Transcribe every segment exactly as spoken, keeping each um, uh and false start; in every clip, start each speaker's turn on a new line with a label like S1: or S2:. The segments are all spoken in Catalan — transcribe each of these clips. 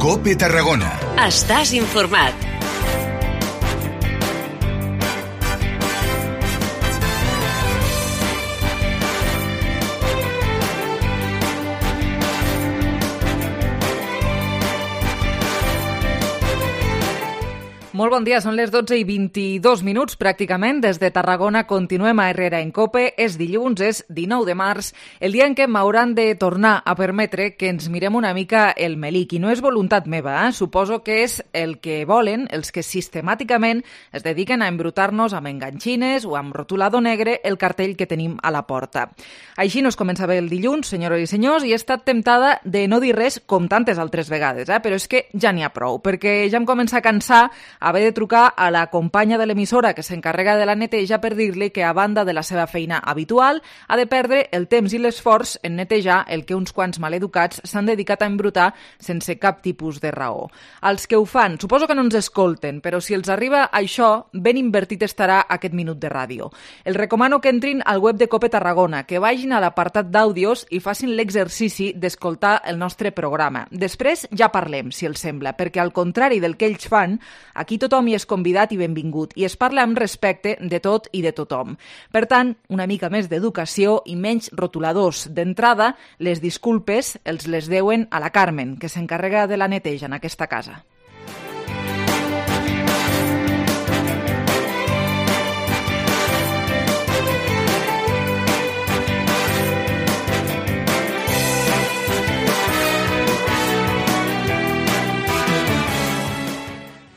S1: COPE Tarragona.
S2: Estàs informat.
S3: Molt bon dia, són les dotze i vint-i-dos minuts pràcticament. Des de Tarragona continuem a Herrera en COPE. És dilluns, és dinou de març, el dia en què m'hauran de tornar a permetre que ens mirem una mica el melic. I no és voluntat meva, eh? Suposo que és el que volen els que sistemàticament es dediquen a embrutar-nos amb enganxines o amb rotulador negre el cartell que tenim a la porta. Així no es comença bé el dilluns, senyores i senyors, i he estat temptada de no dir res com tantes altres vegades, eh? Però és que ja n'hi ha prou, perquè ja em comença a cansar haver de trucar a la companya de l'emissora que s'encarrega de la neteja per dir-li que, a banda de la seva feina habitual, ha de perdre el temps i l'esforç en netejar el que uns quants maleducats s'han dedicat a embrutar sense cap tipus de raó. Els que ho fan, suposo que no ens escolten, però si els arriba això, ben invertit estarà aquest minut de ràdio. Els recomano que entrin al web de COPE Tarragona, que vagin a l'apartat d'àudios i facin l'exercici d'escoltar el nostre programa. Després ja parlem, si els sembla, perquè al contrari del que ells fan, aquí tothom hi és convidat i benvingut, i es parla amb respecte de tot i de tothom. Per tant, una mica més d'educació i menys rotuladors. D'entrada, les disculpes els les deuen a la Carmen, que s'encarrega de la neteja en aquesta casa.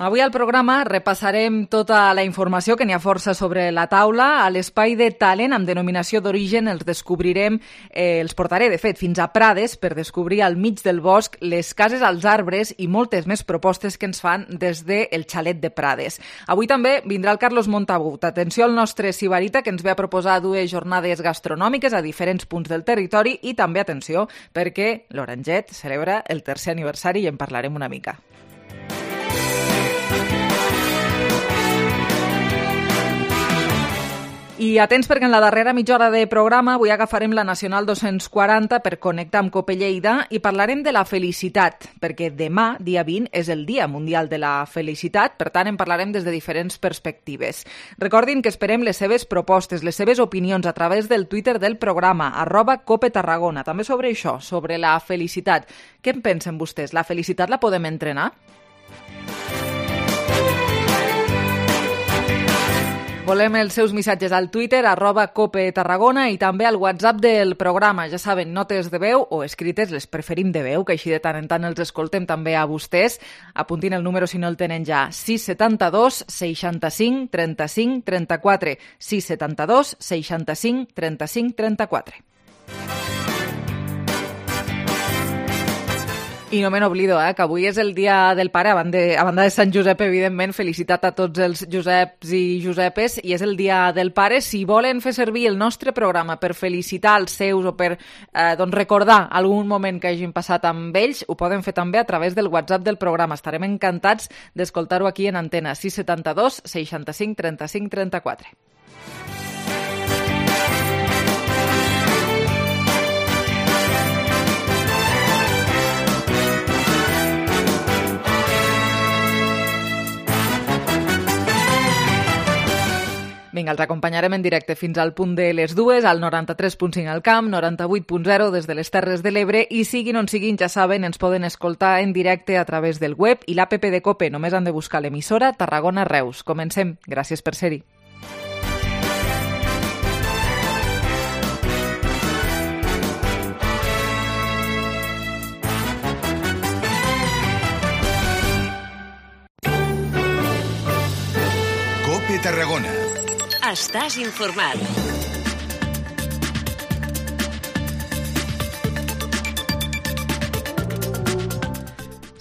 S3: Avui al programa repassarem tota la informació, que n'hi ha força sobre la taula. A l'espai de talent amb denominació d'origen els descobrirem, eh, els portaré de fet fins a Prades per descobrir al mig del bosc les cases als arbres i moltes més propostes que ens fan des del xalet de Prades. Avui també vindrà el Carlos Montagut. Atenció al nostre sibarita, que ens ve a proposar dues jornades gastronòmiques a diferents punts del territori, i també atenció perquè l'Oranget celebra el tercer aniversari i en parlarem una mica. I atents, perquè en la darrera mitja hora de programa avui agafarem la Nacional dos-cents quaranta per connectar amb COPE Lleida i parlarem de la felicitat, perquè demà, dia vint, és el Dia Mundial de la Felicitat, per tant en parlarem des de diferents perspectives. Recordin que esperem les seves propostes, les seves opinions a través del Twitter del programa, arroba COPE Tarragona, també sobre això, sobre la felicitat. Què en pensen vostès? La felicitat la podem entrenar? Volem els seus missatges al Twitter, arroba COPE Tarragona, i també al WhatsApp del programa. Ja saben, notes de veu o escrites, les preferim de veu, que així de tant en tant els escoltem també a vostès. Apuntin el número si no el tenen ja. sis setanta dos seixanta-cinc trenta-cinc trenta-quatre. sis setanta dos seixanta-cinc trenta-cinc trenta-quatre. I no me n'oblido, eh, que avui és el dia del pare, a banda, a banda de Sant Josep, evidentment, felicitat a tots els Joseps i Josepes, i és el dia del pare. Si volen fer servir el nostre programa per felicitar els seus o per eh, doncs recordar algun moment que hagin passat amb ells, ho poden fer també a través del WhatsApp del programa. Estarem encantats d'escoltar-ho aquí en antena. sis setanta dos seixanta-cinc trenta-cinc trenta-quatre. Vinga, els acompanyarem en directe fins al punt de les dues, al noranta-tres punt cinc al Camp, noranta-vuit punt zero des de les Terres de l'Ebre, i siguin on siguin, ja saben, ens poden escoltar en directe a través del web i l'app de COPE. Només han de buscar l'emissora Tarragona Reus. Comencem. Gràcies per ser-hi.
S1: COPE Tarragona.
S2: Estàs informat.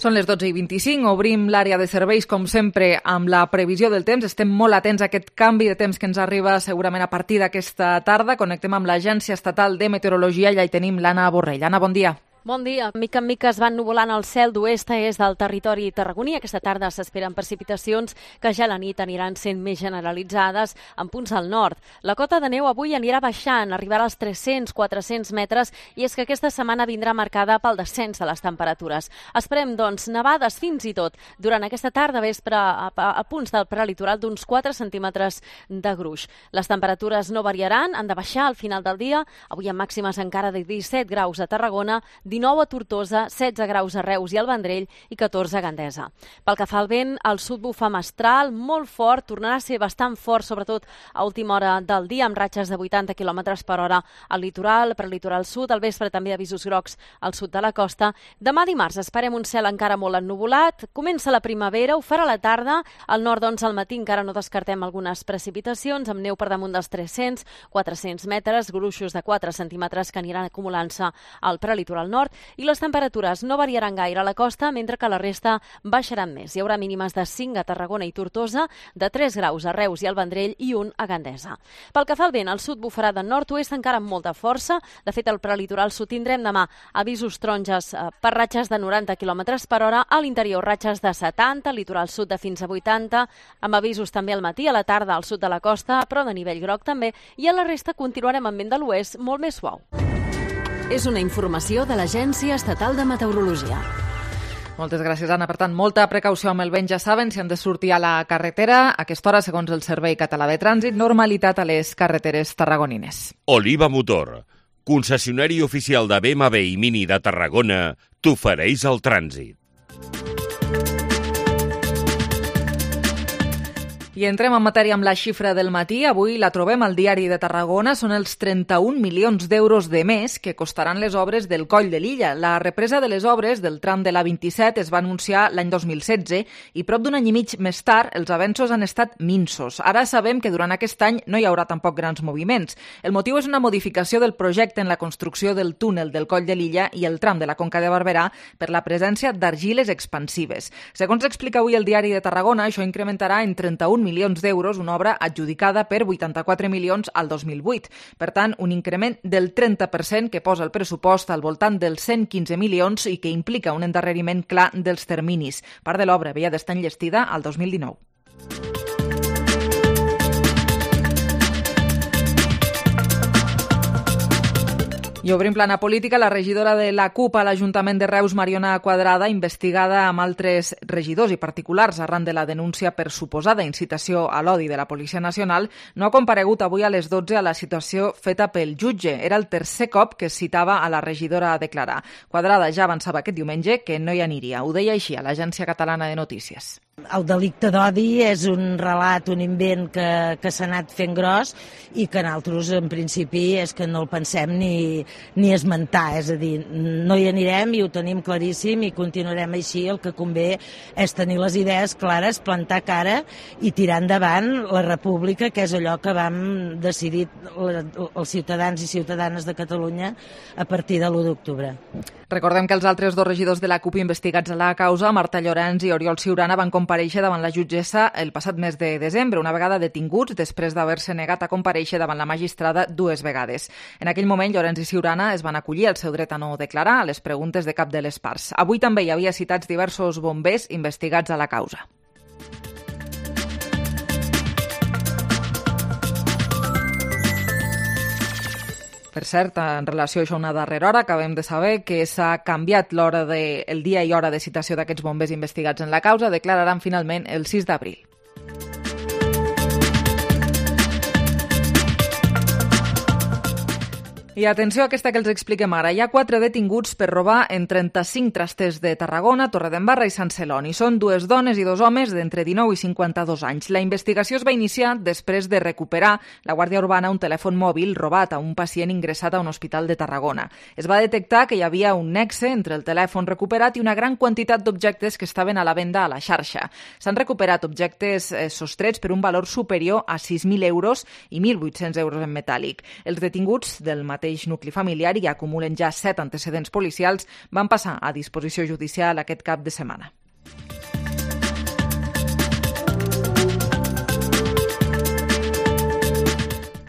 S3: Són les dotze i vint-i-cinc, obrim l'àrea de serveis com sempre amb la previsió del temps. Estem molt atents a aquest canvi de temps que ens arriba segurament a partir d'aquesta tarda. Connectem amb l'Agència Estatal de Meteorologia i allà hi tenim l'Anna Borrell. Anna, bon dia.
S4: Bon dia. Mica en mica es van nuvolant el cel d'oest a est del territori tarragoní. Aquesta tarda s'esperen precipitacions que ja a la nit aniran sent més generalitzades en punts al nord. La cota de neu avui anirà baixant, arribarà als tres-cents a quatre-cents metres, i és que aquesta setmana vindrà marcada pel descens de les temperatures. Esperem, doncs, nevades fins i tot durant aquesta tarda vespre a, a, a punts del prelitoral d'uns quatre centímetres de gruix. Les temperatures no variaran, han de baixar al final del dia, avui amb màximes encara de disset graus a Tarragona, dinou a Tortosa, setze graus a Reus i al Vendrell i catorze a Gandesa. Pel que fa al vent, al sud bufa mestral, molt fort, tornarà a ser bastant fort, sobretot a última hora del dia, amb ratxes de vuitanta quilòmetres per hora al litoral, prelitoral sud, al vespre també avisos grocs al sud de la costa. Demà dimarts esperem un cel encara molt ennuvolat, comença la primavera, ho farà a la tarda, al nord doncs al matí encara no descartem algunes precipitacions, amb neu per damunt dels tres-cents a quatre-cents metres, gruixos de quatre centímetres que aniran acumulant-se al prelitoral nord, i les temperatures no variaran gaire a la costa, mentre que la resta baixaran més. Hi haurà mínimes de cinc a Tarragona i Tortosa, de tres graus a Reus i al Vendrell i un a Gandesa. Pel que fa al vent, al sud bufarà de nord-oest encara amb molta força. De fet, al prelitoral sud tindrem demà avisos taronges per ratxes de noranta quilòmetres per hora, a l'interior ratxes de setanta, litoral sud de fins a vuitanta, amb avisos també al matí, a la tarda al sud de la costa, però de nivell groc també, i a la resta continuarem amb vent de l'oest molt més suau.
S2: És una informació de l'Agència Estatal de Meteorologia.
S3: Moltes gràcies, Anna. Per tant, molta precaució amb el vent, ja saben, si han de sortir a la carretera. A aquesta hora, segons el Servei Català de Trànsit, normalitat a les carreteres tarragonines.
S5: Oliva Motor, concessionari oficial de B M W i Mini de Tarragona, t'ofereix el trànsit.
S3: I entrem en matèria amb la xifra del matí. Avui la trobem al Diari de Tarragona. Són els trenta-un milions d'euros de més que costaran les obres del Coll de Lilla. La represa de les obres del tram de la vint-i-set es va anunciar l'any dos mil setze i prop d'un any i mig més tard els avenços han estat minsos. Ara sabem que durant aquest any no hi haurà tampoc grans moviments. El motiu és una modificació del projecte en la construcció del túnel del Coll de Lilla i el tram de la Conca de Barberà per la presència d'argiles expansives. Segons explica avui el Diari de Tarragona, això incrementarà en trenta-un milions d'euros una obra adjudicada per vuitanta-quatre milions al dos mil vuit. Per tant, un increment del trenta per cent que posa el pressupost al voltant dels cent quinze milions i que implica un endarreriment clar dels terminis. Part de l'obra havia d'estar enllestida al dos mil dinou. I obrim plana política. La regidora de la CUP a l'Ajuntament de Reus, Mariona Quadrada, investigada amb altres regidors i particulars arran de la denúncia per suposada incitació a l'odi de la Policia Nacional, no ha comparegut avui a les dotze a la situació feta pel jutge. Era el tercer cop que es citava a la regidora a declarar. Quadrada ja avançava aquest diumenge que no hi aniria. Ho deia així a l'Agència Catalana de Notícies.
S6: El delicte d'odi és un relat, un invent que, que s'ha anat fent gros i que nosaltres, en principi, és que no el pensem ni, ni esmentar. És a dir, no hi anirem i ho tenim claríssim i continuarem així. El que convé és tenir les idees clares, plantar cara i tirar endavant la república, que és allò que vam decidir els ciutadans i ciutadanes de Catalunya a partir de l'u d'octubre.
S3: Recordem que els altres dos regidors de la CUP investigats a la causa, Marta Llorens i Oriol Ciurana, van comparèixer davant la jutgessa el passat mes de desembre, una vegada detinguts després d'haver-se negat a comparèixer davant la magistrada dues vegades. En aquell moment, Llorens i Ciurana es van acollir al seu dret a no declarar a les preguntes de cap de les parts. Avui també hi havia citats diversos bombers investigats a la causa. Per cert, en relació a això, una darrera hora, acabem de saber que s'ha canviat l'hora de, el dia i hora de citació d'aquests bombers investigats en la causa. Declararan finalment el sis d'abril. I atenció a aquesta que els expliquem ara. Hi ha quatre detinguts per robar en trenta-cinc trasters de Tarragona, Torredembarra i Sant Celoni. Són dues dones i dos homes d'entre dinou i cinquanta-dos anys. La investigació es va iniciar després de recuperar la Guàrdia Urbana un telèfon mòbil robat a un pacient ingressat a un hospital de Tarragona. Es va detectar que hi havia un nexe entre el telèfon recuperat i una gran quantitat d'objectes que estaven a la venda a la xarxa. S'han recuperat objectes eh, sostrets per un valor superior a sis mil euros i mil vuit-cents euros en metàl·lic. Els detinguts del mateix nucli familiar i acumulen ja set antecedents policials, van passar a disposició judicial aquest cap de setmana.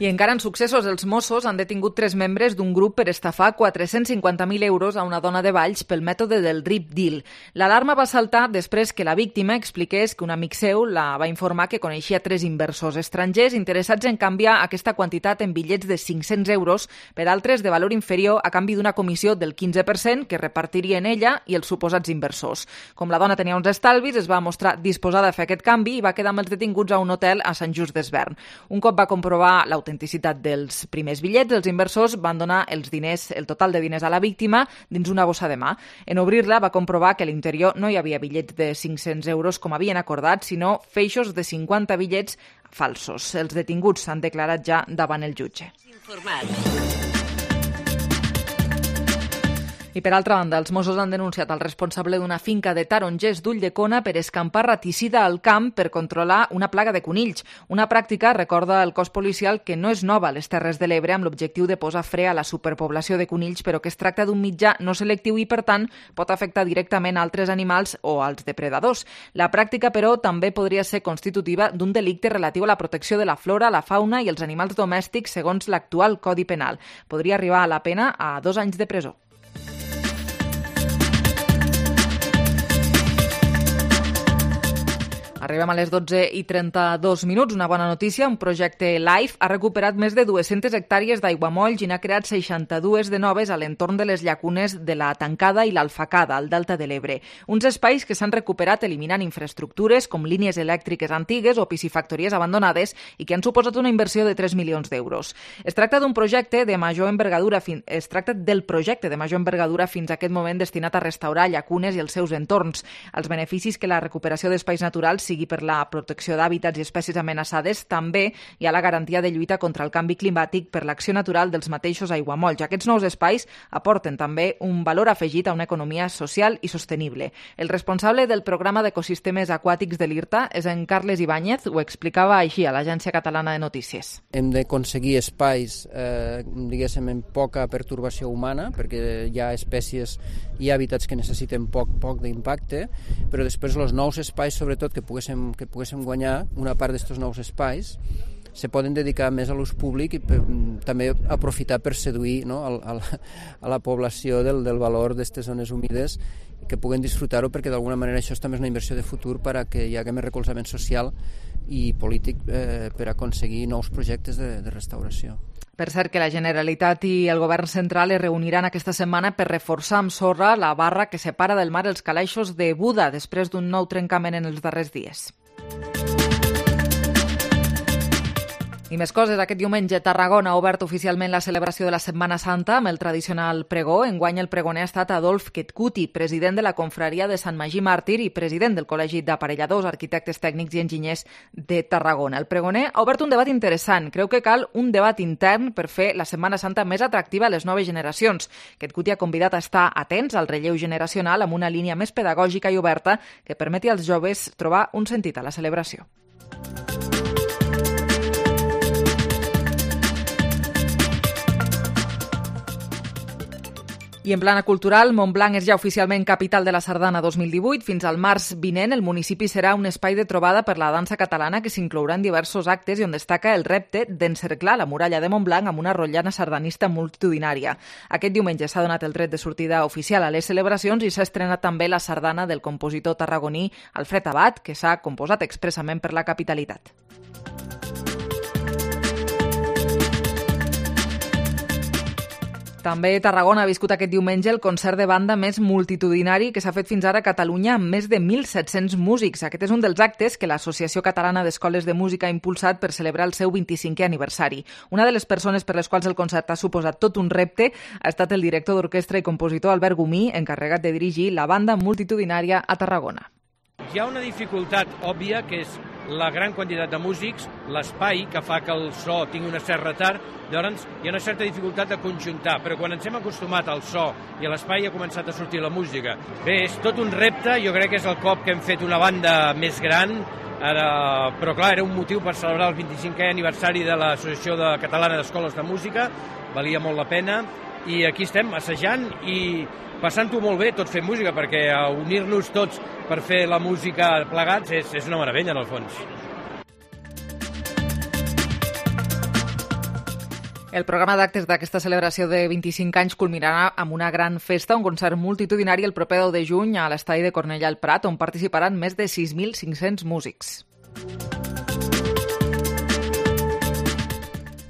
S3: I encara en successos, els Mossos han detingut tres membres d'un grup per estafar quatre-cents cinquanta mil euros a una dona de Valls pel mètode del Rip Deal. L'alarma va saltar després que la víctima expliqués que un amic seu la va informar que coneixia tres inversors estrangers interessats en canviar aquesta quantitat en bitllets de cinc-cents euros per altres de valor inferior a canvi d'una comissió del quinze per cent que repartirien ella i els suposats inversors. Com la dona tenia uns estalvis, es va mostrar disposada a fer aquest canvi i va quedar amb els detinguts a un hotel a Sant Just Desvern. Un cop va comprovar l'autenticitat l'autenticitat dels primers bitllets, els inversors van donar els diners, el total de diners a la víctima dins una bossa de mà. En obrir-la va comprovar que a l'interior no hi havia bitllets de cinc-cents euros com havien acordat, sinó feixos de cinquanta bitllets falsos. Els detinguts s'han declarat ja davant el jutge. I per altra banda, els Mossos han denunciat el responsable d'una finca de tarongers d'Ulldecona per escampar raticida al camp per controlar una plaga de conills. Una pràctica, recorda el cos policial, que no és nova a les Terres de l'Ebre amb l'objectiu de posar fre a la superpoblació de conills, però que es tracta d'un mitjà no selectiu i, per tant, pot afectar directament a altres animals o als depredadors. La pràctica, però, també podria ser constitutiva d'un delicte relatiu a la protecció de la flora, la fauna i els animals domèstics segons l'actual Codi Penal. Podria arribar a la pena a dos anys de presó. Arribem a les dotze i trenta-dos minuts. Una bona notícia. Un projecte LIFE ha recuperat més de dues-centes hectàrees d'aiguamolls i n'ha creat seixanta-dues de noves a l'entorn de les llacunes de la Tancada i l'Alfacada, al Delta de l'Ebre. Uns espais que s'han recuperat eliminant infraestructures com línies elèctriques antigues o piscifactories abandonades i que han suposat una inversió de tres milions d'euros. Es tracta d'un projecte de major envergadura fin... es tracta del projecte de major envergadura fins a aquest moment destinat a restaurar llacunes i els seus entorns. Els beneficis que la recuperació d'espais naturals sigui per la protecció d'hàbitats i espècies amenaçades, també hi ha la garantia de lluita contra el canvi climàtic per l'acció natural dels mateixos aiguamolls. Aquests nous espais aporten també un valor afegit a una economia social i sostenible. El responsable del programa d'ecosistemes aquàtics de l'IRTA és en Carles Ibáñez, ho explicava així a l'Agència Catalana de Notícies.
S7: Hem d'aconseguir espais, eh, diguéssim, amb poca pertorbació humana, perquè hi ha espècies i hàbitats que necessiten poc, poc d'impacte, però després els nous espais, sobretot, que poguéssim que poguéssim guanyar una part d'aquests nous espais, se poden dedicar més a l'ús públic i per, també aprofitar per seduir, no, a, a, la, a la població del, del valor d'aquestes zones humides, que puguen disfrutar-ho, perquè d'alguna manera això també és una inversió de futur per a que hi hagi més recolzament social i polític eh, per aconseguir nous projectes de, de restauració.
S3: Per cert, que la Generalitat i el Govern central es reuniran aquesta setmana per reforçar amb sorra la barra que separa del mar els calaixos de Buda després d'un nou trencament en els darrers dies. I més coses. Aquest diumenge Tarragona ha obert oficialment la celebració de la Setmana Santa amb el tradicional pregó. Enguany el pregoner ha estat Adolf Ketkuti, president de la confraria de Sant Magí Màrtir i president del Col·legi d'Aparelladors, Arquitectes Tècnics i Enginyers de Tarragona. El pregoner ha obert un debat interessant. Creu que cal un debat intern per fer la Setmana Santa més atractiva a les noves generacions. Ketkuti ha convidat a estar atents al relleu generacional amb una línia més pedagògica i oberta que permeti als joves trobar un sentit a la celebració. I en plana cultural, Montblanc és ja oficialment capital de la Sardana dos mil divuit. Fins al març vinent, el municipi serà un espai de trobada per la dansa catalana que s'inclourà en diversos actes i on destaca el repte d'encerclar la muralla de Montblanc amb una rotllana sardanista multitudinària. Aquest diumenge s'ha donat el tret de sortida oficial a les celebracions i s'ha estrenat també la sardana del compositor tarragoní Alfred Abad, que s'ha composat expressament per la capitalitat. També Tarragona ha viscut aquest diumenge el concert de banda més multitudinari que s'ha fet fins ara a Catalunya amb més de mil set-cents músics. Aquest és un dels actes que l'Associació Catalana d'Escoles de Música ha impulsat per celebrar el seu vint-i-cinquè aniversari. Una de les persones per les quals el concert ha suposat tot un repte ha estat el director d'orquestra i compositor Albert Gomí, encarregat de dirigir la banda multitudinària a Tarragona.
S8: Hi ha una dificultat òbvia, que és la gran quantitat de músics, l'espai que fa que el so tingui un cert retard. Llavors hi ha una certa dificultat de conjuntar, però quan ens hem acostumat al so i a l'espai ha començat a sortir la música. Bé, és tot un repte, jo crec que és el cop que hem fet una banda més gran, ara, però clar, era un motiu per celebrar el vint-i-cinquè aniversari de l'Associació de Catalana d'Escoles de Música, valia molt la pena, i aquí estem assajant i passant-ho molt bé tot fent música, perquè unir-nos tots per fer la música plegats és, és una meravella, en el fons.
S3: El programa d'actes d'aquesta celebració de vint-i-cinc anys culminarà amb una gran festa, un concert multitudinari el proper deu de juny a l'estadi de Cornellà al Prat, on participaran més de sis mil cinc-cents músics.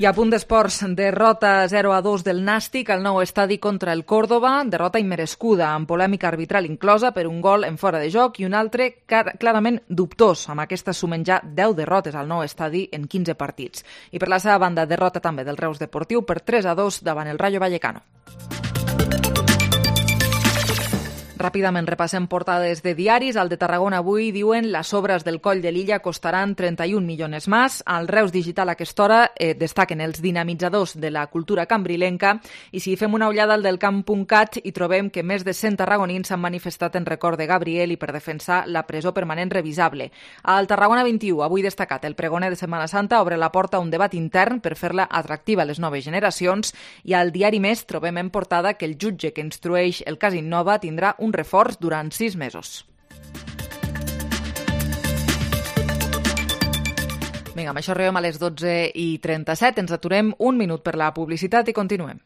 S3: I a punt d'esports, derrota zero a dos del Nàstic al nou estadi contra el Córdoba, derrota immerescuda, amb polèmica arbitral inclosa per un gol en fora de joc i un altre clarament dubtós. Amb aquesta sumen ja deu derrotes al nou estadi en quinze partits. I per la seva banda, derrota també del Reus Deportiu per tres a dos davant el Rayo Vallecano. Ràpidament repassem portades de diaris. Al de Tarragona avui diuen les obres del Coll de l'Illa costaran trenta-un milions més. Al Reus Digital a aquesta hora eh, destaquen els dinamitzadors de la cultura cambrilenca i si fem una ullada al del camp punt cat hi trobem que més de cent tarragonins s'han manifestat en record de Gabriel i per defensar la presó permanent revisable. Al Tarragona vint-i-u, avui destacat, el pregoner de Setmana Santa obre la porta a un debat intern per fer-la atractiva a les noves generacions i al diari Més trobem en portada que el jutge que instrueix el cas Innova tindrà un reforç durant sis mesos. Vinga, amb això arribem a les dotze i trenta-set. Ens aturem un minut per la publicitat i continuem.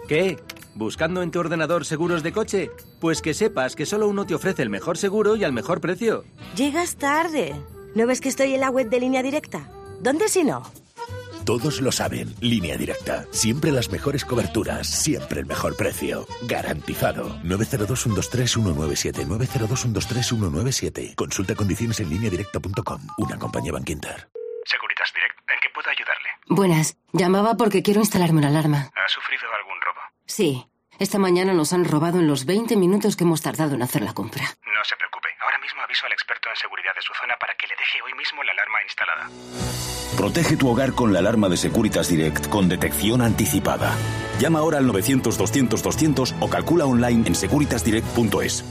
S9: ¿Qué? ¿Buscando en tu ordenador seguros de coche? Pues que sepas que solo uno te ofrece el mejor seguro y al mejor precio.
S10: Llegas tarde. ¿No ves que estoy en la web de Línea Directa? ¿Dónde si no?
S11: Todos lo saben. Línea Directa. Siempre las mejores coberturas. Siempre el mejor precio. Garantizado. nueve cero dos, uno dos tres, uno nueve siete. nueve cero dos, uno dos tres, uno nueve siete. Consulta condiciones en línea directa punto com. Una compañía Bankinter.
S12: Securitas Direct. ¿En qué puedo ayudarle?
S13: Buenas. Llamaba porque quiero instalarme una alarma.
S12: ¿Ha sufrido algún robo?
S13: Sí. Esta mañana nos han robado en los veinte minutos que hemos tardado en hacer la compra.
S12: No se preocupe. Ahora mismo aviso al experto en seguridad de su zona para que le deje hoy mismo la alarma instalada.
S14: Protege tu hogar con la alarma de Securitas Direct con detección anticipada. Llama ahora al novecientos, doscientos, doscientos o calcula online en securitas direct punto es.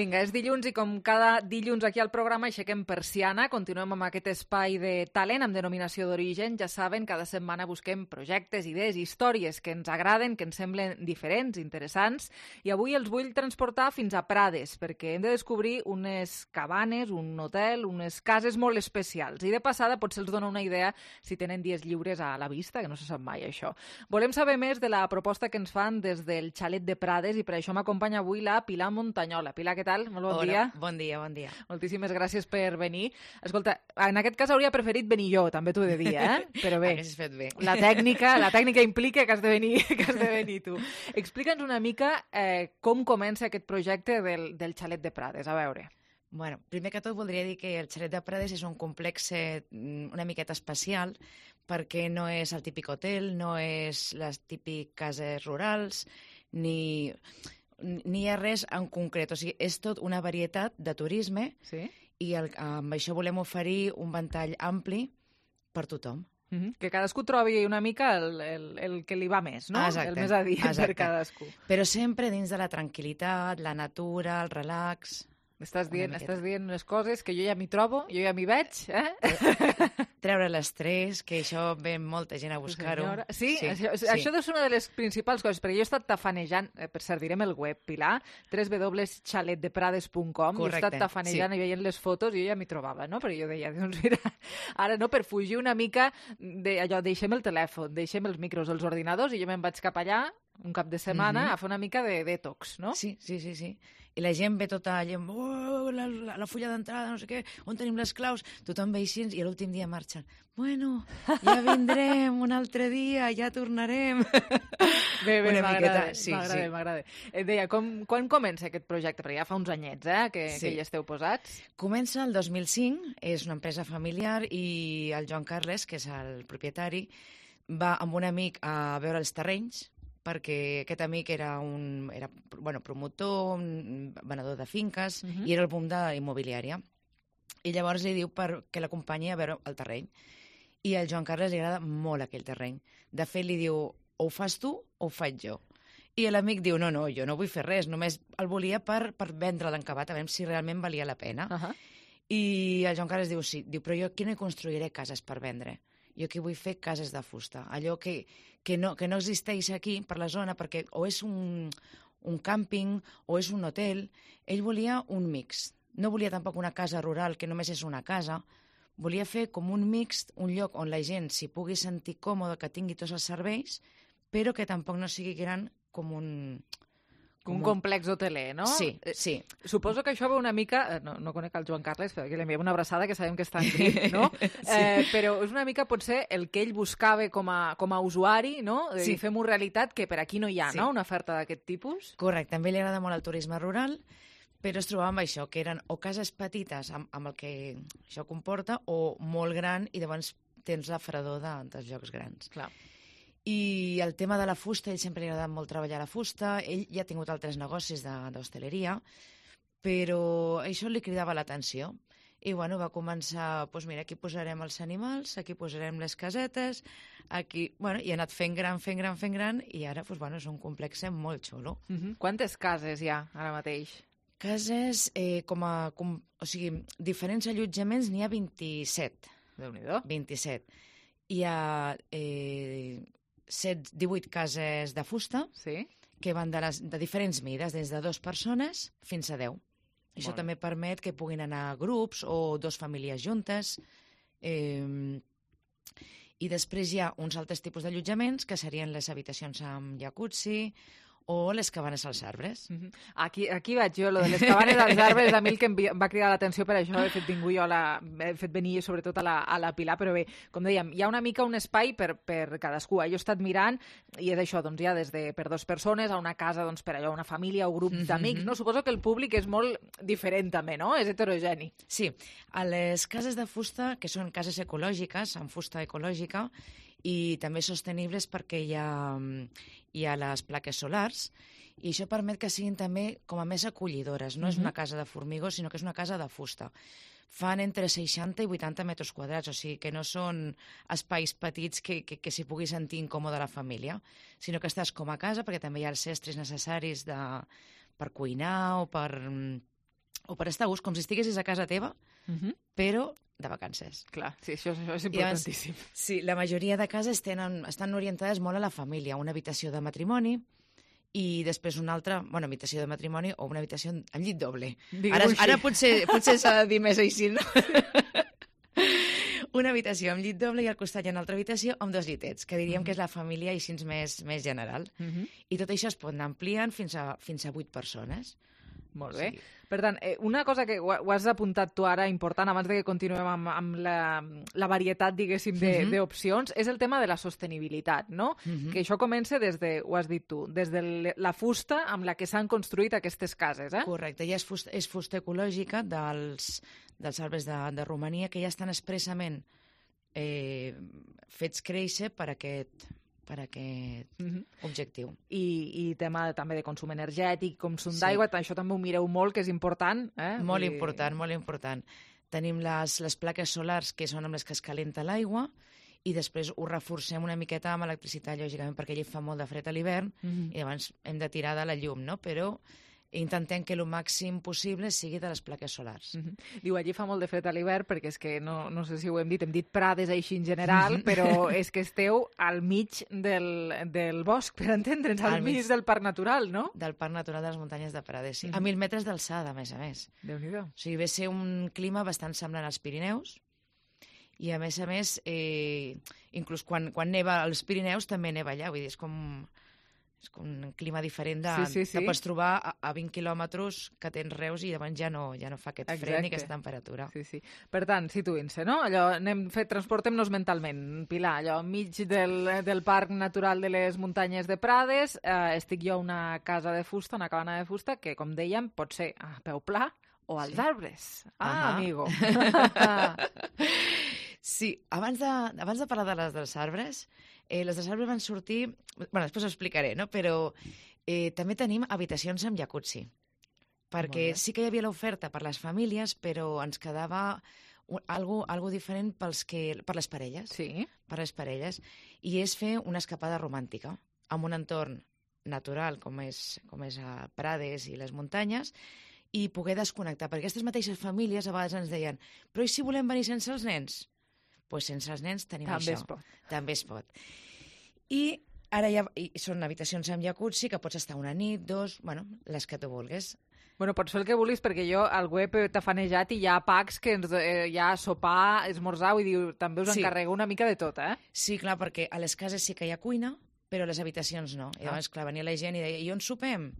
S3: Vinga, és dilluns i com cada dilluns aquí al programa aixequem persiana, continuem amb aquest espai de talent amb denominació d'origen. Ja saben, cada setmana busquem projectes, idees, històries que ens agraden, que ens semblen diferents, interessants, i avui els vull transportar fins a Prades, perquè hem de descobrir unes cabanes, un hotel, unes cases molt especials. I de passada potser els dona una idea si tenen dies lliures a la vista, que no se sap mai això. Volem saber més de la proposta que ens fan des del xalet de Prades i per això m'acompanya avui la Pilar Montanyola. Pilar, què tal? Molt bon
S15: Hola,
S3: dia.
S15: Bon dia, bon dia.
S3: Moltíssimes gràcies per venir. Escolta, en aquest cas hauria preferit venir jo, també t'ho he de dir, eh? Però bé,
S15: Haguessis fet bé.
S3: la tècnica, la tècnica implica que has de venir, que has de venir tu. Explica'ns una mica eh, com comença aquest projecte del, del xalet de Prades, a veure.
S15: Bueno, primer que tot voldria dir que el xalet de Prades és un complex eh, una miqueta especial perquè no és el típic hotel, no és les típiques cases rurals, ni... ni hi ha res en concret, o sigui, és tot una varietat de turisme
S3: sí?
S15: i el, amb això volem oferir un ventall ampli per tothom.
S3: Mm-hmm. Que cadascú trobi una mica el, el, el que li va més, no?
S15: Exacte,
S3: el més adient
S15: exacte.
S3: Per cadascú.
S15: Però sempre dins de la tranquil·litat, la natura, el relax...
S3: Estàs dient, estàs dient unes coses que jo ja m'hi trobo, jo ja m'hi veig, eh?
S15: Treure l'estrès, que això ve molta gent a buscar-ho.
S3: Sí, sí, això, sí, això deu ser una de les principals coses, perquè jo he estat tafanejant, eh, per cert, direm el web, Pilar, w w w punt xalet de prades punt com, i he estat tafanejant sí. i veient les fotos i jo ja m'hi trobava, no? Però jo deia, doncs mira, ara no, per fugir una mica d'allò, deixem el telèfon, deixem els micros, els ordinadors, i jo me'n vaig cap allà un cap de setmana mm-hmm. a fer una mica de detox, no?
S15: Sí, sí, sí, sí. I la gent ve tota la gent, oh, la, la, la fulla d'entrada, no sé què, on tenim les claus? Tothom ve així i l'últim dia marxen. Bueno, ja vindrem un altre dia, ja tornarem.
S3: Bé, bé, m'agrada,
S15: sí,
S3: m'agrada,
S15: sí.
S3: m'agrada. Et deia, com, quan comença aquest projecte? Perquè ja fa uns anyets, eh, que, sí. que hi esteu posats.
S15: Comença el dos mil cinc, és una empresa familiar i el Joan Carles, que és el propietari, va amb un amic a veure els terrenys, perquè aquest amic era un era, bueno, promotor, un venedor de finques, uh-huh. i era el boom de immobiliària. i llavors li diu per, que l'acompanyi a veure el terreny. I al Joan Carles li agrada molt aquell terreny. De fet, li diu, o ho fas tu o ho faig jo. I l'amic diu, no, no, jo no vull fer res, només el volia per, per vendre l'encabat, a veure si realment valia la pena. Uh -huh. I el Joan Carles diu, sí, diu, però jo aquí no hi construiré cases per vendre. Jo aquí vull fer cases de fusta. Allò que, que, no, que no existeix aquí, per la zona, perquè o és un, un càmping o és un hotel. Ell volia un mix. No volia tampoc una casa rural, que només és una casa. Volia fer com un mixt, un lloc on la gent s'hi pugui sentir còmode, que tingui tots els serveis, però que tampoc no sigui gran com un...
S3: Com un complex hoteler, no?
S15: Sí, sí.
S3: Suposo que això va una mica... No, no conec el Joan Carles, perquè li enviem una abraçada, que sabem que està en grip, no? Sí. Eh, però és una mica, potser, el que ell buscava com a, com a usuari, no? Sí. Fem-ho realitat, que per aquí no hi ha, sí. no?, una oferta d'aquest tipus.
S15: Correcte. També li agrada molt el turisme rural, però es trobava amb això, que eren o cases petites amb, amb el que això comporta, o molt gran, i llavors tens la fredor de, dels llocs grans.
S3: Clar.
S15: I el tema de la fusta, ell sempre li ha agradat molt treballar la fusta, ell ja ha tingut altres negocis d'hostaleria, però això li cridava l'atenció. I bueno, va començar, doncs mira, aquí posarem els animals, aquí posarem les casetes, aquí... Bueno, i ha anat fent gran, fent gran, fent gran, i ara, doncs bueno, és un complex molt xulo.
S3: Uh -huh. Quantes cases hi ha ara mateix?
S15: Cases, eh, com a... Com, o sigui, diferents allotjaments n'hi ha vint-i-set.
S3: Déu-n'hi-do.
S15: vint-i-set. Hi ha... Eh, divuit cases de fusta,
S3: sí.
S15: que van de, les, de diferents mides, des de dues persones fins a deu. Això
S3: Molt
S15: també permet que puguin anar grups o dos famílies juntes. Eh, I després hi ha uns altres tipus d'allotjaments, que serien les habitacions amb jacuzzi o les cabanes als arbres.
S3: Uh -huh. Aquí, aquí vaig jo, lo de les cabanes als arbres, a mi el que em va cridar l'atenció per això, he fet, jo la, he fet venir sobretot a la, a la Pilar, però bé, com dèiem, hi ha una mica un espai per, per cadascú. Jo he estat mirant i és això, doncs ja des de per dues persones a una casa, doncs per allò, una família o grup d'amics, no? Suposo que el públic és molt diferent també, no? És heterogeni.
S15: Sí, a les cases de fusta, que són cases ecològiques, amb fusta ecològica, i també sostenibles perquè hi ha, hi ha les plaques solars, i això permet que siguin també com a més acollidores. No uh-huh. és una casa de formigó, sinó que és una casa de fusta. Fan entre seixanta i vuitanta metres quadrats, o sigui que no són espais petits que, que, que s'hi pugui sentir incòmode la família, sinó que estàs com a casa, perquè també hi ha els estris necessaris de, per cuinar o per, o per estar a gust, com si estiguessis a casa teva, uh-huh. però de vacances.
S3: Clar, sí, això, això és importantíssim.
S15: Llavors, sí, la majoria de cases tenen, estan orientades molt a la família. Una habitació de matrimoni i després una altra, bueno, habitació de matrimoni o una habitació amb llit doble. Ara, ara potser, potser s'ha de dir més així, no? Una habitació amb llit doble i al costat hi ha una altra habitació amb dos llitets, que diríem uh-huh. que és la família així més, més general. Uh-huh. I tot això es pot anar ampliant fins a, fins a vuit persones.
S3: Molt bé. Sí. Per tant, eh, una cosa que ho, ho has apuntat tu ara important, abans de que continuem amb, amb la, la varietat, diguéssim, d'opcions, uh-huh. és el tema de la sostenibilitat, no? Uh-huh. Que això comença des de, ho has dit tu, des de la fusta amb la que s'han construït aquestes cases, eh?
S15: Correcte, ja és fusta, és fusta ecològica dels, dels arbres de, de Romania, que ja estan expressament eh, fets créixer per aquest... per aquest uh-huh. objectiu.
S3: I, i tema també de consum energètic, consum sí. d'aigua, això també ho mireu molt, que és important. Eh?
S15: Molt
S3: I...
S15: important, molt important. Tenim les, les plaques solars, que són amb les que es calenta l'aigua, i després ho reforcem una miqueta amb electricitat, lògicament, perquè allí fa molt de fred a l'hivern, uh-huh. i llavors hem de tirar de la llum, no? Però intentem que el màxim possible sigui de les plaques solars.
S3: Uh-huh. Diu, allí fa molt de fred a l'hivern, perquè és que, no, no sé si ho hem dit, hem dit prades així en general, uh-huh. però és que esteu al mig del, del bosc, per entendre'ns, al, al mig, mig del Parc Natural, no?
S15: Del Parc Natural de les Muntanyes de Prades, sí. Uh-huh. A mil metres d'alçada, a més a més.
S3: Déu-n'hi-do.
S15: O sigui, ve ser un clima bastant semblant als Pirineus, i a més a més, eh, inclús quan, quan neva als Pirineus també neva allà, vull dir, és com... És com un clima diferent de,
S3: sí, sí, sí.
S15: que pots trobar a, a vint quilòmetres que tens Reus i llavors ja no, ja no fa aquest Exacte. Fred ni aquesta temperatura.
S3: Sí, sí. Per tant, situïn-se, no? Allò, anem fet, transportem-nos mentalment, Pilar, allò, enmig del, del Parc Natural de les Muntanyes de Prades, eh, estic jo a una casa de fusta, una cabana de fusta, que, com dèiem, pot ser a peu pla o als sí. arbres. Ah, uh-huh. amigo.
S15: Sí, abans de, abans de parlar de les dels arbres, eh, les dels arbres van sortir... Bueno, després ho explicaré, no? Però eh, també tenim habitacions amb jacuzzi. perquè sí que hi havia l'oferta per les famílies, però ens quedava algo, algo diferent pels que, per les parelles.
S3: Sí.
S15: Per les parelles. I és fer una escapada romàntica amb un entorn natural com és, com és a Prades i les muntanyes, i poder desconnectar, perquè aquestes mateixes famílies a vegades ens deien però i si volem venir sense els nens? Doncs pues sense els nens tenim
S3: També
S15: això.
S3: es pot.
S15: També es pot. I ara ja i són habitacions amb jacuzzi, que pots estar una nit, dos, bueno, les que tu vulguis.
S3: Bueno, pots fer el que vulguis, perquè jo al web t'he fanejat i hi ha packs que ens, eh, hi ha sopar, esmorzar, vull dir, també us
S15: Sí.
S3: encarrego una mica de tot, eh?
S15: Sí, clar, perquè a les cases sí que hi ha cuina, però a les habitacions no. I llavors, clar, venia la gent i deia, i on sopem?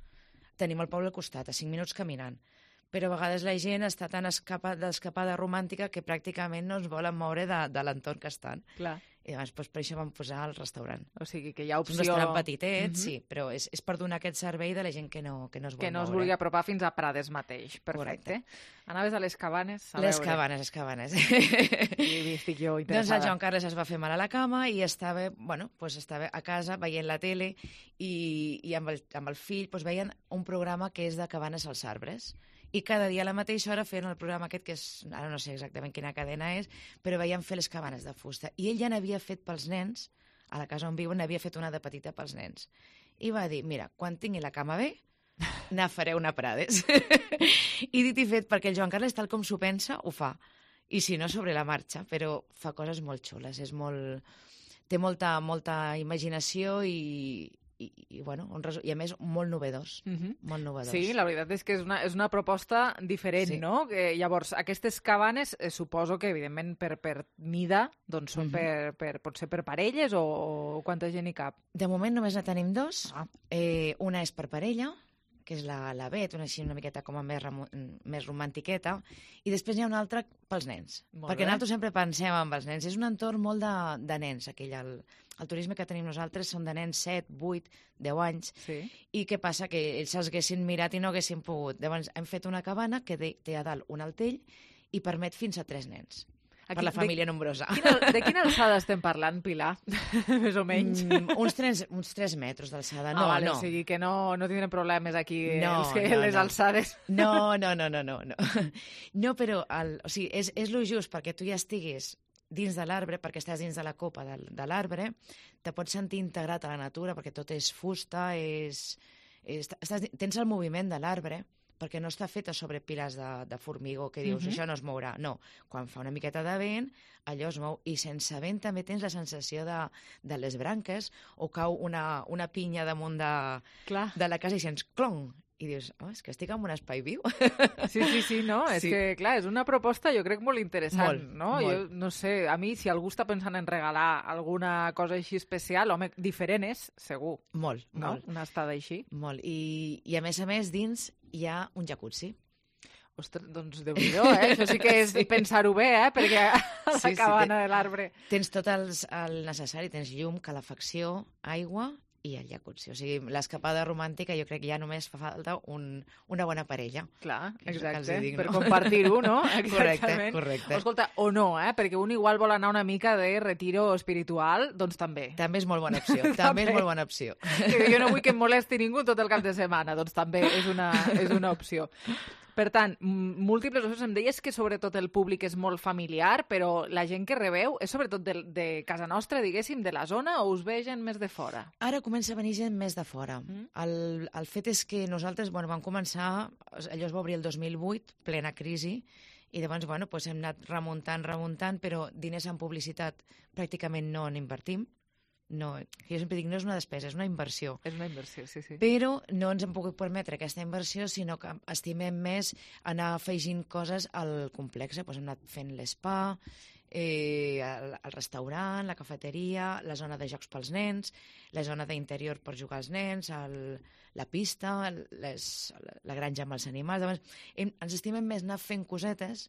S15: Tenim el poble al costat, a cinc minuts caminant. Però a vegades la gent està tan escapa, d'escapada romàntica que pràcticament no es volen moure de, de l'entorn que estan.
S3: Clar.
S15: I llavors doncs, per això vam posar el restaurant.
S3: O sigui que hi ha opció...
S15: És un restaurant petitet,
S3: Mhm.
S15: sí, però és, és per donar aquest servei de la gent que no, que no es vol
S3: Que no es
S15: moure.
S3: vulgui apropar fins a Prades mateix. Perfecte. Anaves a les cabanes? A
S15: Les
S3: veure.
S15: cabanes, les cabanes.
S3: I estic jo
S15: Doncs
S3: interessada.
S15: el Joan Carles es va fer mal a la cama i estava, bueno, pues estava a casa veient la tele i, i amb, el, amb el fill pues veien un programa que és de cabanes als arbres. I cada dia a la mateixa hora feien el programa aquest, que és, ara no sé exactament quina cadena és, però veien fer les cabanes de fusta. I ell ja n'havia fet pels nens, a la casa on viuen, n'havia fet una de petita pels nens. I va dir, mira, quan tingui la cama bé, ne faré una Prades. I dit i fet, perquè el Joan Carles, tal com s'ho pensa, ho fa. I si no, sobre la marxa, però fa coses molt xules, és molt... té molta, molta imaginació i, i, i, bueno, un resu... i a més molt novedós,
S3: Mhm.
S15: molt novedós.
S3: Sí, la veritat és que és una, és una proposta diferent,
S15: Sí.
S3: no? Que, llavors, aquestes cabanes, eh, suposo que, evidentment, per, per mida, doncs són
S15: Mhm.
S3: per, per, pot ser per parelles o, o quanta gent hi cap?
S15: De moment només ne tenim dos. Ah. Eh, una és per parella, que és la, la Bet, una així una miqueta com a més, remo, més romantiqueta, i després n'hi ha una altra pels nens.
S3: Molt
S15: perquè
S3: bé.
S15: nosaltres sempre pensem en els nens. És un entorn molt de, de nens, aquell. El, el turisme que tenim nosaltres són de nens set, vuit, deu anys.
S3: Sí.
S15: I què passa? Que ells se'ls haguessin mirat i no haguessin pogut. Llavors hem fet una cabana que de, té a dalt un altell i permet fins a tres nens.
S3: Aquí,
S15: per la família
S3: de,
S15: nombrosa.
S3: Quina, de quina alçada estem parlant, Pilar? Més o menys.
S15: Mm, uns, tres, uns tres metres d'alçada. No,
S3: ah, vale,
S15: no.
S3: O sigui que no, no tindrem problemes aquí,
S15: No,
S3: els que,
S15: no,
S3: les
S15: no.
S3: alçades.
S15: No, no, no, no, no. No, no però el, o sigui, és, és lo just perquè tu ja estiguis dins de l'arbre, perquè estàs dins de la copa de, de l'arbre, te pots sentir integrat a la natura, perquè tot és fusta, és, és, estàs, tens el moviment de l'arbre, perquè no està feta sobre pilars de, de formigó, que dius,
S3: Mhm.
S15: això no es mourà. No, quan fa una miqueta de vent, allò es mou. I sense vent també tens la sensació de, de les branques, o cau una, una pinya damunt de,
S3: Clar.
S15: de la casa i sents clong. I dius, oh, és que estic en un espai viu.
S3: Sí, sí, sí, no? És
S15: Sí.
S3: que, clar, és una proposta, jo crec, molt interessant,
S15: Molt,
S3: no?
S15: molt.
S3: Jo no sé, a mi, si algú està pensant en regalar alguna cosa així especial, home, diferent és, segur.
S15: Molt,
S3: no?
S15: molt.
S3: Una estada així.
S15: Molt. I, I a més a més, dins hi ha un jacuzzi.
S3: Ostres, doncs déu-n'hi-do, eh? Això sí que és
S15: Sí.
S3: pensar-ho bé, eh? Perquè a la
S15: Sí, sí,
S3: cabana
S15: té-
S3: de l'arbre...
S15: Tens tot els, el necessari, tens llum, calefacció, aigua i el jacuzzi. O sigui, l'escapada romàntica jo crec que ja només fa falta un, una bona parella.
S3: Clar,
S15: Que és el que els
S3: exacte,
S15: hi dic,
S3: per
S15: no?
S3: compartir-ho, no?
S15: Correcte,
S3: Exactament.
S15: correcte.
S3: Escolta, o no, eh? Perquè un igual vol anar una mica de retiro espiritual, doncs també.
S15: També és molt bona opció, també és molt bona opció.
S3: Que jo no vull que em molesti ningú tot el cap de setmana, doncs també és una, és una opció. Per tant, m- múltiples opcions. Em deies que sobretot el públic és molt familiar, però la gent que rebeu és sobretot de, de casa nostra, diguéssim, de la zona, o us ve gent més de fora?
S15: Ara comença a venir gent més de fora. Mm. El, el fet és que nosaltres bueno, vam començar, allò es va obrir el dos mil vuit, plena crisi, i llavors bueno, doncs hem anat remuntant, remuntant, però diners en publicitat pràcticament no n'invertim. No, jo sempre dic, no és una despesa, és una inversió.
S3: És una inversió, sí, sí.
S15: Però no ens hem pogut permetre aquesta inversió, sinó que estimem més anar afegint coses al complex. Doncs hem anat fent l'espa, eh, el, el restaurant, la cafeteria, la zona de jocs pels nens, la zona d'interior per jugar als nens, el, la pista, les, la granja amb els animals. Llavors, hem, ens estimem més anar fent cosetes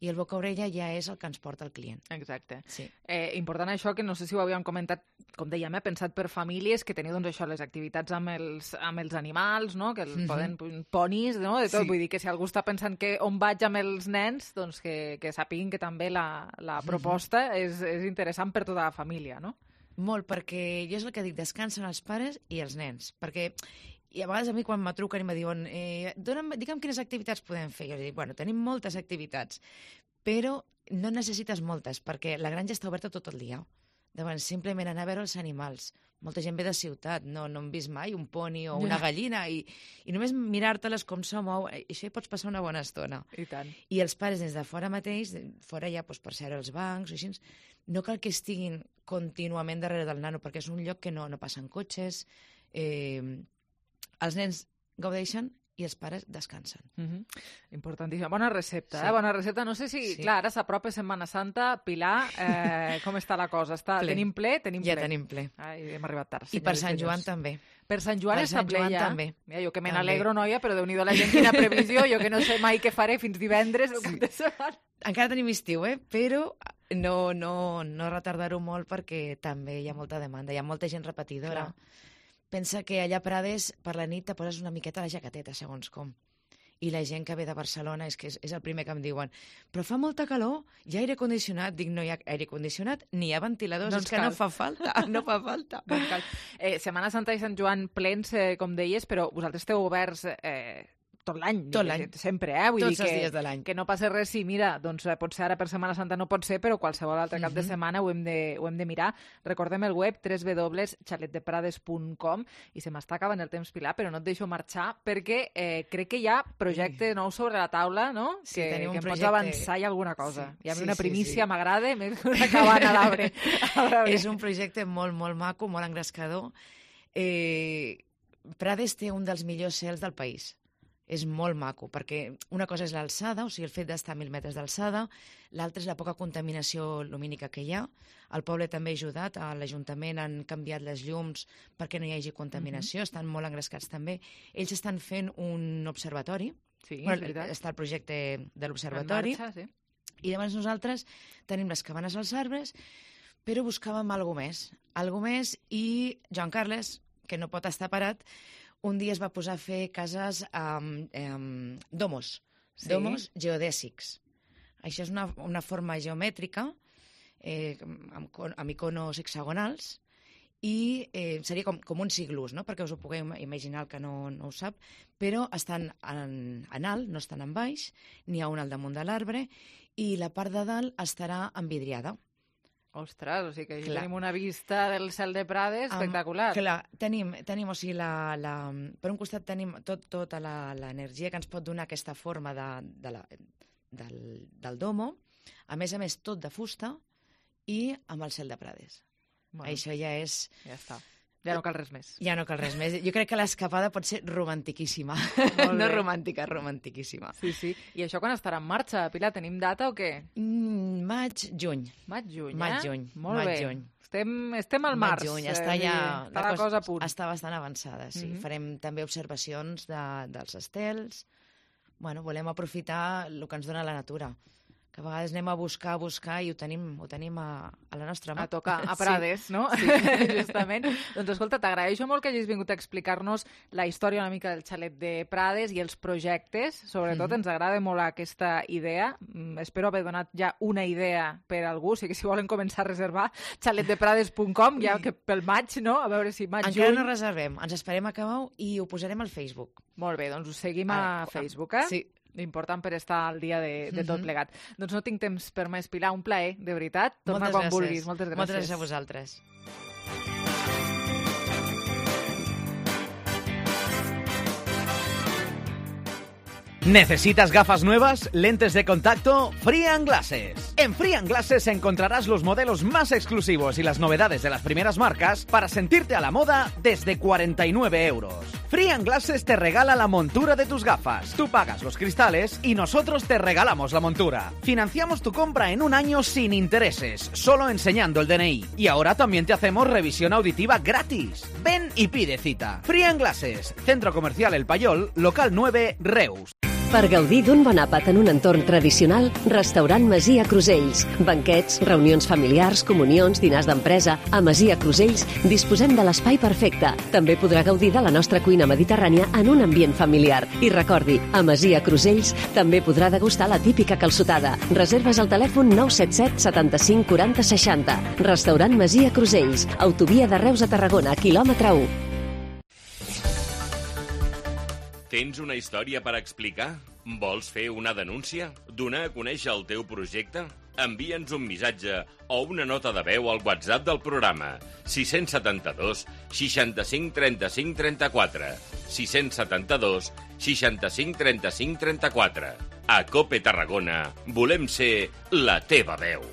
S15: i el boca-orella ja és el que ens porta el client.
S3: Exacte.
S15: Sí.
S3: Eh, important això, que no sé si ho havíem comentat, com dèiem, eh, pensat per famílies, que teniu doncs, això, les activitats amb els, amb els animals, no? Que els
S15: Mhm.
S3: poden, ponis, no? De tot.
S15: Sí.
S3: Vull dir que si algú està pensant que on vaig amb els nens, doncs que, que sàpiguin que també la, la proposta és, és interessant per tota la família, no?
S15: Molt, perquè jo és el que dic, descansen els pares i els nens, perquè I a vegades a mi quan me truquen i me diuen eh, dona'm, digue'm quines activitats podem fer. Jo dic, bueno, tenim moltes activitats, però no necessites moltes, perquè la granja està oberta tot el dia. Llavors, simplement anar a veure els animals. Molta gent ve de ciutat, no, no hem vist mai un poni o una gallina, i, i només mirar-te-les com se mou, i això hi pots passar una bona estona.
S3: I tant.
S15: I els pares des de fora mateix, fora ja doncs, per seure als bancs o així, no cal que estiguin contínuament darrere del nano, perquè és un lloc que no, no passen cotxes, eh, els nens gaudeixen i els pares descansen.
S3: Mm-hmm. Importantíssima. Bona recepta,
S15: sí.
S3: eh? Bona recepta. No sé si, sí. clar, ara s'apropa Setmana Santa. Pilar, eh, com està la cosa? Està...
S15: Ple.
S3: Tenim ple? Tenim
S15: ja
S3: ple.
S15: tenim ple.
S3: Ai, hem arribat tard.
S15: I per Sant Joan també.
S3: Per Sant Joan
S15: per
S3: està
S15: Sant
S3: ple
S15: Joan
S3: ja.
S15: també.
S3: Mira, jo que me n'alegro, noia, però Déu-n'hi-do la gent, quina previsió. Jo que no sé mai què faré fins divendres. Sí.
S15: Encara tenim estiu, eh? Però no, no, no retardar-ho molt perquè també hi ha molta demanda. Hi ha molta gent repetidora. Clar. Pensa que allà a Prades, per la nit, te poses una miqueta la jaqueteta, segons com. I la gent que ve de Barcelona és que és, és el primer que em diuen però fa molta calor, hi ha aire condicionat. Dic, no hi ha aire condicionat, ni hi ha ventiladors, no és que cal. no fa falta, no fa falta.
S3: No cal. Eh, Setmana Santa i Sant Joan plens, eh, com deies, però vosaltres esteu oberts eh, tot l'any.
S15: Tot l'any.
S3: Sempre, eh? Vull
S15: Tots
S3: dir
S15: els
S3: que,
S15: dies de l'any.
S3: Que no passa res si, mira, doncs potser ara per Setmana Santa no pot ser, però qualsevol altre cap
S15: Mm-hmm.
S3: de setmana ho hem de, ho hem de mirar. Recordem el web w w w punt chalet de prades punt com i se m'està acabant el temps, Pilar, però no et deixo marxar perquè eh, crec que hi ha projecte nou sobre la taula, no?
S15: Sí,
S3: que,
S15: tenim un
S3: que em
S15: projecte...
S3: pots avançar i alguna cosa.
S15: Sí,
S3: Hi ha
S15: sí,
S3: una primícia,
S15: sí, sí.
S3: m'agrada, més que una cabana a l'arbre.
S15: És un projecte molt, molt maco, molt engrescador. Eh, Prades té un dels millors cels del país. És molt maco, perquè una cosa és l'alçada, o sigui, el fet d'estar a mil metres d'alçada, l'altra és la poca contaminació lumínica que hi ha. El poble també ha ajudat, a l'Ajuntament han canviat les llums perquè no hi hagi contaminació, mm-hmm. estan molt engrescats també. Ells estan fent un observatori,
S3: sí,
S15: bueno, està el projecte de l'observatori,
S3: sí.
S15: I llavors nosaltres tenim les cabanes als arbres, però buscàvem alguna més, alguna més, i Joan Carles, que no pot estar parat, un dia es va posar a fer cases amb um, domos, sí. domos geodèsics. Això és una, una forma geomètrica eh, amb, amb iconos hexagonals i eh, seria com, com uns iglús, no? Perquè us ho pugueu imaginar el que no, no ho sap, però estan en, en alt, no estan en baix, n'hi ha un al damunt de l'arbre i la part de dalt estarà envidriada.
S3: Ostres, o sigui que
S15: Clar.
S3: tenim una vista del cel de Prades espectacular.
S15: Um, clar, tenim, tenim, o sigui, la, la, per un costat tenim tot, tota l'energia que ens pot donar aquesta forma de, de la, del, del domo, a més a més tot de fusta i amb el cel de Prades. Bueno, això ja és...
S3: Ja està. Ja no cal res més.
S15: Ja no cal res més. Jo crec que l'escapada pot ser romantiquíssima. No romàntica, romantiquíssima.
S3: Sí, sí. I això quan estarà en marxa, Pilar? Tenim data o què?
S15: Mm, maig, juny.
S3: Maig, juny,
S15: maig,
S3: eh?
S15: Juny.
S3: Molt
S15: maig,
S3: bé.
S15: Juny.
S3: Estem, estem al març.
S15: Maig, juny. Està ja...
S3: Eh, està la, la cosa a punt.
S15: Està bastant avançada, sí. Mm-hmm. Farem també observacions de, dels estels. Bueno, volem aprofitar el que ens dona la natura. Que a vegades anem a buscar, a buscar i ho tenim, ho tenim a, a la nostra mà.
S3: A tocar, a Prades, sí. No? Sí. Justament. Doncs escolta, t'agraeixo molt que hagis vingut a explicar-nos la història una mica del xalet de Prades i els projectes. Sobretot mm-hmm. ens agrada molt aquesta idea. Mm, espero haver donat ja una idea per a algú, o sigui que si volen començar a reservar, xalet de prades punt com, ja que pel maig, no? A veure si maig,
S15: Encara
S3: juny...
S15: no reservem, ens esperem a acabar i ho posarem al Facebook.
S3: Molt bé, doncs us seguim a
S15: Ara,
S3: Facebook, eh?
S15: Sí.
S3: Important per estar al dia de, de tot plegat. Mm-hmm. Doncs no tinc temps per més, Pilar, un plaer, de veritat. Torna
S15: Moltes
S3: quan
S15: gràcies.
S3: vulguis. Moltes gràcies.
S15: Moltes gràcies a vosaltres.
S16: ¿Necesitas gafas nuevas? ¿Lentes de contacto? Free and Glasses. En Free and Glasses encontrarás los modelos más exclusivos y las novedades de las primeras marcas para sentirte a la moda desde cuarenta y nueve euros. Free and Glasses te regala la montura de tus gafas. Tú pagas los cristales y nosotros te regalamos la montura. Financiamos tu compra en un año sin intereses, solo enseñando el D N I. Y ahora también te hacemos revisión auditiva gratis. Ven y pide cita. Free and Glasses, Centro Comercial El Payol, local nueve, Reus.
S17: Per gaudir d'un bon àpat en un entorn tradicional, Restaurant Masia Crusells. Banquets, reunions familiars, comunions, dinars d'empresa... A Masia Crusells disposem de l'espai perfecte. També podrà gaudir de la nostra cuina mediterrània en un ambient familiar. I recordi, a Masia Crusells també podrà degustar la típica calçotada. Reserves al telèfon nou set set setanta-cinc quaranta seixanta. Restaurant Masia Crusells. Autovia de Reus a Tarragona, quilòmetre u.
S5: Tens una història per explicar? Vols fer una denúncia? Donar a conèixer el teu projecte? Envia'ns un missatge o una nota de veu al WhatsApp del programa sis set dos, seixanta-cinc, trenta-cinc, trenta-quatre sis set dos, seixanta-cinc, trenta-cinc, trenta-quatre. A COPE Tarragona volem ser la teva veu.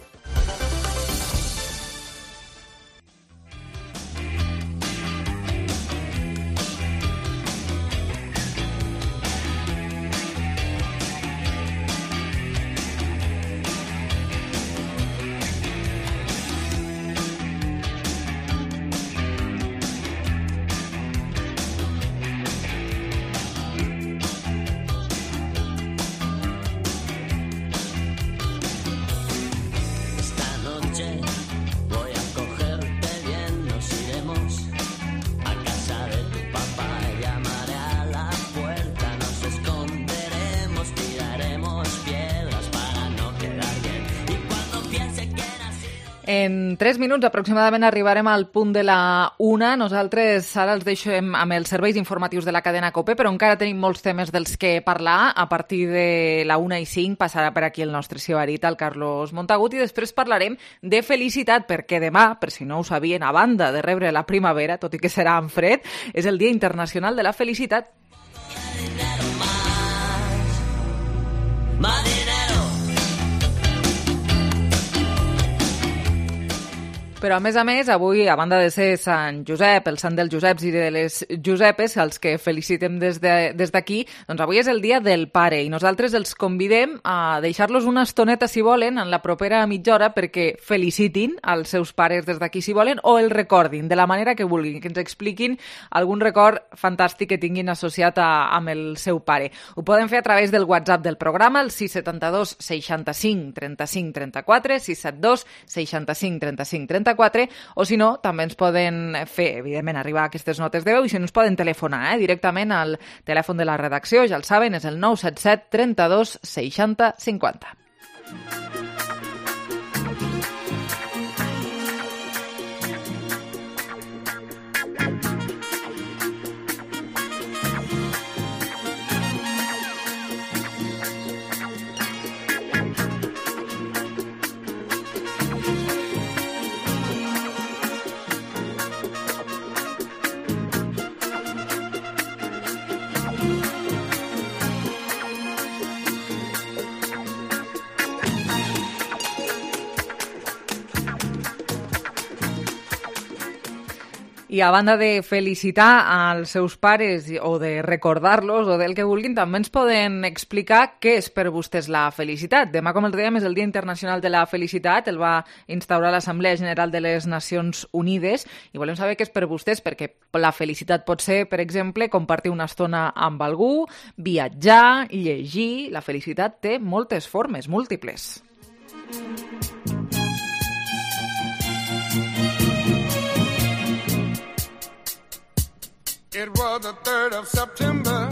S3: En tres minuts aproximadament arribarem al punt de la una. Nosaltres ara els deixem amb els serveis informatius de la cadena COPE, però encara tenim molts temes dels que parlar. A partir de la una i cinc passarà per aquí el nostre sibarit, el Carlos Montagut, i després parlarem de felicitat, perquè demà, per si no ho sabien, a banda de rebre la primavera, tot i que serà en fred, és el Dia Internacional de la Felicitat. Però, a més a més, avui, a banda de ser Sant Josep, el sant dels Joseps i de les Josepes, els que felicitem des de, des d'aquí, doncs avui és el dia del pare i nosaltres els convidem a deixar-los una estoneta, si volen, en la propera mitja hora perquè felicitin els seus pares des d'aquí, si volen, o el recordin de la manera que vulguin, que ens expliquin algun record fantàstic que tinguin associat a, amb el seu pare. Ho poden fer a través del WhatsApp del programa, el sis set dos, seixanta-cinc, trenta-cinc, trenta-quatre, sis set dos, seixanta-cinc, trenta-cinc, trenta-quatre, o si no, també ens poden fer, evidentment, arribar aquestes notes de veu i si no ens poden telefonar eh, directament al telèfon de la redacció, ja el saben, és el nou set set, trenta-dos, seixanta, cinquanta. I a banda de felicitar als seus pares o de recordar-los o del que vulguin, també ens poden explicar què és per vostès la felicitat. Demà, com els dèiem, és el Dia Internacional de la Felicitat, el va instaurar l'Assemblea General de les Nacions Unides i volem saber què és per vostès, perquè la felicitat pot ser, per exemple, compartir una estona amb algú, viatjar, llegir... La felicitat té moltes formes, múltiples.
S18: It was the third of September.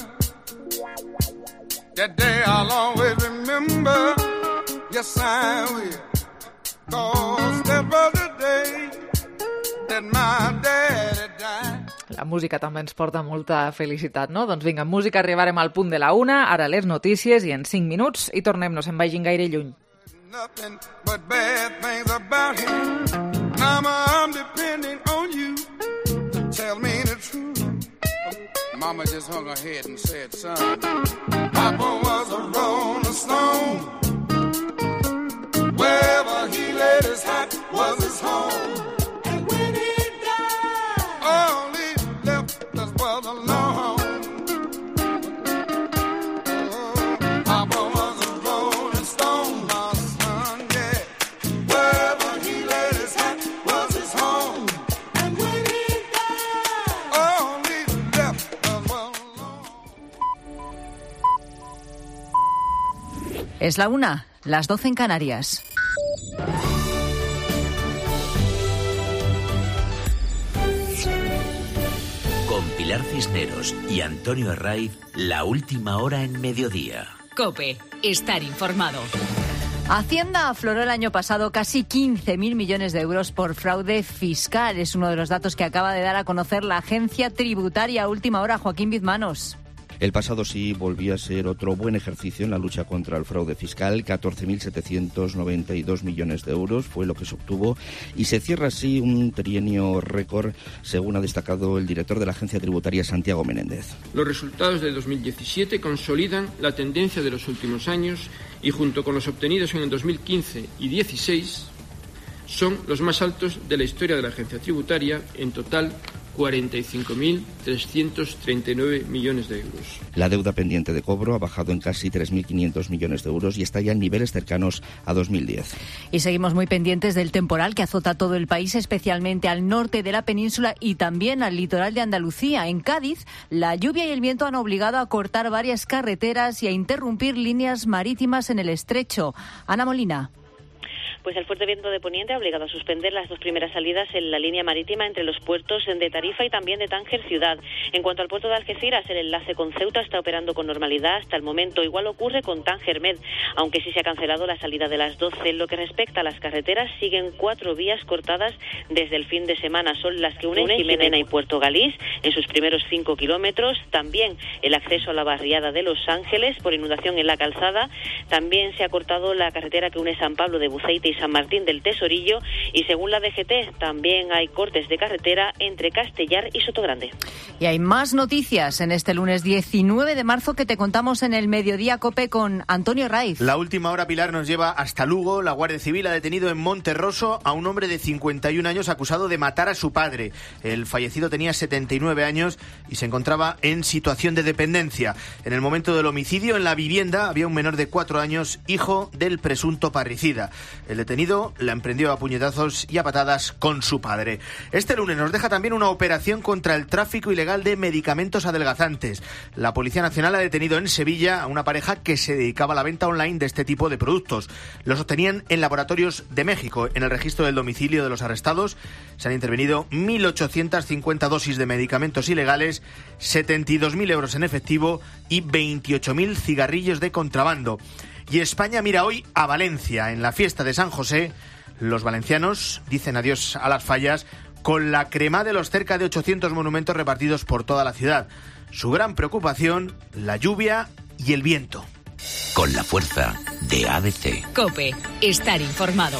S18: That day I'll always remember. Yes, I will. 'Cause that was the day that my daddy died.
S3: La música també ens porta molta felicitat, no? Doncs vinga, música, arribarem al punt de la una, ara les notícies i en cinc minuts i tornem, no se'n vagin gaire lluny.
S18: Nothing but bad things about him. Mama, I'm depending on you to tell me the truth. Mama just hung her head and said, son, Papa was a rolling stone. Wherever he laid his hat was his home. And when he died, all he left us was alone. Oh, Papa was a rolling stone, my son, yeah. Wherever he laid his hat was his home. And when he died, all he left us was alone.
S19: Es la una, las doce en Canarias.
S20: Con Pilar Cisneros y Antonio Herraiz, la última hora en mediodía.
S2: COPE, estar informado.
S19: Hacienda afloró el año pasado casi quince mil millones de euros por fraude fiscal. Es uno de los datos que acaba de dar a conocer la agencia tributaria. Última hora, Joaquín Bizmanos.
S21: El pasado sí volvía a ser otro buen ejercicio en la lucha contra el fraude fiscal. catorce mil setecientos noventa y dos millones de euros fue lo que se obtuvo y se cierra así un trienio récord, según ha destacado el director de la Agencia Tributaria, Santiago Menéndez.
S22: Los resultados de dos mil diecisiete consolidan la tendencia de los últimos años y, junto con los obtenidos en el dos mil quince y dieciséis, son los más altos de la historia de la Agencia Tributaria, en total cuarenta y cinco mil trescientos treinta y nueve millones de euros.
S21: La deuda pendiente de cobro ha bajado en casi tres mil quinientos millones de euros y está ya en niveles cercanos a dos mil diez.
S19: Y seguimos muy pendientes del temporal que azota todo el país, especialmente al norte de la península y también al litoral de Andalucía. En Cádiz, la lluvia y el viento han obligado a cortar varias carreteras y a interrumpir líneas marítimas en el estrecho. Ana Molina.
S23: Pues el fuerte viento de poniente ha obligado a suspender las dos primeras salidas en la línea marítima entre los puertos de Tarifa y también de Tánger Ciudad. En cuanto al puerto de Algeciras, el enlace con Ceuta está operando con normalidad hasta el momento. Igual ocurre con Tánger Med, aunque sí se ha cancelado la salida de las doce. En lo que respecta a las carreteras, siguen cuatro vías cortadas desde el fin de semana. Son las que unen Jimena y Puerto Galís en sus primeros cinco kilómetros. También el acceso a la barriada de Los Ángeles por inundación en la calzada. También se ha cortado la carretera que une San Pablo de Buceite y San Martín del Tesorillo, y según la D G T también hay cortes de carretera entre Castellar y Sotogrande.
S19: Y hay más noticias en este lunes diecinueve de marzo que te contamos en el Mediodía COPE con Antonio Raiz.
S24: La última hora, Pilar, nos lleva hasta Lugo. La Guardia Civil ha detenido en Monterroso a un hombre de cincuenta y un años acusado de matar a su padre. El fallecido tenía setenta y nueve años y se encontraba en situación de dependencia. En el momento del homicidio, en la vivienda había un menor de cuatro años, hijo del presunto parricida. El detenido la emprendió a puñetazos y a patadas con su padre. Este lunes nos deja también una operación contra el tráfico ilegal de medicamentos adelgazantes. La Policía Nacional ha detenido en Sevilla a una pareja que se dedicaba a la venta online de este tipo de productos. Los obtenían en laboratorios de México. En el registro del domicilio de los arrestados se han intervenido mil ochocientas cincuenta dosis de medicamentos ilegales, setenta y dos mil euros en efectivo y veintiocho mil cigarrillos de contrabando. Y España mira hoy a Valencia. En la fiesta de San José, los valencianos dicen adiós a las fallas con la crema de los cerca de ochocientos monumentos repartidos por toda la ciudad. Su gran preocupación, la lluvia y el viento.
S20: Con la fuerza de A D C.
S17: COPE. Estar informado.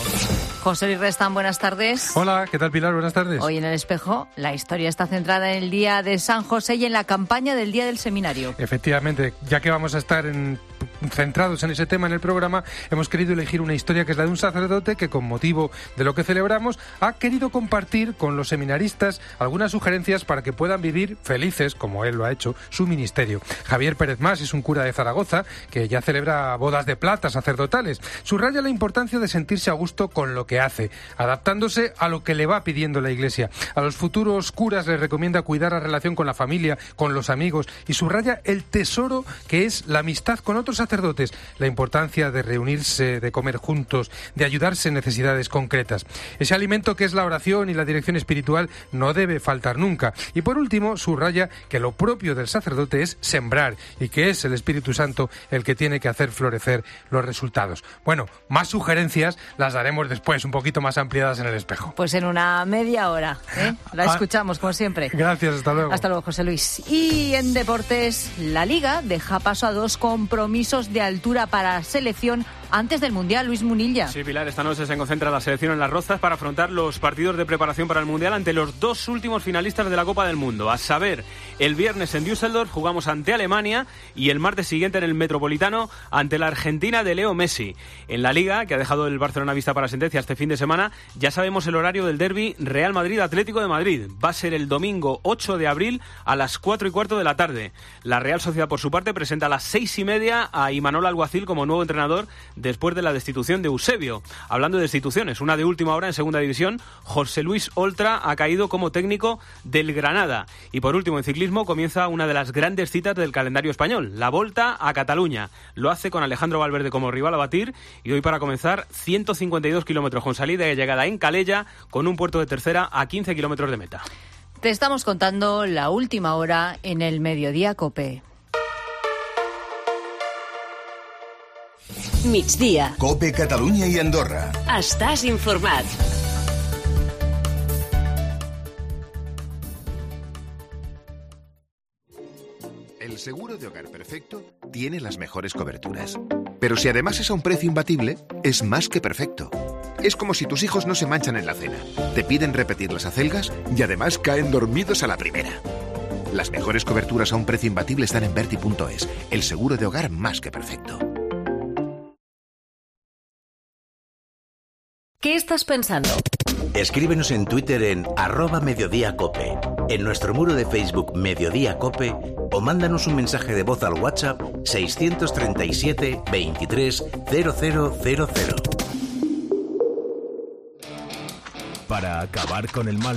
S19: José Luis Restán, buenas tardes.
S25: Hola, ¿qué tal, Pilar? Buenas tardes.
S19: Hoy en El Espejo, la historia está centrada en el Día de San José y en la campaña del Día del Seminario.
S25: Efectivamente, ya que vamos a estar en, centrados en ese tema en el programa, hemos querido elegir una historia que es la de un sacerdote que, con motivo de lo que celebramos, ha querido compartir con los seminaristas algunas sugerencias para que puedan vivir felices, como él lo ha hecho, su ministerio. Javier Pérez Mas es un cura de Zaragoza que ya celebra bodas de plata sacerdotales. Subraya la importancia de sentirse a gusto con lo que hace, adaptándose a lo que le va pidiendo la Iglesia. A los futuros curas les recomienda cuidar la relación con la familia, con los amigos, y subraya el tesoro que es la amistad con otros sacerdotes, la importancia de reunirse, de comer juntos, de ayudarse en necesidades concretas. Ese alimento que es la oración y la dirección espiritual no debe faltar nunca. Y por último, subraya que lo propio del sacerdote es sembrar y que es el Espíritu Santo el que tiene que hacer florecer los resultados. Bueno, más sugerencias las daremos después, un poquito más ampliadas en El Espejo.
S19: Pues en una media hora, ¿eh? La
S25: Ah,
S19: escuchamos, como siempre.
S25: Gracias, hasta luego.
S19: Hasta luego, José Luis. Y en deportes, la Liga deja paso a dos compromisos de altura para selección antes del Mundial. Luis Munilla.
S26: Sí, Pilar, esta noche se concentra la selección en Las Rozas para afrontar los partidos de preparación para el Mundial ante los dos últimos finalistas de la Copa del Mundo. A saber, el viernes en Düsseldorf jugamos ante Alemania y el martes siguiente en el Metropolitano ante la Argentina de Leo Messi. En la Liga, que ha dejado el Barcelona vista para sentencia este fin de semana, ya sabemos el horario del derbi Real Madrid-Atlético de Madrid. Va a ser el domingo ocho de abril a las cuatro y cuarto de la tarde. La Real Sociedad, por su parte, presenta a las seis y media a Imanol Alguacil como nuevo entrenador después de la destitución de Eusebio. Hablando de destituciones, una de última hora en Segunda División, José Luis Oltra ha caído como técnico del Granada. Y por último, en ciclismo comienza una de las grandes citas del calendario español, la Volta a Cataluña. Lo hace con Alejandro Valverde como rival a batir y hoy para comenzar ciento cincuenta y dos kilómetros con salida y llegada en Calella con un puerto de tercera a quince kilómetros de meta.
S19: Te estamos contando la última hora en el Mediodía COPE.
S17: Migdia.
S1: COPE Catalunya i Andorra.
S17: Estàs informat.
S27: El
S1: seguro de hogar perfecto tiene las mejores coberturas. Pero si además es a un precio imbatible, es más que perfecto. Es como si tus hijos no se manchan en la cena, te piden repetir las acelgas y además caen dormidos a la primera. Las mejores coberturas a un precio imbatible están en Berti punto es, el seguro de hogar más que perfecto.
S2: ¿Qué estás pensando?
S20: Escríbenos en Twitter en arroba Mediodía Cope, en nuestro muro de Facebook Mediodía Cope o mándanos un mensaje de voz al WhatsApp seiscientos treinta y siete veintitrés cero cero cero cero.
S4: Para acabar con el mal,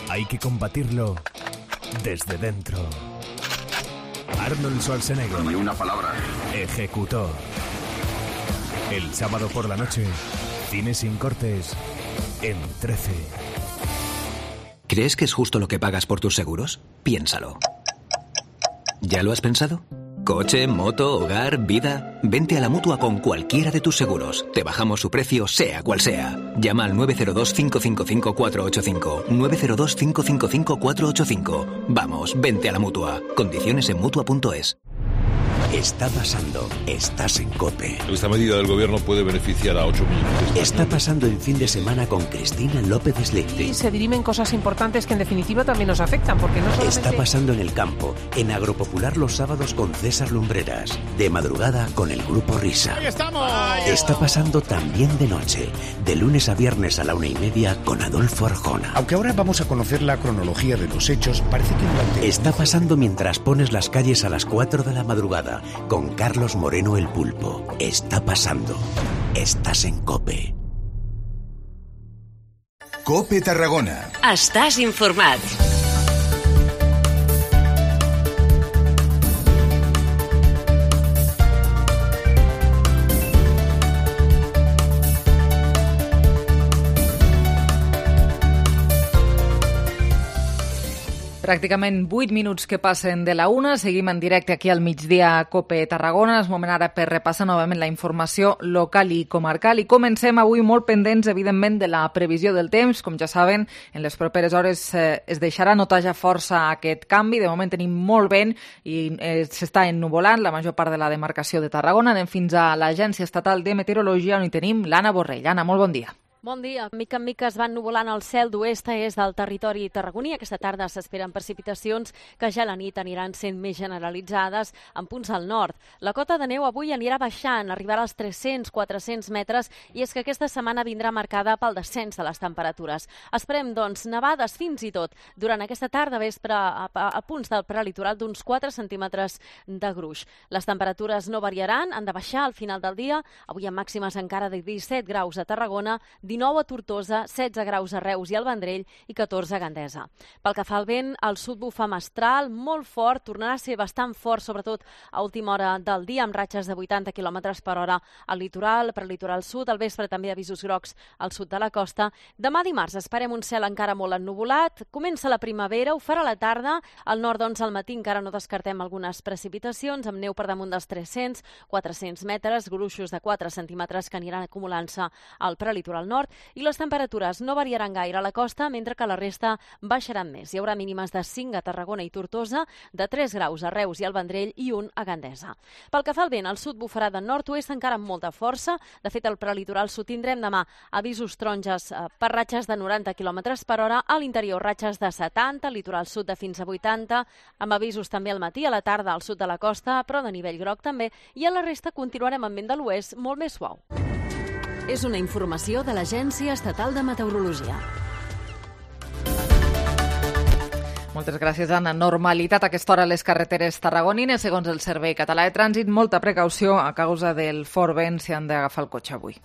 S4: hay que combatirlo desde dentro. Arnold Schwarzenegger.
S6: Ni una palabra.
S4: Ejecutor. El sábado por la noche, cine sin cortes en trece.
S7: ¿Crees que es justo lo que pagas por tus seguros? Piénsalo. ¿Ya lo has pensado? Coche, moto, hogar, vida. Vente a la Mutua con cualquiera de tus seguros. Te bajamos su precio, sea cual sea. Llama al nueve cero dos, cinco cinco cinco, cuatro ocho cinco. nueve cero dos, cinco cinco cinco, cuatro ocho cinco. Vamos, vente a la Mutua. Condiciones en Mutua punto es.
S20: Está pasando. Estás en COPE.
S8: Esta medida del gobierno puede beneficiar a ocho millones de
S20: Está pasando el fin de semana con Cristina López Slichting.
S9: Y se dirimen cosas importantes que en definitiva también nos afectan, porque no solamente...
S20: Está pasando en el campo, en Agropopular los sábados con César Lumbreras. De madrugada con el Grupo Risa.
S9: ¡Ahí estamos!
S20: Está pasando también de noche, de lunes a viernes a la una y media con Adolfo Arjona.
S10: Aunque ahora vamos a conocer la cronología de los hechos, parece que durante...
S20: Está pasando mientras pones las calles a las cuatro de la madrugada con Carlos Moreno el Pulpo. Está pasando. Estás en COPE.
S1: COPE Tarragona.
S2: Estàs informat.
S3: Pràcticament vuit minuts que passen de la una. Seguim en directe aquí al migdia a COPE Tarragona. És moment ara per repassar novament la informació local i comarcal. I comencem avui molt pendents, evidentment, de la previsió del temps. Com ja saben, en les properes hores eh, es deixarà notar ja força aquest canvi. De moment tenim molt vent i eh, s'està ennuvolant la major part de la demarcació de Tarragona. Anem fins a l'Agència Estatal de Meteorologia, on hi tenim l'Anna Borrell. Anna, molt bon dia.
S27: Bon dia. Mica en mica es van nuvolant el cel d'oest a est del territori tarragoní. Aquesta tarda s'esperen precipitacions que ja a la nit aniran sent més generalitzades en punts al nord. La cota de neu avui anirà baixant, arribarà als tres-cents a quatre-cents metres, i és que aquesta setmana vindrà marcada pel descens de les temperatures. Esperem, doncs, nevades fins i tot durant aquesta tarda vespre a, a, a punts del prelitoral d'uns quatre centímetres de gruix. Les temperatures no variaran, han de baixar al final del dia. Avui amb màximes encara de disset graus a Tarragona, dinou a Tortosa, setze graus a Reus i al Vendrell i catorze a Gandesa. Pel que fa al vent, al sud bufa mestral, molt fort, tornarà a ser bastant fort, sobretot a última hora del dia, amb ratxes de vuitanta quilòmetres per hora al litoral, prelitoral sud, al vespre també avisos grocs al sud de la costa. Demà dimarts esperem un cel encara molt ennuvolat, comença la primavera, ho farà a la tarda, al nord, doncs, al matí encara no descartem algunes precipitacions, amb neu per damunt dels tres-cents a quatre-cents metres, gruixos de quatre centímetres que aniran acumulant-se al prelitoral nord, i les temperatures no variaran gaire a la costa, mentre que la resta baixaran més. Hi haurà mínimes de cinc a Tarragona i Tortosa, de tres graus a Reus i al Vendrell i un a Gandesa. Pel que fa al vent, al sud bufarà de nord-oest encara amb molta força. De fet, al prelitoral sud tindrem demà avisos taronges per ratxes de noranta quilòmetres per hora, a l'interior ratxes de setanta, litoral sud de fins a vuitanta, amb avisos també al matí, a la tarda al sud de la costa, però de nivell groc també, i a la resta continuarem amb vent de l'oest molt més suau.
S2: És una informació de l'Agència Estatal de Meteorologia.
S3: Moltes gràcies, Anna. Normalitat a aquesta hora a les carreteres tarragonines. Segons el Servei Català de Trànsit, molta precaució a causa del fort vent si han d'agafar el cotxe avui.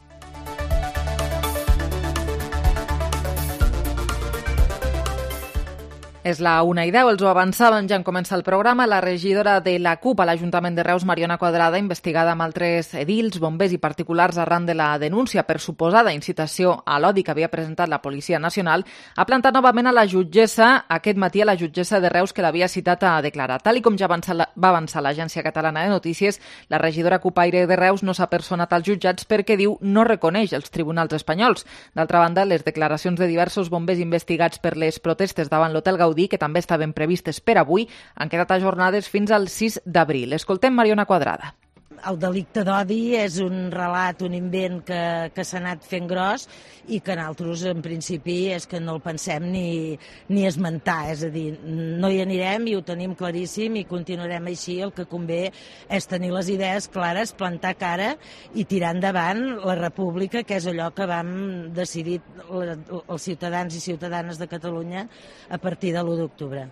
S3: És la una i deu, els ho avançàvem, ja en comença el programa. La regidora de la CUP a l'Ajuntament de Reus, Mariona Quadrada, investigada amb altres edils, bombers i particulars arran de la denúncia per suposada incitació a l'odi que havia presentat la Policia Nacional, ha plantat novament a la jutgessa, aquest matí a la jutgessa de Reus, que l'havia citat a declarar. Tal i com ja va avançar l'Agència Catalana de Notícies, la regidora cupaire de Reus no s'ha personat als jutjats perquè, diu, no reconeix els tribunals espanyols. D'altra banda, les declaracions de diversos bombers investigats per les protestes davant l'Hotel Gaudí Gaudí, que també estaven previstes per avui, han quedat ajornades fins al sis d'abril. Escoltem Mariona Quadrada.
S6: El delicte d'odi és un relat, un invent que, que s'ha anat fent gros i que nosaltres, en principi, és que no el pensem ni, ni esmentar. És a dir, no hi anirem i ho tenim claríssim i continuarem així. El que convé és tenir les idees clares, plantar cara i tirar endavant la república, que és allò que vam decidir els ciutadans i ciutadanes de Catalunya a partir de l'u d'octubre.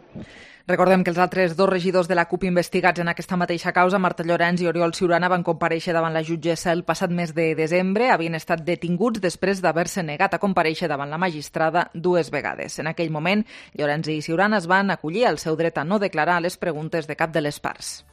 S3: Recordem que els altres dos regidors de la CUP investigats en aquesta mateixa causa, Marta Llorens i Oriol Ciurana, van comparèixer davant la jutgessa el passat mes de desembre. Havien estat detinguts després d'haver-se negat a comparèixer davant la magistrada dues vegades. En aquell moment, Llorens i Ciurana es van acollir al seu dret a no declarar les preguntes de cap de les parts.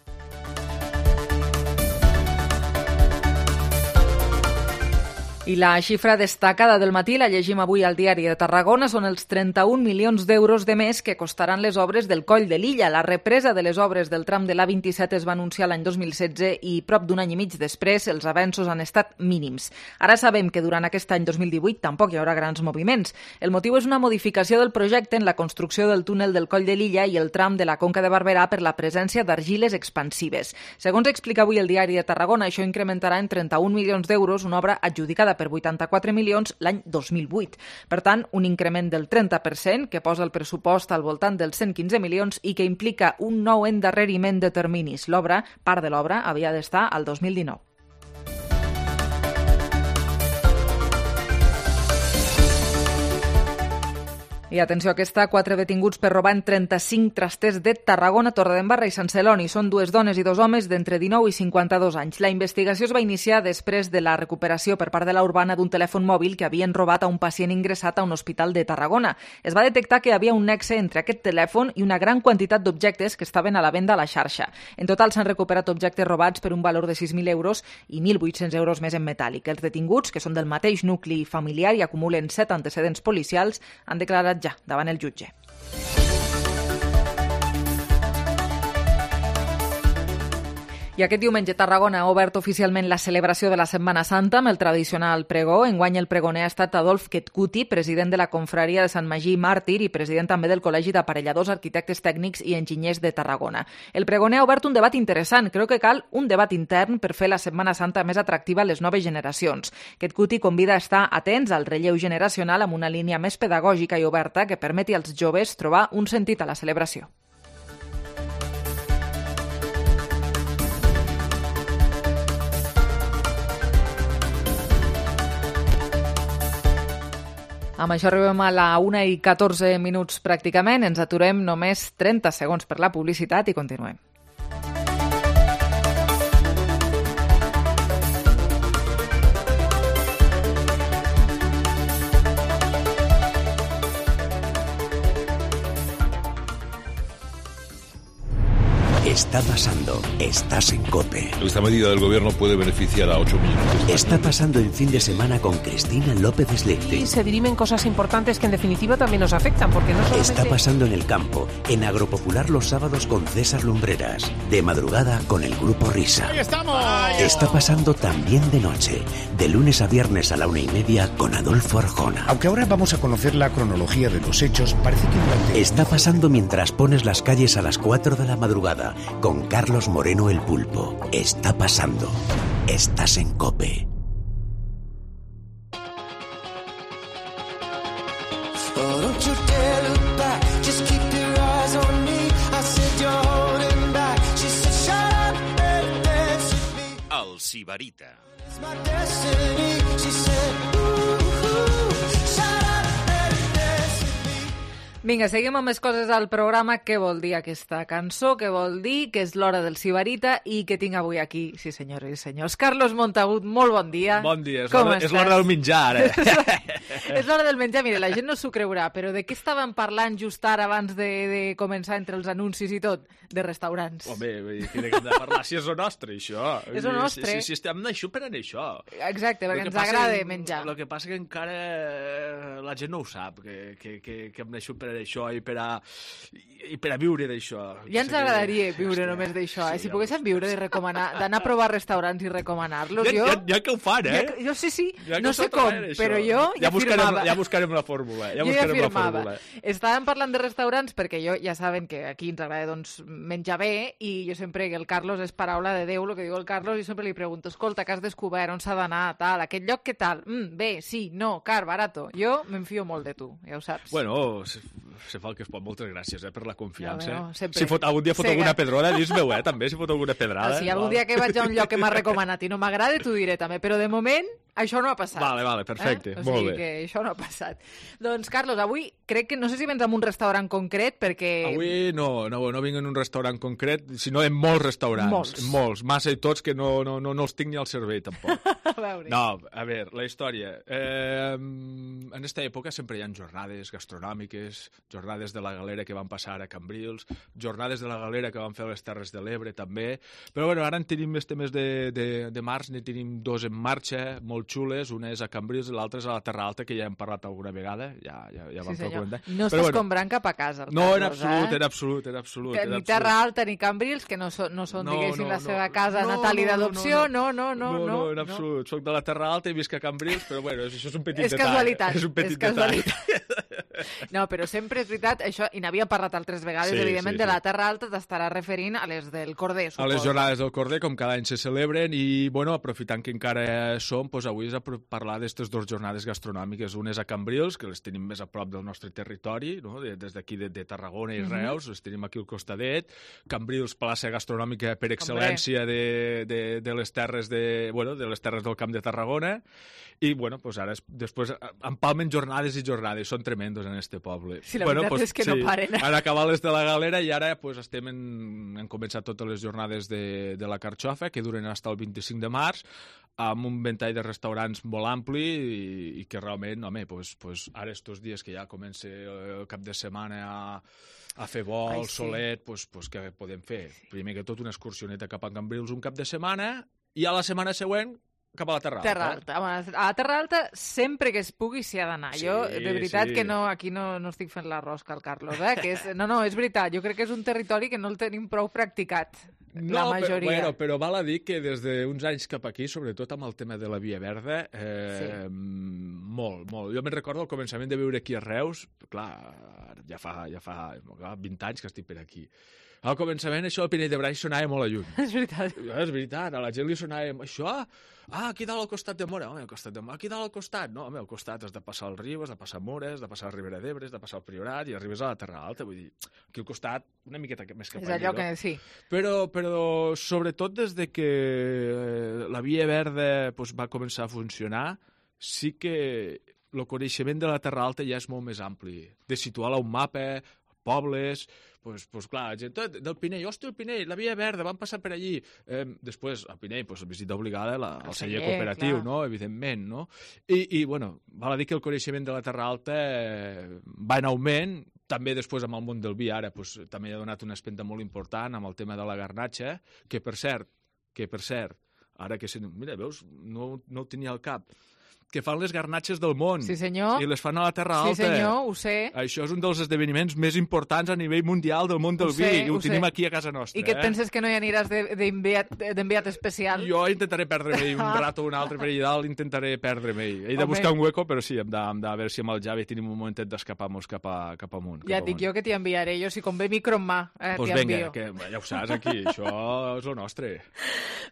S3: I la xifra destacada del matí, la llegim avui al Diari de Tarragona, són els trenta-un milions d'euros de més que costaran les obres del Coll de Lilla. La represa de les obres del tram de l'A vint-i-set es va anunciar l'any dos mil setze i prop d'un any i mig després els avenços han estat mínims. Ara sabem que durant aquest any dos mil divuit tampoc hi haurà grans moviments. El motiu és una modificació del projecte en la construcció del túnel del Coll de Lilla i el tram de la Conca de Barberà per la presència d'argiles expansives. Segons explica avui el Diari de Tarragona, això incrementarà en trenta-un milions d'euros una obra adjudicada per vuitanta-quatre milions l'any dos mil vuit. Per tant, un increment del trenta per cent que posa el pressupost al voltant dels cent quinze milions i que implica un nou endarreriment de terminis. L'obra, part de l'obra, havia d'estar al dos mil dinou. I atenció a aquesta, quatre detinguts per robar en trenta-cinc trasters de Tarragona, Torredembarra i Sant Celoni. Són dues dones i dos homes d'entre dinou i cinquanta-dos anys. La investigació es va iniciar després de la recuperació per part de la Urbana d'un telèfon mòbil que havien robat a un pacient ingressat a un hospital de Tarragona. Es va detectar que hi havia un nexe entre aquest telèfon i una gran quantitat d'objectes que estaven a la venda a la xarxa. En total s'han recuperat objectes robats per un valor de sis mil euros i mil vuit-cents euros més en metàl·lic. Els detinguts, que són del mateix nucli familiar i acumulen set antecedents policials, han declarat ja davant el jutge. I aquest diumenge Tarragona ha obert oficialment la celebració de la Setmana Santa amb el tradicional pregó. Enguany el pregoner ha estat Adolf Ketkuti, president de la confraria de Sant Magí Màrtir i president també del Col·legi d'Aparelladors, Arquitectes Tècnics i Enginyers de Tarragona. El pregoner ha obert un debat interessant. Creu que cal un debat intern per fer la Setmana Santa més atractiva a les noves generacions. Ketkuti convida a estar atents al relleu generacional amb una línia més pedagògica i oberta que permeti als joves trobar un sentit a la celebració. Amb això arribem a la una i catorze minuts pràcticament. Ens aturem només trenta segons per la publicitat i continuem.
S11: Está pasando. Estás en COPE.
S8: Esta medida del gobierno puede beneficiar a ocho millones.
S11: Está pasando en fin de semana con Cristina López Slichting.
S9: Y se dirimen cosas importantes que en definitiva también nos afectan, porque no solamente...
S11: Está pasando en el campo, en Agropopular los sábados con César Lumbreras. De madrugada con el Grupo Risa.
S12: ¡Ahí estamos!
S11: Está pasando también de noche, de lunes a viernes a la una y media con Adolfo Arjona.
S10: Aunque ahora vamos a conocer la cronología de los hechos, parece que durante...
S11: Está pasando mientras pones las calles a las cuatro de la madrugada con Carlos Moreno el Pulpo. Está pasando. Estás en COPE.
S5: El Sibarita.
S3: Vinga, seguim amb més coses al programa. Què vol dir aquesta cançó? Què vol dir? Que és l'hora del Sibarita i que tinc avui aquí, sí senyores i senyors, Carlos Montagut, molt bon dia.
S13: Bon dia, és l'hora, és l'hora del menjar, ara.
S3: És l'hora del menjar. Mira, la gent no s'ho creurà, però de què estàvem parlant just ara abans de, de començar entre els anuncis i tot? De restaurants.
S13: Home, de què hem de parlar? Si és el nostre, això.
S3: És el nostre.
S13: Si, si, si estem d'això per anar això.
S3: Exacte, perquè ens agrada menjar.
S13: El que passa que encara la gent no ho sap, que, que, que, que hem d'això per per això i per a, i per a viure d'això.
S3: Ja ens agradaria viure Hòstia, només d'això, eh? Sí, si poguéssim viure de recomanar, d'anar a provar restaurants i recomanar-los.
S13: Ja,
S3: jo,
S13: ja, ja que ho fan, eh?
S3: Ja, jo sí, sí,
S13: ja
S3: no sé com,
S13: traient,
S3: però jo ja,
S13: ja buscarem,
S3: firmava.
S13: Ja buscarem la fórmula. Ja
S3: jo
S13: buscarem
S3: ja
S13: la fórmula.
S3: Estàvem parlant de restaurants perquè jo ja saben que aquí ens agrada doncs, menjar bé i jo sempre, que el Carlos és paraula de Déu, el que diu el Carlos, i sempre li pregunto, escolta, que has descobert, on s'ha d'anar, tal, aquest lloc, què tal? Mm, bé, sí, no, car, barato. Jo m'enfio molt de tu, ja ho saps.
S13: Bueno, se, se fa el que es pot. Moltes gràcies eh, per la confiança.
S3: Ja, bueno,
S13: si fot, algun dia fot
S3: Sega.
S13: alguna pedrada, dis-meu, eh, també, si fot alguna pedrada.
S3: Ah, sí, algun dia que vaig a un lloc que m'ha recomanat i no m'agrada, t'ho diré també, però de moment això no ha passat.
S13: Vale, vale, perfecte,
S3: eh? O
S13: molt
S3: sigui
S13: bé.
S3: que això no ha passat. Doncs, Carlos, avui crec que, no sé si vens a un restaurant concret, perquè...
S13: Avui no, no, no vinc en un restaurant concret, sinó en molts restaurants.
S3: Molts.
S13: Molts, massa i tots, que no, no, no, no els tinc ni al cervell, tampoc.
S3: A veure.
S13: No, a veure, la història. Eh, en aquesta època sempre hi ha jornades gastronòmiques, jornades de la galera que van passar a Cambrils, jornades de la galera que van fer a les Terres de l'Ebre, també. Però, bueno, ara en tenim este mes de, de, de març, ne tenim dos en marxa, molt xules, una és a Cambrils i l'altra és a la Terra Alta, que ja hem parlat alguna vegada, ja, ja, ja vam
S3: sí,
S13: fer el comentari.
S3: No estàs bueno, comprant cap a casa, el
S13: no,
S3: Carlos,
S13: en absolut,
S3: eh?
S13: en absolut, en absolut.
S3: Que
S13: en
S3: ni
S13: absolut.
S3: Terra Alta ni Cambrils, que no, so, no són,
S13: no,
S3: diguéssim,
S13: no,
S3: la seva
S13: no,
S3: casa
S13: no,
S3: natal i
S13: no,
S3: d'adopció, no no no,
S13: no, no,
S3: no,
S13: en absolut. No. Soc de la Terra Alta i visc a Cambrils, però bueno, això és un petit
S3: és
S13: detall.
S3: Casualitat,
S13: és un petit
S3: és casualitat. No, però sempre és veritat, això, i n'havíem parlat altres vegades,
S13: sí,
S3: evidentment,
S13: sí, sí.
S3: de la Terra Alta t'estarà referint a les del Corder, suposo.
S13: A les jornades del Corder, com cada any se celebren, i, bueno, aprofitant que encara som, doncs avui és a parlar d'aquestes dues jornades gastronòmiques. Una és a Cambrils, que les tenim més a prop del nostre territori, no? Des d'aquí de, de Tarragona i Reus, mm-hmm. les tenim aquí al costadet. Cambrils, plaça gastronòmica per excel·lència de, de, de les terres de, bueno, de les terres del Camp de Tarragona. I, bueno, pues ara, després, empalmen jornades i jornades, són tremendos en este poble.
S3: Sí, la
S13: bueno,
S3: veritat
S13: pues,
S3: és que
S13: sí,
S3: no paren.
S13: Han acabat les de la galera i ara pues, estem en, han començat totes les jornades de, de la Carxofa, que duren fins al vint-i-cinc de març, amb un ventall de restaurants molt ampli i, i que realment, home, pues, pues, ara estos dies que ja comença el cap de setmana a, a fer vol, Ai, sí. solet, pues, pues, què podem fer? Primer que tot una excursioneta cap a Cambrils un cap de setmana i a la setmana següent cap a la Terra Alta.
S3: Terra Alta. A la Terra Alta sempre que es pugui s'hi ha d'anar.
S13: Sí,
S3: jo, de veritat,
S13: sí.
S3: que no, aquí no, no estic fent la rosca al Carlos, eh? Que és, no, no, és veritat. Jo crec que és un territori que no el tenim prou practicat,
S13: no,
S3: la majoria.
S13: Però, bueno, però val a dir que des d'uns anys cap aquí, sobretot amb el tema de la Via Verda, eh, sí. molt, molt. Jo me'n recordo al començament de viure aquí a Reus, clar, ja fa, ja fa clar, vint anys que estic per aquí. Al començament això del Pinell de Brai sonava molt a lluny.
S3: És veritat.
S13: És veritat, a la gent li sonava això, ah, aquí dalt al costat de Mora, home, al costat de Mora, aquí dalt al costat, no, home, al costat has de passar el riu, has de passar Mora, has de passar la Ribera d'Ebre, has de passar el Priorat i arribes a la Terra Alta, vull dir, aquí al costat una miqueta més cap
S3: és
S13: allà.
S3: És allò
S13: no?
S3: que sí.
S13: Però, però sobretot des de que la Via Verda pues, va començar a funcionar, sí que el coneixement de la Terra Alta ja és molt més ampli, de situar-la a un mapa, pobles, pues, pues clar, gent del Pinell, hòstia, el Pinell, la Via Verda, van passar per allí. Eh, després, al Pinell, pues, visita obligada la, el celler cooperatiu, clar. No? Evidentment, no? I, i, bueno, val a dir que el coneixement de la Terra Alta eh, va en augment, també després amb el món del vi, ara, pues, també ha donat una espenta molt important amb el tema de la garnatxa, que per cert, que per cert, ara que... Mira, veus, no, no ho tenia al cap, que fan les garnatxes del món.
S3: Sí, senyor.
S13: I les fan a la Terra Alta.
S3: Sí, senyor, ho sé.
S13: Això és un dels esdeveniments més importants a nivell mundial del món del
S3: ho
S13: vi,
S3: sé,
S13: i ho, ho tenim
S3: sé.
S13: aquí a casa nostra.
S3: I que et
S13: eh?
S3: penses que no hi aniràs d'enviat especial?
S13: Jo intentaré perdre-me un rato o un altre per allà dalt, intentaré perdre-me. He de buscar un hueco, però sí, hem de, hem de veure si amb el Javi tenim un momentet d'escapar-nos cap, a, cap amunt.
S3: Ja
S13: cap
S3: dic
S13: amunt.
S3: jo que t'hi enviaré, jo si convé micro en mà, eh,
S13: pues
S3: t'hi
S13: venga,
S3: envio.
S13: que ja ho saps aquí, això és el nostre.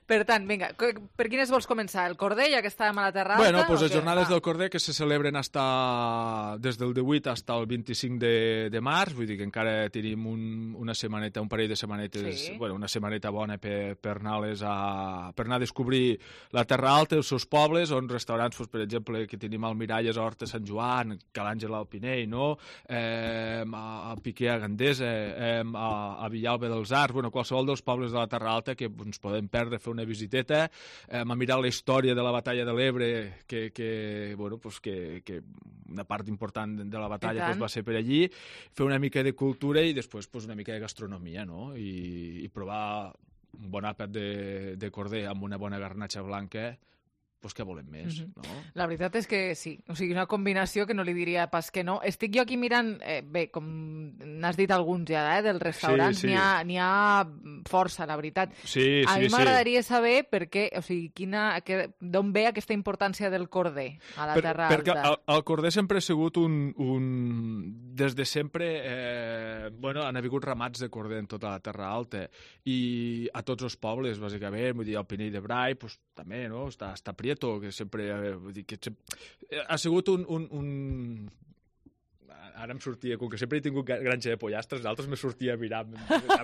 S3: Per tant, vinga, per quines vols començar? El Corder, ja que estàvem a la Terra Alta?
S13: Bueno, pues les
S3: què?
S13: jornades
S3: ah.
S13: del Corder que se celebren hasta, des del divuit fins al vint-i-cinc de, de març, vull dir que encara tenim un, una setmaneta, un parell de setmanetes,
S3: sí.
S13: bueno, una setmaneta bona per, per, anar a, per anar a descobrir la Terra Alta, els seus pobles, on restaurants, doncs, per exemple, que tenim al Miralles, a Horta Sant Joan, Cal Àngel al Pinell, no? eh, a, a Piquer a Gandesa, eh, a, a Villalba dels Arcs, bueno, qualsevol dels pobles de la Terra Alta que ens podem perdre, fer una visiteta, eh, a mirar la història de la batalla de l'Ebre, que, que, bueno, pues que, que una part important de la batalla pues, va ser per allí, fer una mica de cultura i després pues, una mica de gastronomia, no? I, i provar un bon àpat de, de corder amb una bona garnatxa blanca, pues què volem més, mm-hmm. no?
S3: La veritat és que sí, o sigui, una combinació que no li diria pas que no. Estic jo aquí mirant, eh, bé, com n'has dit alguns ja, eh, dels restaurants, sí, sí. N'hi ha, n'hi ha força, la veritat.
S13: Sí,
S3: a
S13: sí,
S3: mi m'agradaria sí. saber per què, o sigui, quina, que, d'on ve aquesta importància del corder a la per, Terra Alta.
S13: Perquè el, el corder sempre ha sigut un... un des de sempre, eh, bueno, han hagut ramats de corder en tota la Terra Alta i a tots els pobles, bàsicament, vull dir, el Pinell de Brai, pues, també, no? Està, està Prieto, que sempre, eh, vull dir, que sempre, ha sigut un, un, un... Ara em sortia, com que sempre he tingut granja de pollastres, d'altres me sortia a mirar,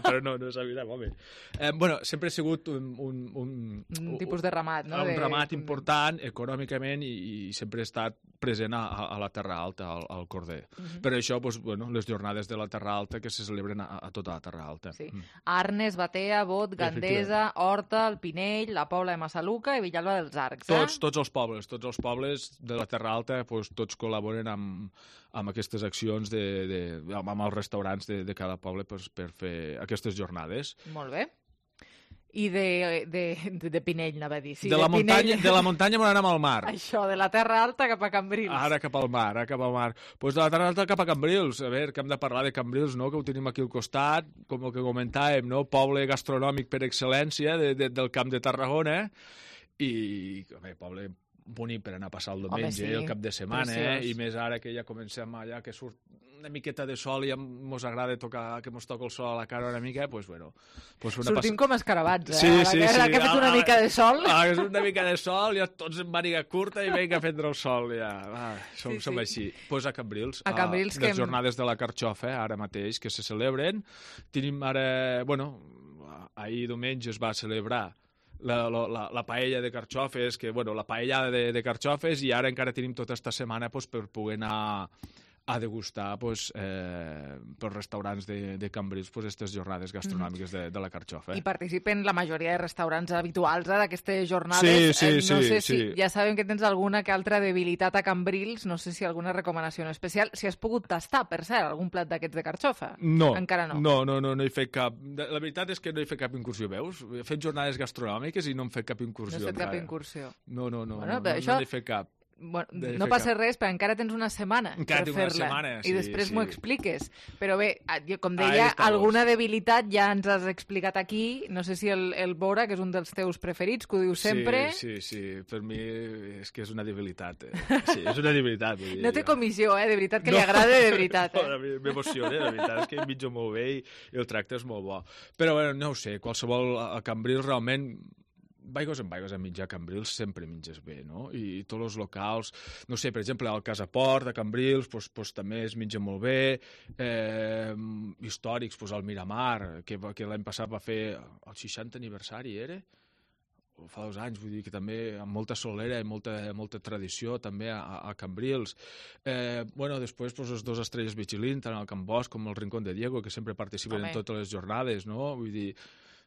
S13: però no, no és a mirar, home. Eh, bueno, sempre ha sigut un... Un, un,
S3: un tipus de ramat, no?
S13: Un
S3: de...
S13: ramat important, econòmicament, i, i sempre ha estat present a, a la Terra Alta, al, al corder. Uh-huh. Per això, doncs, bueno, les jornades de la Terra Alta que se celebren a, a tota la Terra Alta.
S3: Sí. Mm. Arnes, Batea, Bot, Gandesa, Horta, el Pinell, la Pobla de Massaluca i Villalba dels Arcs. Eh?
S13: Tots, tots els pobles, tots els pobles de la Terra Alta, doncs, tots col·laboren amb, amb aquestes accions de, de, amb els restaurants de, de cada poble per, per fer aquestes jornades.
S3: Molt bé. I de, de, de, de Pinell, anava a dir. Sí,
S13: de, la
S3: de,
S13: muntanya, de la muntanya m'ho anem al mar.
S3: Això, de la Terra Alta cap a Cambrils.
S13: Ara cap al mar, ara cap al mar. Doncs pues de la Terra Alta cap a Cambrils. A veure, que hem de parlar de Cambrils, no?, que ho tenim aquí al costat, com el que comentàvem, no?, poble gastronòmic per excel·lència de, de, del Camp de Tarragona, i, a veure, poble bonic per anar a passar el diumenge, Home, sí. el cap de setmana, eh? I més ara que ja comencem allà, que surt una miqueta de sol i ens agrada tocar, que ens toca el sol a la cara una mica, doncs, pues, bueno... Pues una
S3: Sortim
S13: pass...
S3: com escarabats, eh?
S13: Sí, sí, sí.
S3: Ara que ha fet una mica de sol...
S13: Ah, que és una mica de sol, ja tots en màniga curta i vinga a prendre el sol, ja. Ah, som, sí, sí. som així. Doncs pues a Cambrils,
S3: a Cambrils
S13: a, les
S3: que...
S13: jornades de la Carxofa, ara mateix, que se celebren. Tenim ara... Bueno, ahir diumenge es va celebrar La, la, la paella de carxofes, que, bueno, la paellada de, de carxofes, i ara encara tenim tota esta setmana pues, per poder anar a degustar pues, eh, pels restaurants de, de Cambrils pues, aquestes jornades gastronòmiques de, de la carxofa.
S3: I participen la majoria de restaurants habituals eh, d'aquestes jornades.
S13: Sí, sí,
S3: eh, no
S13: sí,
S3: sé
S13: sí.
S3: si ja sabem que tens alguna que altra debilitat a Cambrils, no sé si alguna recomanació en especial, si has pogut tastar, per cert, algun plat d'aquests de carxofa.
S13: No,
S3: encara no.
S13: No, no, no, no he fet cap... La veritat és que no he fet cap incursió, veus? He fet jornades gastronòmiques i no hem fet cap incursió.
S3: No has fet
S13: encara.
S3: cap incursió.
S13: No, no, no,
S3: bueno,
S13: no, no,
S3: això...
S13: no n'he fet cap.
S3: Bueno, no passa res, però encara tens una setmana
S13: encara
S3: per
S13: fer-la.
S3: Una setmana, sí, i després
S13: sí.
S3: m'ho expliques. Però bé, com deia, alguna debilitat ja ens has explicat aquí. No sé si el, el Bora, que és un dels teus preferits, que ho dius sempre...
S13: Sí, sí, sí. Per mi és que és una debilitat. Eh? Sí, és una debilitat. Vull dir,
S3: no té
S13: jo.
S3: comissió, eh? De veritat que no. Li agrada de veritat. Eh?
S13: No, m'emociona, de veritat. És que em mitjo molt bé i, i el tracte és molt bo. Però, bueno, no ho sé, qualsevol a Cambrils realment... Vaigos en vaigos a menjar a Cambrils sempre menges bé, no? I, i tots els locals, no sé, per exemple, al Casaport de Cambrils pues, pues, també es menja molt bé, eh, històrics, pues, al Miramar, que, que l'any passat va fer el seixantè aniversari, era? O fa dos anys, vull dir que també amb molta solera i molta, molta tradició també a, a Cambrils. Eh, bueno, després pues, els dos estrelles Michelin, tant al Can Bosch com al Rincón de Diego, que sempre participen Home. En totes les jornades, no? Vull dir...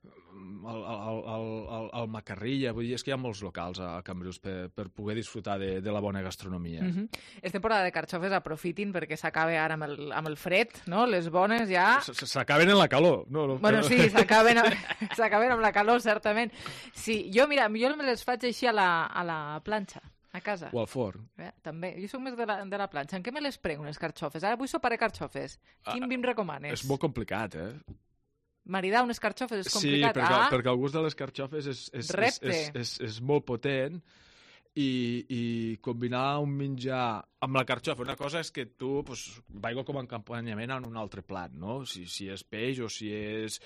S13: El, el, el, el, el Macarrilla, vull dir, és que hi ha molts locals a Cambrils per, per poder disfrutar de, de la bona gastronomia.
S3: Mm-hmm. És temporada de carxofes, aprofitin perquè s'acaba ara amb el, amb el fred, no? Les bones ja...
S13: S'acaben en la calor. No, no,
S3: bueno, sí, s'acaben amb la calor, certament. Sí, jo, mira, jo me les faig així a la, a la planxa. A casa.
S13: O al forn.
S3: Eh, també. Jo soc més de la, de la planxa. En què me les prenc, unes carxofes? Ara vull sopar carxofes. Quin ah, vi em recomanes?
S13: És molt complicat, eh?
S3: Maridar unes carxofes és complicat.
S13: Sí, perquè,
S3: ah,
S13: perquè el gust de les carxofes és, és, és, és, és, és molt potent i, i combinar un menjar amb la carxofa. Una cosa és que tu pues, vaigo com a acompanyament en un altre plat, no? Si, si és peix o si és,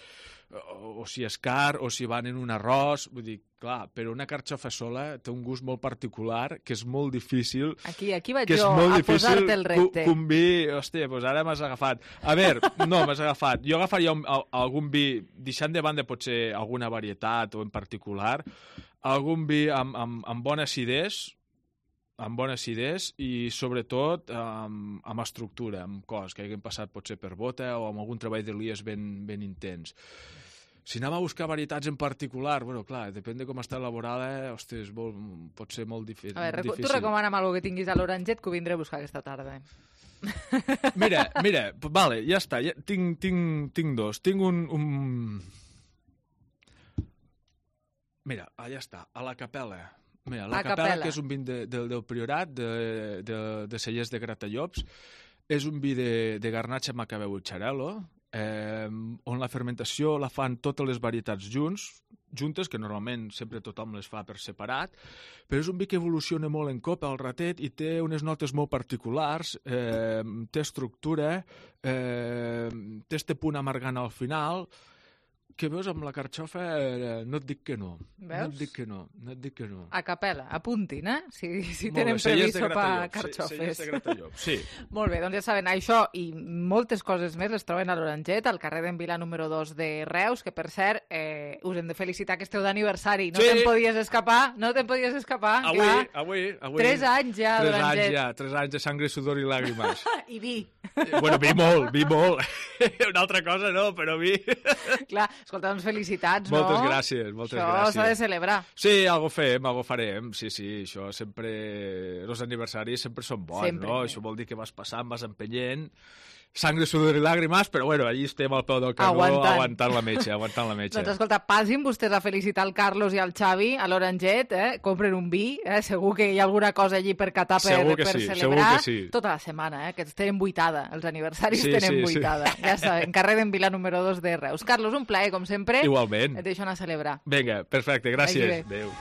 S13: o, o si és car o si van en un arròs. Vull dir, clar, però una carxofa sola té un gust molt particular que és molt difícil...
S3: Aquí, aquí vaig jo a posar-te el repte.
S13: Un vi, hòstia, doncs ara m'has agafat. A veure, no, m'has agafat. Jo agafaria un, algun vi, deixant de banda potser alguna varietat o en particular, algun vi amb, amb, amb bona acidesa, amb bona acidesa i sobretot amb, amb estructura, amb cos, que haguem passat potser per bota o amb algun treball de lies ben, ben intens. Si anem a buscar varietats en particular, bueno, clar, depèn de com està elaborada, ostres, molt, pot ser molt dif
S3: a veure,
S13: difícil.
S3: Tu recomana'm alguna que tinguis a l'Oranget que ho vindré a buscar aquesta tarda.
S13: Mira, mira, vale, ja està, ja, tinc, tinc, tinc dos. Tinc un, un... Mira, allà està, a la Capella Mira, la
S3: A
S13: Capella,
S3: Capella.
S13: que és un vi de, de, del Priorat, de, de, de Cellers de Gratallops, és un vi de, de Garnatxa, Macabeu i Xarel·lo, eh, on la fermentació la fan totes les varietats junts, juntes, que normalment sempre tothom les fa per separat, però és un vi que evoluciona molt en copa al ratet i té unes notes molt particulars, eh, té estructura, eh, té este punt amargant al final, que veus amb la carxofa, eh, no et dic que no.
S3: Veus?
S13: No et dic que no, no et dic que no.
S3: A Capella, apuntin, eh? Si, si
S13: Molt
S3: tenen
S13: bé, Cellers
S3: previst
S13: de
S3: sopar
S13: Gratallops,
S3: carxofes.
S13: Cellers de Gratallops, sí.
S3: Molt bé, doncs ja saben, això i moltes coses més les troben a l'Oranget, al carrer d'en Vila número dos de Reus, que per cert, eh, us hem de felicitar que esteu d'aniversari. No
S13: Sí.
S3: te'n podies escapar, no te'n podies escapar.
S13: Avui,
S3: clar.
S13: avui, avui.
S3: Tres anys ja
S13: Tres
S3: d'Oranget.
S13: anys ja, tres anys de sangre, sudor i làgrimes.
S3: I vi.
S13: Bueno, vi molt, vi molt. Una altra cosa no, però vi.
S3: Clar, escolta, doncs felicitats, no?
S13: Moltes gràcies, moltes
S3: això
S13: gràcies.
S3: Això s'ha de celebrar.
S13: Sí, algo fem, algo farem. Sí, sí, això sempre... Els aniversaris sempre són bons,
S3: Sempre.
S13: no? Això vol dir que vas passant, vas empenyent, sangre, sudor i làgrimes, però bueno, allí estem al peu del canó
S3: Aguantant.
S13: aguantant la metge, aguantant la metge.
S3: Doncs escolta, passin vostès a felicitar el Carlos i el Xavi a l'Oranget, eh? Compren un vi, eh? Segur que hi ha alguna cosa allí per catar, per,
S13: Segur que
S3: per
S13: sí,
S3: celebrar.
S13: segur que sí.
S3: Tota la setmana, eh? Que tenen buitada, els aniversaris
S13: Sí,
S3: tenen
S13: sí, sí.
S3: buitada. Ja saben, carrer d'en Vila número dos de Reus. Carlos, un plaer, com sempre.
S13: Igualment.
S3: Et deixo anar a celebrar.
S13: Vinga, perfecte,
S3: Vagi
S13: gràcies.
S3: bé.
S13: Adéu.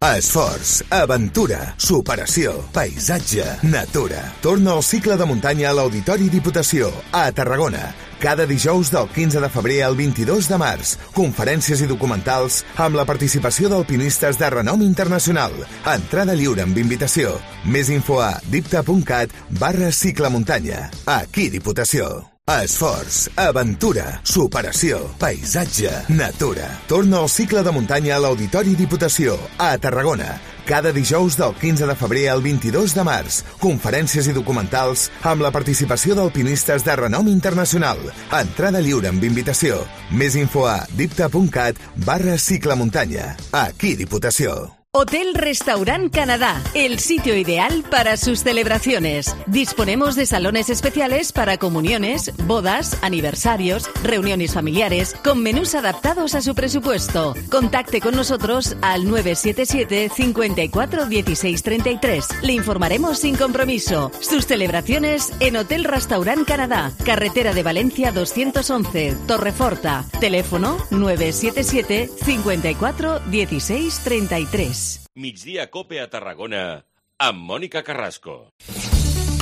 S12: Esforç, aventura, superació, paisatge, natura. Torna al cicle de muntanya a l'Auditori Diputació, a Tarragona. Cada dijous del quinze de febrer al vint-i-dos de març. Conferències i documentals amb la participació d'alpinistes de renom internacional. Entrada lliure amb invitació. Més info a dipta.cat barra ciclemuntanya. Aquí Diputació. Esforç, aventura, superació, paisatge, natura. Torna al cicle de muntanya a l'Auditori Diputació, a Tarragona. Cada dijous del quinze de febrer al vint-i-dos de març. Conferències i documentals amb la participació d'alpinistes de renom internacional. Entrada lliure amb invitació. Més info a dipta.cat barra ciclemuntanya. Aquí Diputació.
S14: Hotel Restaurant Canadá, el sitio ideal para sus celebraciones. Disponemos de salones especiales para comuniones, bodas, aniversarios, reuniones familiares, con menús adaptados a su presupuesto. Contacte con nosotros al nueve siete siete, cinco cuatro, uno seis tres tres. Le informaremos sin compromiso. Sus celebraciones en Hotel Restaurant Canadá, carretera de Valencia doscientos once, Torreforta. Teléfono nueve siete siete, cinco cuatro, uno seis tres tres.
S5: Migdia Cope a Tarragona amb Mònica Carrasco.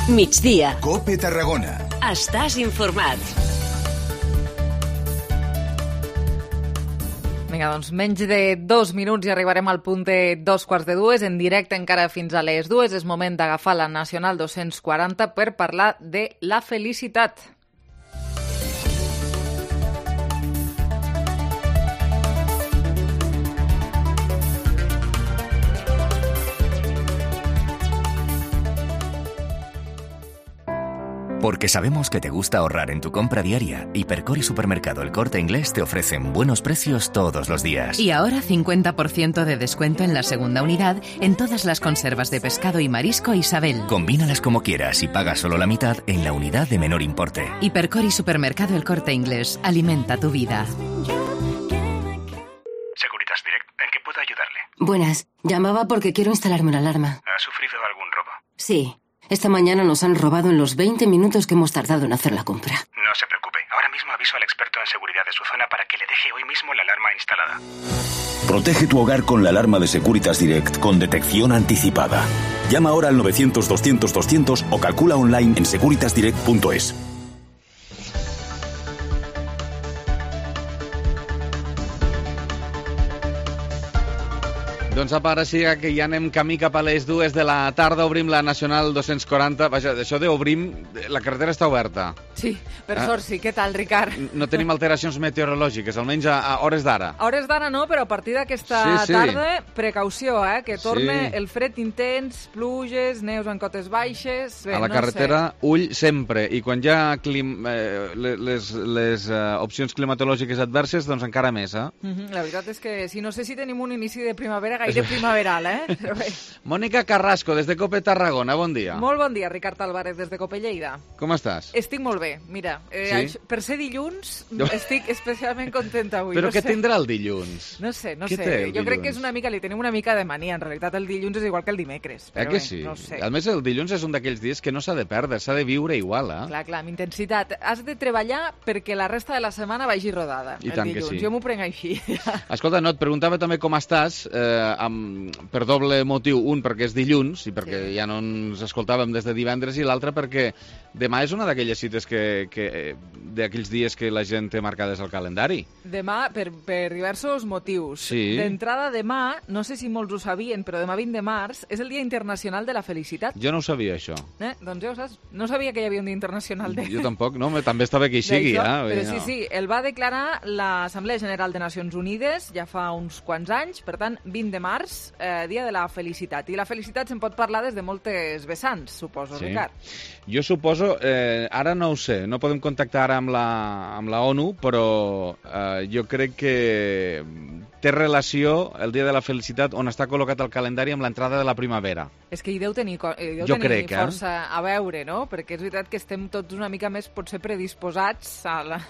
S14: Migdia.
S12: Cope Tarragona.
S14: Estàs informat.
S3: Vinga, doncs menys de dos minuts i arribarem al punt de dos quarts de dues, en directe encara fins a les dues. És moment d'agafar la Nacional dos-cents quaranta per parlar de la felicitat.
S15: Porque sabemos que te gusta ahorrar en tu compra diaria, Hipercor y Supermercado El Corte Inglés te ofrecen buenos precios todos los días.
S16: Y ahora cincuenta por ciento de descuento en la segunda unidad en todas las conservas de pescado y marisco Isabel.
S15: Combínalas como quieras y paga solo la mitad en la unidad de menor importe.
S16: Hipercor y Supermercado El Corte Inglés. Alimenta tu vida.
S18: Securitas Direct, ¿en qué puedo ayudarle?
S21: Buenas, llamaba porque quiero instalarme una alarma.
S18: ¿Ha sufrido algún robo?
S21: Sí, esta mañana nos han robado en los veinte minutos que hemos tardado en hacer la compra.
S18: No se preocupe, ahora mismo aviso al experto en seguridad de su zona para que le deje hoy mismo la alarma instalada.
S22: Protege tu hogar con la alarma de Securitas Direct con detección anticipada. Llama ahora al novecientos, doscientos, doscientos o calcula online en securitas direct punto es.
S28: Doncs apa, ara sí que ja anem camí cap a les dues de la tarda, obrim la Nacional dos-cents quaranta. Vaja, això d'obrim, la carretera està oberta.
S3: Sí, per
S28: Ah.
S3: sort sí. Què tal, Ricard?
S28: No tenim alteracions meteorològiques, almenys a, a hores d'ara.
S3: A hores d'ara no, però a partir d'aquesta
S28: Sí, sí.
S3: tarda, precaució, eh? Que torne
S28: Sí.
S3: el fred intens, pluges, neus en cotes baixes... Bé,
S28: A la
S3: no
S28: carretera, ull sempre. I quan hi ha clim, eh, les, les eh, opcions climatològiques adverses, doncs encara més, eh?
S3: sé. Mhm, La veritat és que si no sé si tenim un inici de primavera gairebé gaire primaveral, eh? Però bé.
S28: Mònica Carrasco, des de COPE Tarragona, bon dia.
S3: Molt bon dia, Ricard Álvarez, des de COPE Lleida.
S28: Com estàs?
S3: Estic molt bé, mira. Eh,
S28: Sí?
S3: això, per ser dilluns, estic especialment contenta avui.
S28: Però
S3: no
S28: què
S3: sé.
S28: tindrà el dilluns?
S3: No sé, no
S28: Què
S3: sé.
S28: té el
S3: Jo crec que
S28: dilluns?
S3: és una mica, li tenim una mica de mania. En realitat el dilluns és igual que el dimecres.
S28: Eh
S3: Però
S28: que
S3: bé,
S28: sí?
S3: no sé.
S28: A més, el dilluns és un d'aquells dies que no s'ha de perdre, s'ha de viure igual, eh?
S3: Clar, clar, amb intensitat. Has de treballar perquè la resta de la setmana vagi rodada.
S28: I
S3: el
S28: tant que
S3: dilluns.
S28: sí.
S3: Jo m'ho prenc així.
S28: Escolta, no, et preguntava també com estàs, eh, amb, per doble motiu. Un, perquè és dilluns, i perquè sí. ja no ens escoltàvem des de divendres, i l'altre perquè demà és una d'aquelles cites que, que d'aquells dies que la gent té marcades al calendari.
S3: Demà, per, per diversos motius.
S28: Sí.
S3: D'entrada, demà, no sé si molts ho sabien, però demà vint de març és el Dia Internacional de la Felicitat.
S28: Jo no ho sabia, això.
S3: Eh? Doncs ja ho saps. No sabia que hi havia un Dia Internacional de...
S28: Jo tampoc, no? També està bé que hi sigui,
S3: D'això,
S28: eh?
S3: Però
S28: no.
S3: sí, sí, el va declarar l'Assemblea General de Nacions Unides ja fa uns quants anys, per tant, vint de març, eh, Dia de la Felicitat. I la felicitat se'n pot parlar des de moltes vessants, suposo,
S28: Sí.
S3: Ricard.
S28: Jo suposo, eh, ara no ho sé, no podem contactar ara amb la, amb la ONU, però eh, jo crec que té relació el Dia de la Felicitat on està col·locat al calendari amb l'entrada de la primavera.
S3: És que hi deu tenir, co- hi deu
S28: Jo
S3: tenir
S28: crec, eh?
S3: força a veure, no? Perquè és veritat que estem tots una mica més, potser, predisposats a la,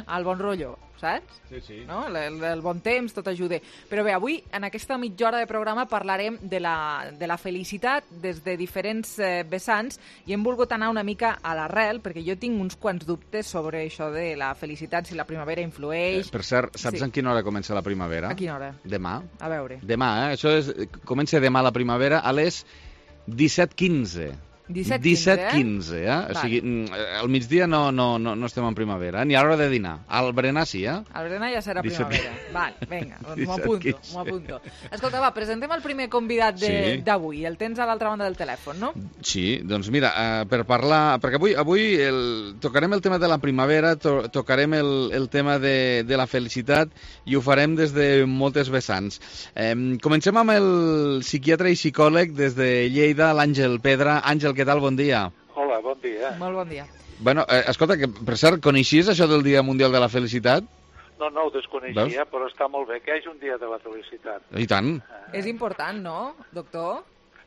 S3: al bon rotllo, saps?
S28: Sí, sí.
S3: No? El, el, el bon temps, tot ajuda. Però bé, avui, en aquesta mitja hora de programa, parlarem de la, de la felicitat des de diferents eh, vessants i hem volgut anar una mica a l'arrel, perquè jo tinc uns quants dubtes sobre això de la felicitat, si la primavera influeix...
S28: Eh, per cert, saps
S3: Sí.
S28: en quina hora comença la primavera?
S3: A quina hora?
S28: Demà.
S3: A veure.
S28: Demà, eh? Això és, comença demà la primavera a les disset quinze.
S3: disset
S28: disset
S3: quinze,
S28: quinze, eh? O
S3: Vale.
S28: sigui, mm, al migdia no, no, no, no estem en primavera, eh? Ni a l'hora de dinar. Al berenar sí, eh?
S3: El berenar ja serà
S28: disset
S3: primavera. Val, vinga, doncs m'ho
S28: disset
S3: apunto,
S28: quinze.
S3: m'ho apunto. Escolta, va, presentem el primer convidat de-
S28: Sí.
S3: d'avui. El tens a l'altra banda del telèfon, no?
S28: Sí, doncs mira, eh, per parlar... Perquè avui, avui el, tocarem el tema de la primavera, to, tocarem el, el tema de, de la felicitat i ho farem des de moltes vessants. Eh, comencem amb el psiquiatre i psicòleg des de Lleida, l'Àngel Pedra. Àngel, què tal? Bon dia.
S4: Hola, bon dia.
S3: Molt bon dia.
S28: Bueno, eh, escolta, que per cert, coneixies això del Dia Mundial de la Felicitat?
S4: No, no ho desconeixia,
S28: Veus?
S4: però està molt bé que hi hagi un dia de la felicitat.
S28: I tant.
S3: És important, no, doctor?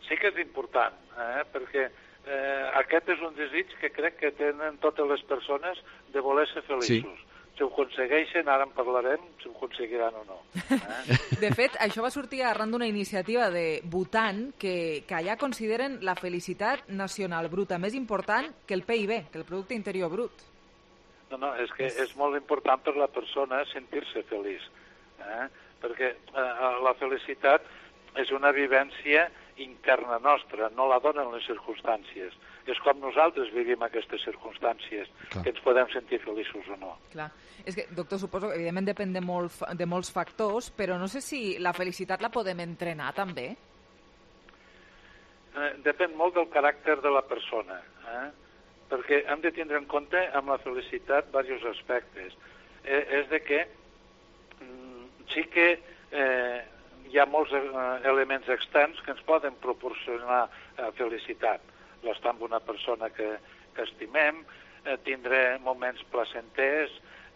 S4: Sí que és important, eh? perquè eh, aquest és un desig que crec que tenen totes les persones de voler ser feliços. Sí. Si ho aconsegueixen, ara en parlarem, si ho aconseguiran o no. Eh?
S3: De fet, això va sortir arran d'una iniciativa de Bhutan que, que allà consideren la felicitat nacional bruta més important que el P I B, que el Producte Interior Brut.
S4: No, no, és que és molt important per la persona sentir-se feliç, eh? perquè eh, la felicitat és una vivència interna nostra, no la donen les circumstàncies. És com nosaltres vivim aquestes circumstàncies,
S28: Clar.
S4: que ens podem sentir feliços o no.
S3: Clar. És que, doctor, suposo que evidentment depèn de, molt, fa- de molts factors, però no sé si la felicitat la podem entrenar també.
S4: Eh, depèn molt del caràcter de la persona, eh? perquè hem de tindre en compte amb la felicitat diversos aspectes. Eh, és de que mm, sí que eh, hi ha molts eh, elements externs que ens poden proporcionar eh, felicitat. L'estar amb una persona que, que estimem, eh, tindre moments placenters,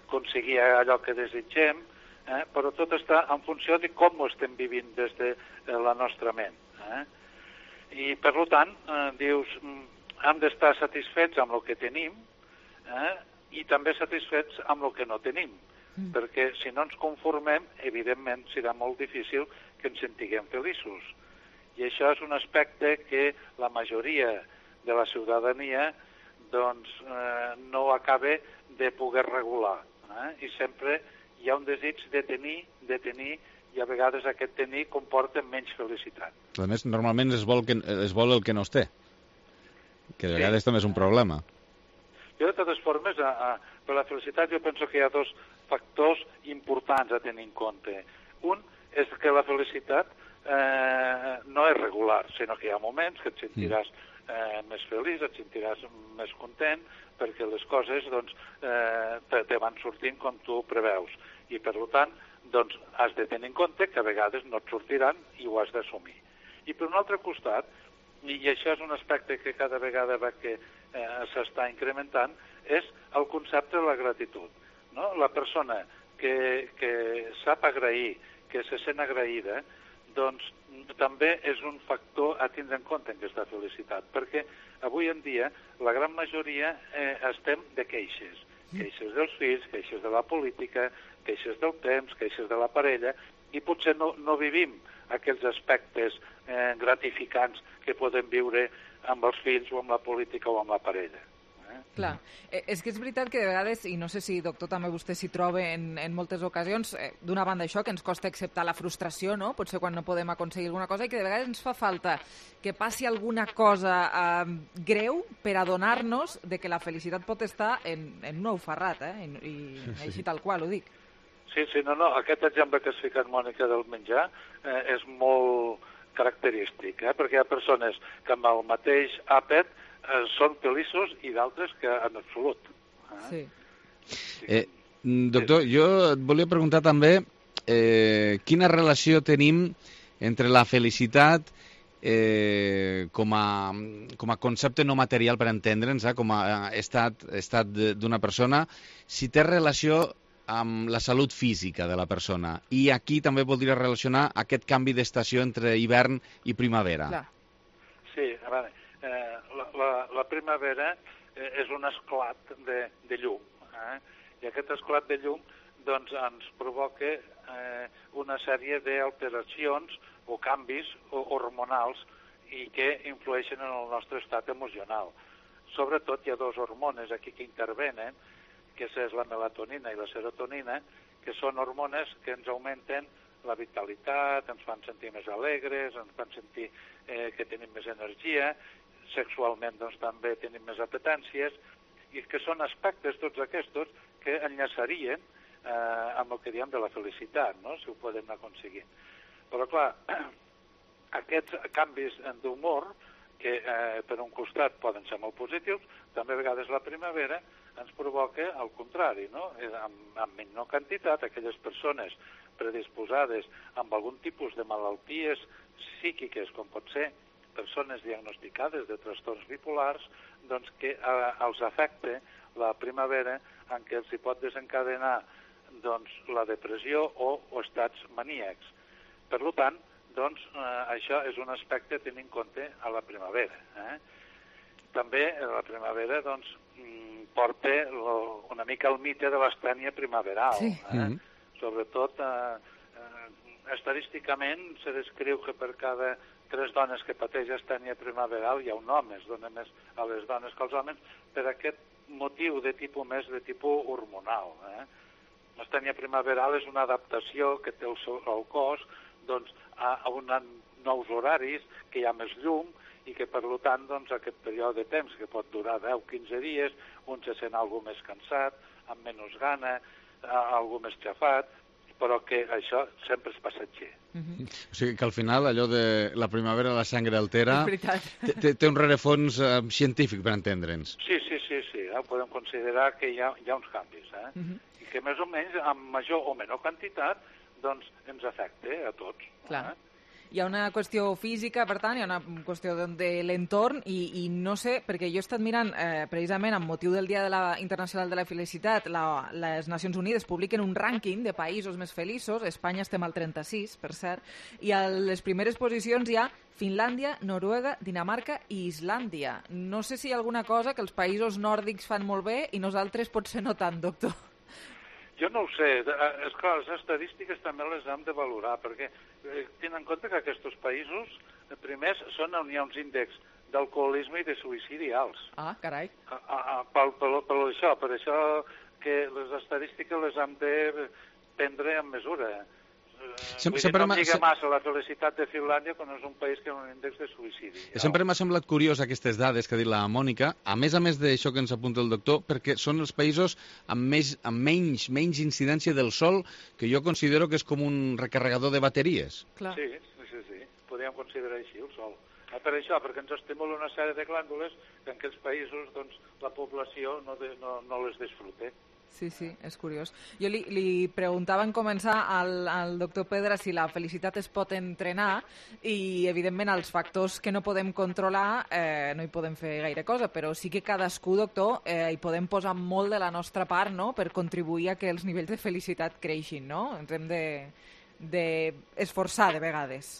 S4: aconseguir allò que desitgem, eh? però tot està en funció de com ho estem vivint des de eh, la nostra ment. Eh? I, per tant, eh, dius, mm, hem d'estar satisfets amb el que tenim eh? i també satisfets amb el que no tenim, mm. perquè si no ens conformem, evidentment serà molt difícil que ens sentiguem feliços. I això és un aspecte que la majoria de la ciutadania doncs, eh, no acaba de poder regular. Eh? I sempre hi ha un desig de tenir, de tenir, i a vegades aquest tenir comporta menys felicitat.
S28: A més, normalment es vol, que, es vol el que no es té, que de vegades sí. també és un problema.
S4: Jo, de totes formes, a, a, per la felicitat jo penso que hi ha dos factors importants a tenir en compte. Un és que la felicitat eh, no és regular, sinó que hi ha moments que et sentiràs eh, més feliç, et sentiràs més content, perquè les coses doncs, eh, te, te van sortint com tu preveus. I, per tant, doncs, has de tenir en compte que a vegades no et sortiran i ho has d'assumir. I per un altre costat, i això és un aspecte que cada vegada va que eh, s'està incrementant, és el concepte de la gratitud. No? La persona que, que sap agrair, que se sent agraïda, doncs també és un factor a tindre en compte en aquesta felicitat, perquè avui en dia la gran majoria eh, estem de queixes, queixes dels fills, queixes de la política, queixes del temps, queixes de la parella, i potser no, no vivim aquells aspectes eh, gratificants que podem viure amb els fills o amb la política o amb la parella.
S3: Clar, eh, és que és veritat que de vegades, i no sé si, doctor, també vostè s'hi troba en, en moltes ocasions, eh, d'una banda això, que ens costa acceptar la frustració, no? Potser quan no podem aconseguir alguna cosa, i que de vegades ens fa falta que passi alguna cosa eh, greu per adonar-nos de que la felicitat pot estar en, en un ou ferrat, eh? I, i sí. Així tal qual, ho dic.
S4: Sí, sí, no, no, aquest exemple que has ficat, Mònica, del menjar eh, és molt característic, eh? Perquè hi ha persones que amb el mateix àpat eh, són feliços i d'altres que en absolut. Eh?
S3: Sí.
S28: Eh, doctor, jo et volia preguntar també eh, quina relació tenim entre la felicitat eh, com, a, com a concepte no material, per entendre'ns, eh, com a estat, estat d'una persona, si té relació amb la salut física de la persona. I aquí també voldria relacionar aquest canvi d'estació entre hivern i primavera.
S3: Clar.
S4: Sí, a veure, eh, la, la, la primavera eh, és un esclat de, de llum, eh? I aquest esclat de llum doncs, ens provoca eh, una sèrie d'alteracions o canvis hormonals i que influeixen en el nostre estat emocional. Sobretot hi ha dos hormones aquí que intervenen, que és la melatonina i la serotonina, que són hormones que ens augmenten la vitalitat, ens fan sentir més alegres, ens fan sentir eh, que tenim més energia, sexualment doncs, també tenim més apetències, i que són aspectes, tots aquests, que enllaçarien eh, amb el que diem de la felicitat, no? Si ho podem aconseguir. Però, clar, aquests canvis d'humor, que eh, per un costat poden ser molt positius, també a vegades la primavera ens provoca el contrari, no? Amb, amb menor quantitat, aquelles persones predisposades amb algun tipus de malalties psíquiques, com pot ser persones diagnosticades de trastorns bipolars, doncs que eh, els afecta la primavera en què els hi pot desencadenar doncs, la depressió o, o estats maníacs. Per tant, doncs, eh, això és un aspecte a tenir en compte a la primavera. Eh? També la primavera doncs, porta lo, una mica el mite de l'astènia primaveral.
S3: Sí.
S4: Eh? Mm. Sobretot, eh, eh, estadísticament, se descriu que per cada tres dones que pateix astènia primaveral hi ha un home, es dona més a les dones que als homes, per aquest motiu de tipus més de tipus hormonal. Eh? L'astènia primaveral és una adaptació que té el, seu, el cos doncs, a, a una, nous horaris, que hi ha més llum, i que, per tant, doncs, aquest període de temps, que pot durar deu a quinze dies, un se sent algú més cansat, amb menys gana, algú més xafat, però que això sempre és passatger.
S28: Mm-hmm. O sigui que al final allò de la primavera la sangre altera té, té un rerefons eh, científic, per entendre'ns.
S4: Sí, sí, sí, sí, eh? Podem considerar que hi ha, hi ha uns canvis, eh? Mm-hmm. I que més o menys, amb major o menor quantitat, doncs ens afecta eh, a tots.
S3: Clar.
S4: Eh?
S3: Hi ha una qüestió física, per tant, hi ha una qüestió de l'entorn i, i no sé, perquè jo he estat mirant eh, precisament amb motiu del Dia de la Internacional de la Felicitat, la, les Nacions Unides publiquen un rànquing de països més feliços, Espanya estem al trenta-sis, per cert, i a les primeres posicions hi ha Finlàndia, Noruega, Dinamarca i Islàndia. No sé si hi ha alguna cosa que els països nòrdics fan molt bé i nosaltres potser no tant, doctor.
S4: Jo no ho sé. És clar, les estadístiques també les hem de valorar, perquè eh, tenen en compte que aquests països, eh, primers, són on hi ha uns índexs d'alcoholisme i de suïcidi alts.
S3: Ah, carai.
S4: A, a, a, per, per, per això, per això que les estadístiques les hem de prendre en mesura.
S28: Sempre,
S4: Vull dir, no em lliga massa la felicitat de Finlàndia quan és un país que ha un índex de suïcidi.
S28: Sempre m'ha semblat curiós aquestes dades que ha dit la Mònica, a més a més d'això que ens apunta el doctor, perquè són els països amb, més, amb menys, menys incidència del sol, que jo considero que és com un recarregador de bateries.
S3: Clar.
S4: Sí, sí, sí, podríem considerar així el sol. Per això, perquè ens estimula una sèrie de glàndules que en aquests països doncs, la població no, de, no, no les disfruta.
S3: Sí, sí, és curiós. Jo li, li preguntava en començar al, al doctor Pedra si la felicitat es pot entrenar i, evidentment, els factors que no podem controlar eh, no hi podem fer gaire cosa, però sí que cadascú, doctor, eh, hi podem posar molt de la nostra part, no?, per contribuir a que els nivells de felicitat creixin, no? Ens hem de, de esforçar de vegades.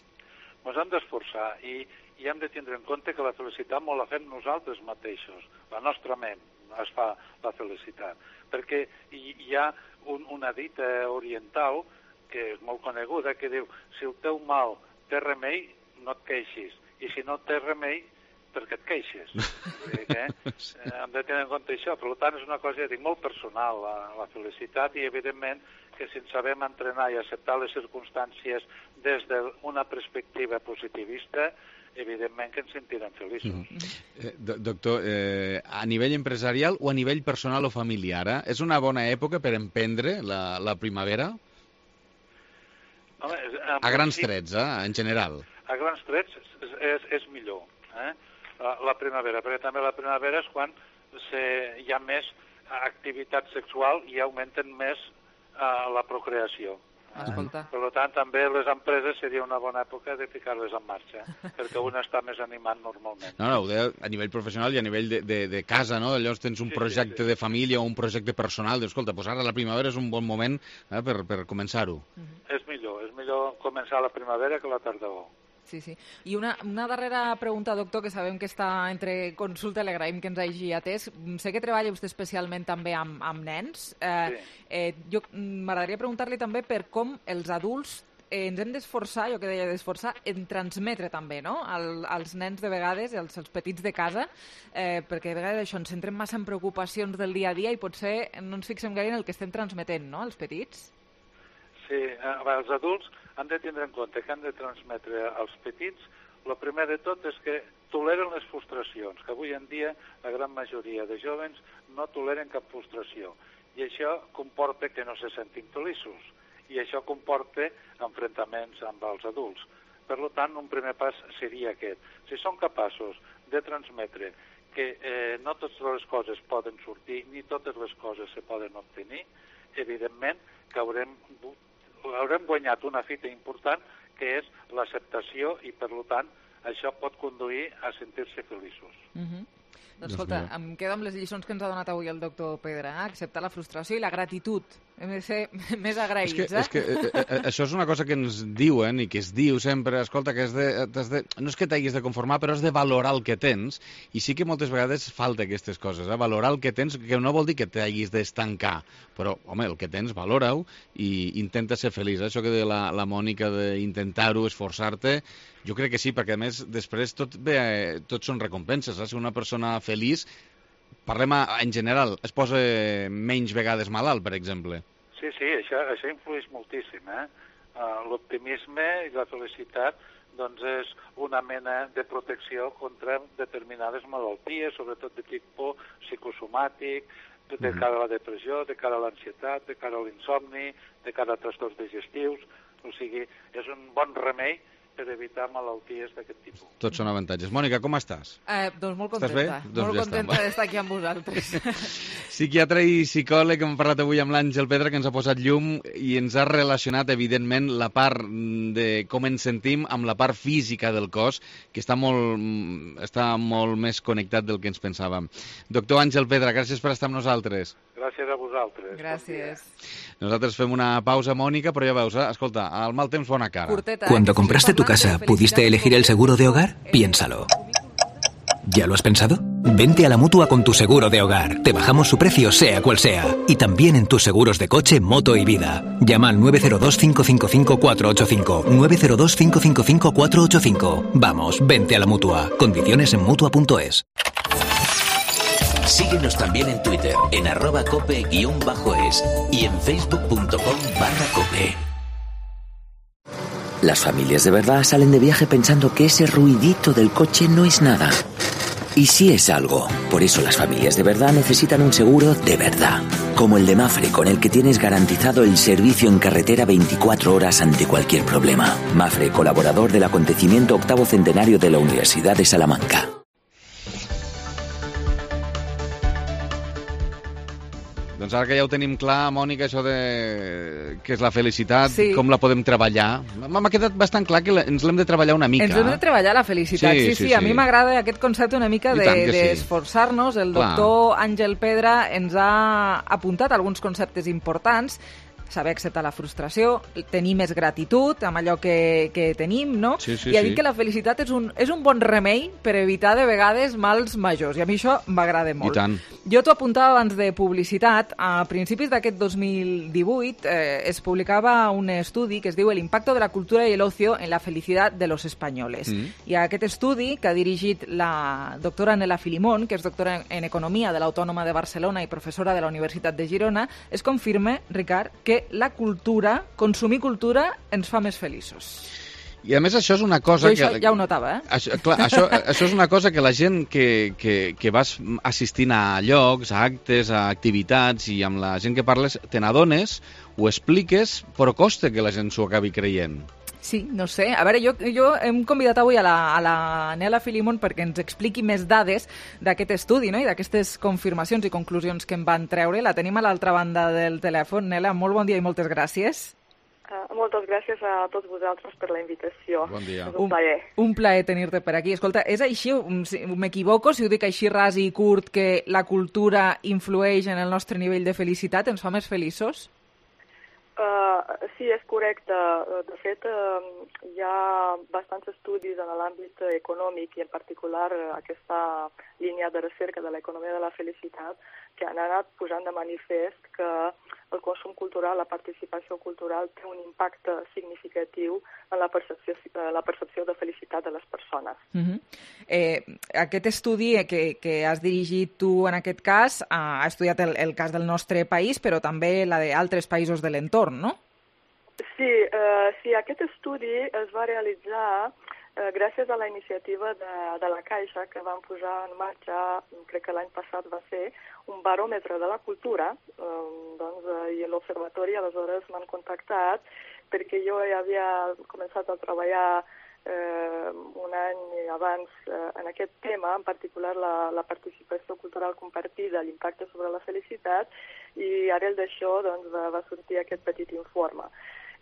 S4: ens hem d'esforçar i, i hem de tindre en compte que la felicitat molt la fem nosaltres mateixos, la nostra ment es fa la felicitat, perquè hi, hi ha un, una dita oriental que és molt coneguda, que diu, si el teu mal té remei, no et queixis, i si no té remei, perquè et queixes. Que, eh, hem de tenir en compte això. Per tant, és una cosa, ja dic, molt personal, la, la felicitat, i evidentment que si ens sabem entrenar i acceptar les circumstàncies des d'una perspectiva positivista, evidentment que ens sentirem feliços.
S28: Mm-hmm. eh, doctor, eh, a nivell empresarial o a nivell personal o familiar, eh? És una bona època per emprendre la, la primavera?
S4: Home,
S28: a grans trets, eh? En general.
S4: A grans trets és, és, és millor, eh? La, la primavera, perquè també la primavera és quan se, hi ha més activitat sexual i augmenten més uh, la procreació.
S3: Escolta.
S4: Per tant, també les empreses seria una bona època de ficar-les en marxa, perquè un està més animat normalment.
S28: No, no, ho deia a nivell professional i a nivell de, de, de casa, no? Llavors tens un sí, projecte sí, sí. de família o un projecte personal, dius, escolta, doncs ara la primavera és un bon moment eh, per, per començar-ho.
S4: Mm-hmm. És millor, és millor començar la primavera que la tardor.
S3: Sí, sí. I una, una darrera pregunta, doctor, que sabem que està entre consulta, li agraïm que ens hagi atès. Sé que treballa vostè especialment també amb, amb nens. Eh, sí. eh, jo m'agradaria preguntar-li també per com els adults eh, ens hem d'esforçar, jo que deia d'esforçar, en transmetre també, no?, Al, als nens de vegades, als, als petits de casa, eh, perquè de vegades això ens centrem massa en preocupacions del dia a dia i potser no ens fixem gaire en el que estem transmetent, no?, als petits.
S4: Sí, eh, els adults han de tindre en compte que han de transmetre als petits, el primer de tot és que toleren les frustracions, que avui en dia la gran majoria de jovens no toleren cap frustració, i això comporta que no se sentin feliços, i això comporta enfrontaments amb els adults. Per tant, un primer pas seria aquest. Si són capaços de transmetre que eh, no totes les coses poden sortir, ni totes les coses se poden obtenir, evidentment que haurem haurem guanyat una fita important, que és l'acceptació, i, per tant, això pot conduir a sentir-se feliços.
S3: Mm-hmm. Doncs, escolta, em quedo amb les lliçons que ens ha donat avui el doctor Pedra, eh? Acceptar la frustració i la gratitud. Hem de ser més agraïts,
S28: és que,
S3: eh?
S28: És que eh, eh, això és una cosa que ens diuen i que es diu sempre, escolta, que has de, has de, no és que t'hagis de conformar, però has de valorar el que tens, i sí que moltes vegades falta aquestes coses, eh? Valorar el que tens, que no vol dir que t'hagis d'estancar, però, home, el que tens, valora-ho i intenta ser feliç. Eh? Això que deia la, la Mònica d'intentar-ho, esforçar-te, jo crec que sí, perquè a més després tot, bé, tot són recompenses. Eh? Si una persona feliç, parlem a, en general, es posa menys vegades malalt, per exemple.
S4: Sí, sí, això, això influeix moltíssim. Eh? Uh, l'optimisme i la felicitat doncs és una mena de protecció contra determinades malalties, sobretot de tipus psicosomàtic, de cara a la depressió, de cara a l'ansietat, de cara a l'insomni, de cara a trastorns digestius. O sigui, és un bon remei per evitar malalties d'aquest tipus.
S28: Tots són avantatges. Mònica, com estàs?
S3: Eh, doncs molt contenta.
S28: Estàs bé? Doncs
S3: molt
S28: ja
S3: contenta
S28: està.
S3: d'estar aquí amb vosaltres.
S28: Psiquiatre i psicòleg, hem parlat avui amb l'Àngel Pedra, que ens ha posat llum i ens ha relacionat, evidentment, la part de com ens sentim amb la part física del cos, que està molt, està molt més connectat del que ens pensàvem. Doctor Àngel Pedra, gràcies per estar amb nosaltres.
S4: Gràcies a vosaltres.
S3: Gràcies.
S28: Nosaltres fem una pausa, Mònica, però ja veus, eh? Escolta, al mal temps bona cara.
S3: Curteta,
S7: Cuando compraste tu casa, ¿pudiste elegir el seguro de hogar? Piénsalo. ¿Ya lo has pensado? Vente a la Mutua con tu seguro de hogar. Te bajamos su precio, sea cual sea. Y también en tus seguros de coche, moto y vida. Llama al nueve cero dos, cinco cinco cinco, cuatro ocho cinco. nueve cero dos, cinco cinco cinco, cuatro ocho cinco. Vamos, vente a la Mutua. Condiciones en mutua punto es.
S11: Síguenos también en Twitter, en arroba cope guión bajo es y en facebook punto com barra cope. Las familias de verdad salen de viaje pensando que ese ruidito del coche no es nada. Y sí es algo. Por eso las familias de verdad necesitan un seguro de verdad. Como el de Mafre, con el que tienes garantizado el servicio en carretera veinticuatro horas ante cualquier problema. Mafre, colaborador del acontecimiento octavo centenario de la Universidad de Salamanca.
S28: Doncs ara que ja ho tenim clar, Mònica, això de què és la felicitat,
S3: sí.
S28: Com la podem treballar, m'ha quedat bastant clar que ens l'hem de treballar una mica.
S3: Ens hem de treballar la felicitat, sí, sí, sí, sí. A mi m'agrada aquest concepte una mica d'esforçar-nos. De, sí. El doctor Àngel Pedra ens ha apuntat alguns conceptes importants saber acceptar la frustració, tenir més gratitud amb allò que, que tenim, no?
S28: Sí, sí,
S3: I ha dit
S28: sí.
S3: que la felicitat és un, és un bon remei per evitar de vegades mals majors, i a mi això m'agrada molt.
S28: I tant.
S3: Jo t'ho apuntava abans de publicitat. A principis d'aquest dos mil divuit eh, es publicava un estudi que es diu El impacto de la cultura y el ocio en la felicidad de los españoles. Mm. I aquest estudi, que ha dirigit la doctora Nela Filimón, que és doctora en Economia de l'Autònoma de Barcelona i professora de la Universitat de Girona, es confirma, Ricard, que la cultura, consumir cultura, ens fa més feliços.
S28: I a més això és una cosa...
S3: Jo això
S28: que,
S3: ja ho notava, eh?
S28: Això, clar, això, això és una cosa que la gent que, que, que vas assistint a llocs, a actes, a activitats i amb la gent que parles, te n'adones, ho expliques, però costa que la gent s'ho acabi creient.
S3: Sí, no sé. A veure, jo, jo hem convidat avui a la, a la Nela Filimón perquè ens expliqui més dades d'aquest estudi, no? I d'aquestes confirmacions i conclusions que en van treure. La tenim a l'altra banda del telèfon. Nela, molt bon dia i moltes gràcies.
S1: Uh, moltes gràcies a tots vosaltres per la invitació.
S28: Bon dia.
S1: És un plaer.
S3: Un, un plaer tenir-te per aquí. Escolta, és així, m'equivoco si ho dic així ras i curt, que la cultura influeix en el nostre nivell de felicitat, ens fa més feliços?
S1: Uh, sí, és correcte. De fet, uh, hi ha bastants estudis en l'àmbit econòmic i en particular aquesta línia de recerca de l'economia de la felicitat que han anat posant de manifest que el consum cultural, la participació cultural té un impacte significatiu en la percepció, la percepció de felicitat de les persones.
S3: Uh-huh. eh, aquest estudi que, que has dirigit tu en aquest cas ha estudiat el, el cas del nostre país, però també la d'altres països de l'entorn, no?
S1: Sí, eh, sí, aquest estudi es va realitzar eh, gràcies a la iniciativa de, de la Caixa, que van posar en marxa, crec que l'any passat va ser, un baròmetre de la cultura, eh, doncs, eh, i l'Observatori aleshores m'han contactat perquè jo ja havia començat a treballar eh, un any abans eh, en aquest tema, en particular la, la participació cultural compartida, l'impacte sobre la felicitat, i arrel d'això doncs, va, va sortir aquest petit informe.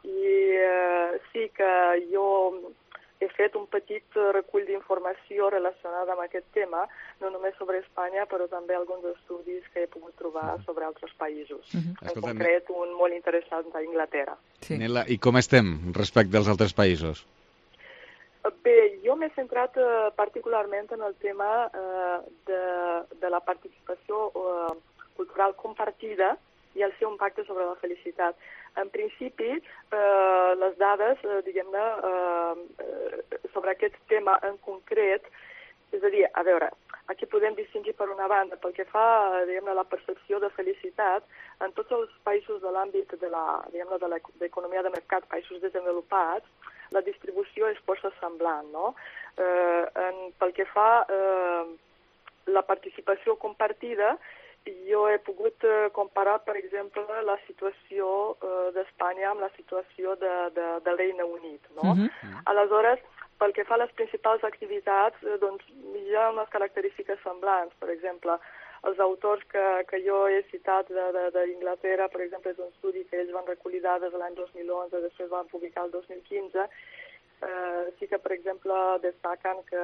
S1: I eh, sí que jo he fet un petit recull d'informació relacionada amb aquest tema, no només sobre Espanya, però també alguns estudis que he pogut trobar sobre altres països. Uh-huh. En Escolta, concret, un molt interessant d'Anglaterra.
S28: Sí. Nela, i com estem respecte als altres països?
S1: Bé, jo m'he centrat eh, particularment en el tema eh, de, de la participació eh, cultural compartida i el seu impacte sobre la felicitat. En principi, eh, les dades, eh, diguem-ne, eh, sobre aquest tema en concret, és a dir, a veure, aquí podem distingir per una banda, pel que fa, diguem-ne, la percepció de felicitat, en tots els països de l'àmbit de la, diguem-ne, de l'economia de mercat, països desenvolupats, la distribució és força semblant, no? Eh, en, pel que fa eh, la participació compartida, jo he pogut eh, comparar, per exemple, la situació eh, d'Espanya amb la situació de, de, del Regne Unit, no? Uh-huh. Aleshores, pel que fa a les principals activitats, eh, doncs hi ha unes característiques semblants. Per exemple, els autors que, que jo he citat d'Inglaterra, per exemple, és un estudi que ells van recollir dades l'any dos mil onze, després van publicar el dos mil quinze, Eh, sí que, per exemple, destaquen que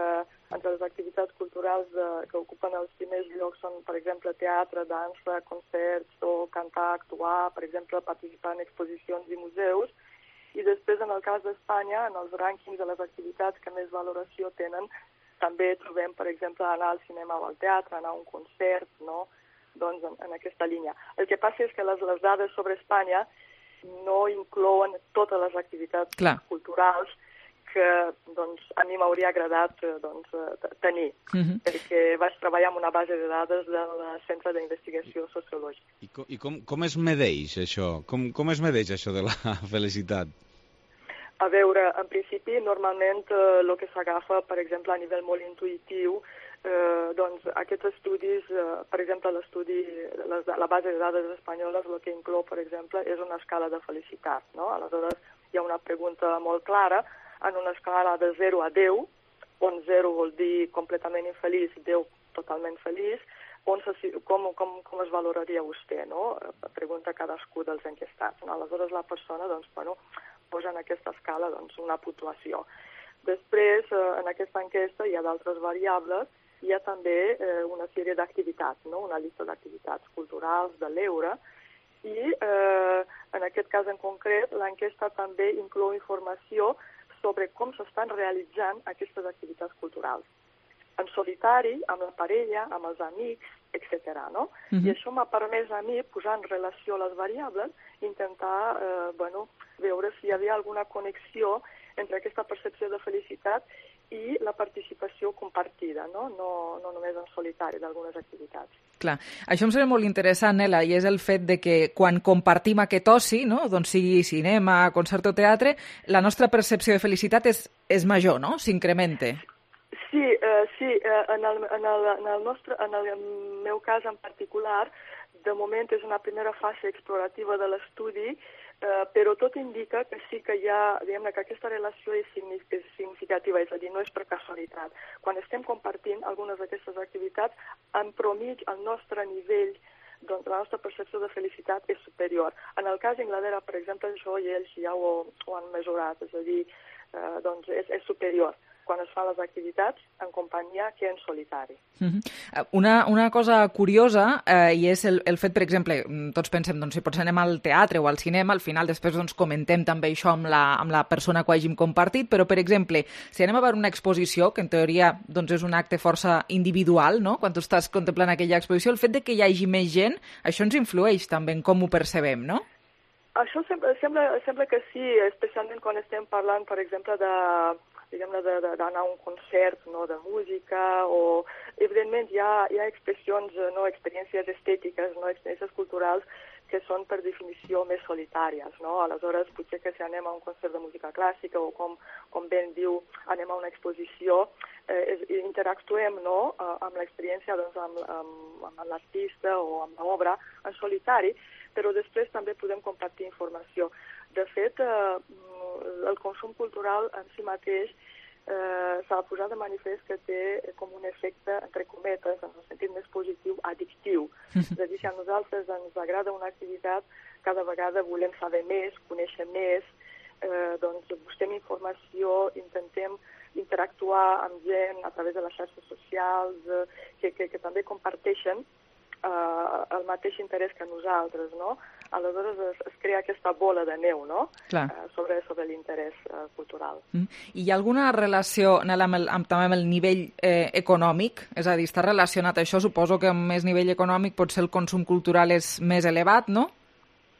S1: entre les activitats culturals de, que ocupen els primers llocs són, per exemple, teatre, dansa, concerts o cantar, actuar, per exemple, participar en exposicions i museus. I després, en el cas d'Espanya, en els rànquings de les activitats que més valoració tenen, també trobem, per exemple, anar al cinema o al teatre, anar a un concert, no? Doncs en, en aquesta línia. El que passa és que les, les dades sobre Espanya no inclouen totes les activitats Clar. culturals que doncs, a mi m'hauria agradat doncs, tenir, uh-huh. perquè vaig treballar amb una base de dades del Centre d'Investigació Sociològica.
S28: I, com, i com, com es medeix això? Com, com es medeix això de la felicitat?
S1: A veure, en principi, normalment eh, el que s'agafa, per exemple, a nivell molt intuïtiu, eh, doncs aquests estudis, eh, per exemple, l'estudi, les, la base de dades espanyoles, el que inclou, per exemple, és una escala de felicitat, no? Aleshores, hi ha una pregunta molt clara, en una escala de zero a deu, on zero vol dir completament infeliç, deu totalment feliç, on se, com, com, com es valoraria vostè, no? Pregunta cadascú dels enquestats. No? Aleshores la persona doncs, bueno, posa en aquesta escala doncs, una puntuació. Després, eh, en aquesta enquesta hi ha d'altres variables, hi ha també eh, una sèrie d'activitats, no? Una llista d'activitats culturals de l'Eure, I eh, en aquest cas en concret, l'enquesta també inclou informació sobre com s'estan realitzant aquestes activitats culturals. En solitari, amb la parella, amb els amics, etcètera. No? Uh-huh. I això m'ha permès a mi posar en relació les variables i intentar eh, bueno, veure si hi havia alguna connexió entre aquesta percepció de felicitat i la participació compartida, no, no, no només en solitari d'algunes activitats.
S3: Clar, això em sembla molt interessant, Nela, i és el fet de que quan compartim aquest oci, no? Doncs sigui cinema, concert o teatre, la nostra percepció de felicitat és, és major, no? S'incrementa.
S1: Sí, eh, sí eh, en, el, en, el, en, el nostre, en el meu cas en particular, de moment és una primera fase explorativa de l'estudi, eh, però tot indica que sí que hi ha, diguem-ne, que aquesta relació és significativa, és a dir, no és per casualitat. Quan estem compartint algunes d'aquestes activitats, en promig el nostre nivell, doncs la nostra percepció de felicitat és superior. En el cas d'Anglaterra, per exemple, això i ells ja ho, ho han mesurat, és a dir, eh, doncs és, és superior quan es fan les activitats en companyia que en solitari.
S3: Uh-huh. Una, una cosa curiosa, eh, i és el, el fet, per exemple, tots pensem, doncs, si potser anem al teatre o al cinema, al final després doncs, comentem també això amb la, amb la persona que ho hàgim compartit, però, per exemple, si anem a veure una exposició, que en teoria doncs, és un acte força individual, no?, quan tu estàs contemplant aquella exposició, el fet de que hi hagi més gent, això ens influeix també en com ho percebem, no?
S1: Això sembla, sembla, sembla que sí, especialment quan estem parlant, per exemple, de diguem-ne, d'anar a un concert, no, de música, o, evidentment, hi ha, hi ha expressions, no, experiències estètiques, no, experiències culturals que són, per definició, més solitàries, no? Aleshores, potser que si anem a un concert de música clàssica o, com, com ben diu, anem a una exposició, eh, interactuem, no, amb l'experiència, doncs, amb, amb, amb l'artista o amb l'obra en solitari, però després també podem compartir informació. De fet, eh, el consum cultural en si mateix eh, s'ha de posar de manifest que té com un efecte, entre cometes, en el sentit més positiu, addictiu. És a dir, si a nosaltres ens agrada una activitat, cada vegada volem saber més, conèixer més, eh, doncs busquem informació, intentem interactuar amb gent a través de les xarxes socials, eh, que, que, que també comparteixen Uh, el mateix interès que nosaltres, no? Aleshores es, es crea aquesta bola de neu, no? Uh, sobre, sobre l'interès uh, cultural.
S3: Mm. I hi ha alguna relació, Nela, amb el, amb, també amb el nivell eh, econòmic? És a dir, està relacionat això? Suposo que amb més nivell econòmic potser el consum cultural és més elevat, no?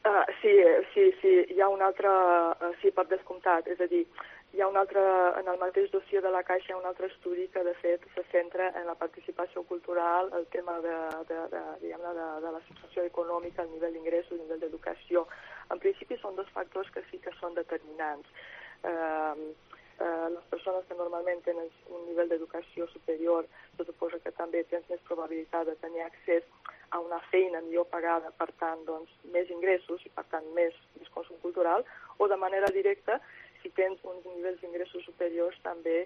S1: Uh, sí, sí, sí, hi ha un altre, uh, sí, per descomptat, és a dir, hi ha un altre, en el mateix dossier de la Caixa hi ha un altre estudi que, de fet, se centra en la participació cultural, el tema de, de, de, diguem-ne, de, de la situació econòmica, el nivell d'ingressos, el nivell d'educació. En principi són dos factors que sí que són determinants. Eh, eh, les persones que normalment tenen un nivell d'educació superior, se suposa que també tens més probabilitat de tenir accés a una feina millor pagada, per tant, doncs, més ingressos i, per tant, més, més consum cultural, o de manera directa, si tens uns nivells d'ingressos superiors, també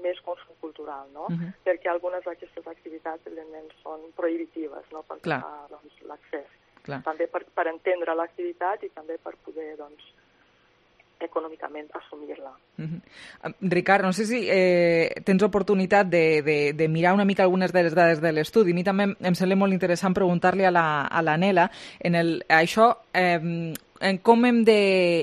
S1: més consum cultural, no? Uh-huh. Perquè algunes d'aquestes activitats, evidentment, són prohibitives, no?, per doncs, l'accés. També per, per entendre l'activitat i també per poder, doncs, econòmicament assumir-la.
S3: Uh-huh. Ricard, no sé si eh, tens oportunitat de, de, de mirar una mica algunes de les dades de l'estudi. A mi també em sembla molt interessant preguntar-li a la, a la Nela en el, això, eh, en com hem de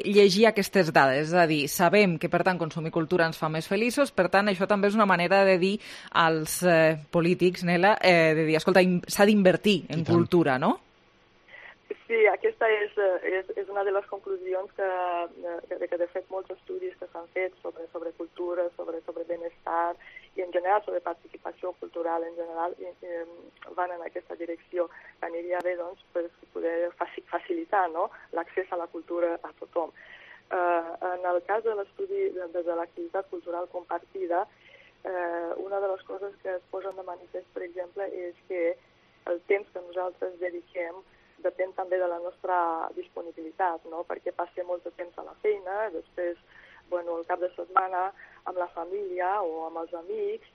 S3: llegir aquestes dades. És a dir, sabem que, per tant, consumir cultura ens fa més feliços, per tant, això també és una manera de dir als eh, polítics, Nela, eh, de dir, escolta, s'ha d'invertir en cultura, no?
S1: Sí, aquesta és, és, és una de les conclusions que, que, que de fet, molts estudis que s'han fet sobre, sobre cultura, sobre, sobre benestar i, en general, sobre participació cultural en general, i, i, van en aquesta direcció. Aniria bé, doncs, per poder facilitar, no?, l'accés a la cultura a tothom. Uh, en el cas de l'estudi de, de l'activitat cultural compartida, uh, una de les coses que es posen de manifest, per exemple, és que el temps que nosaltres dediquem depèn també de la nostra disponibilitat, no?, perquè passem molt de temps a la feina, després, bueno, el cap de setmana amb la família o amb els amics,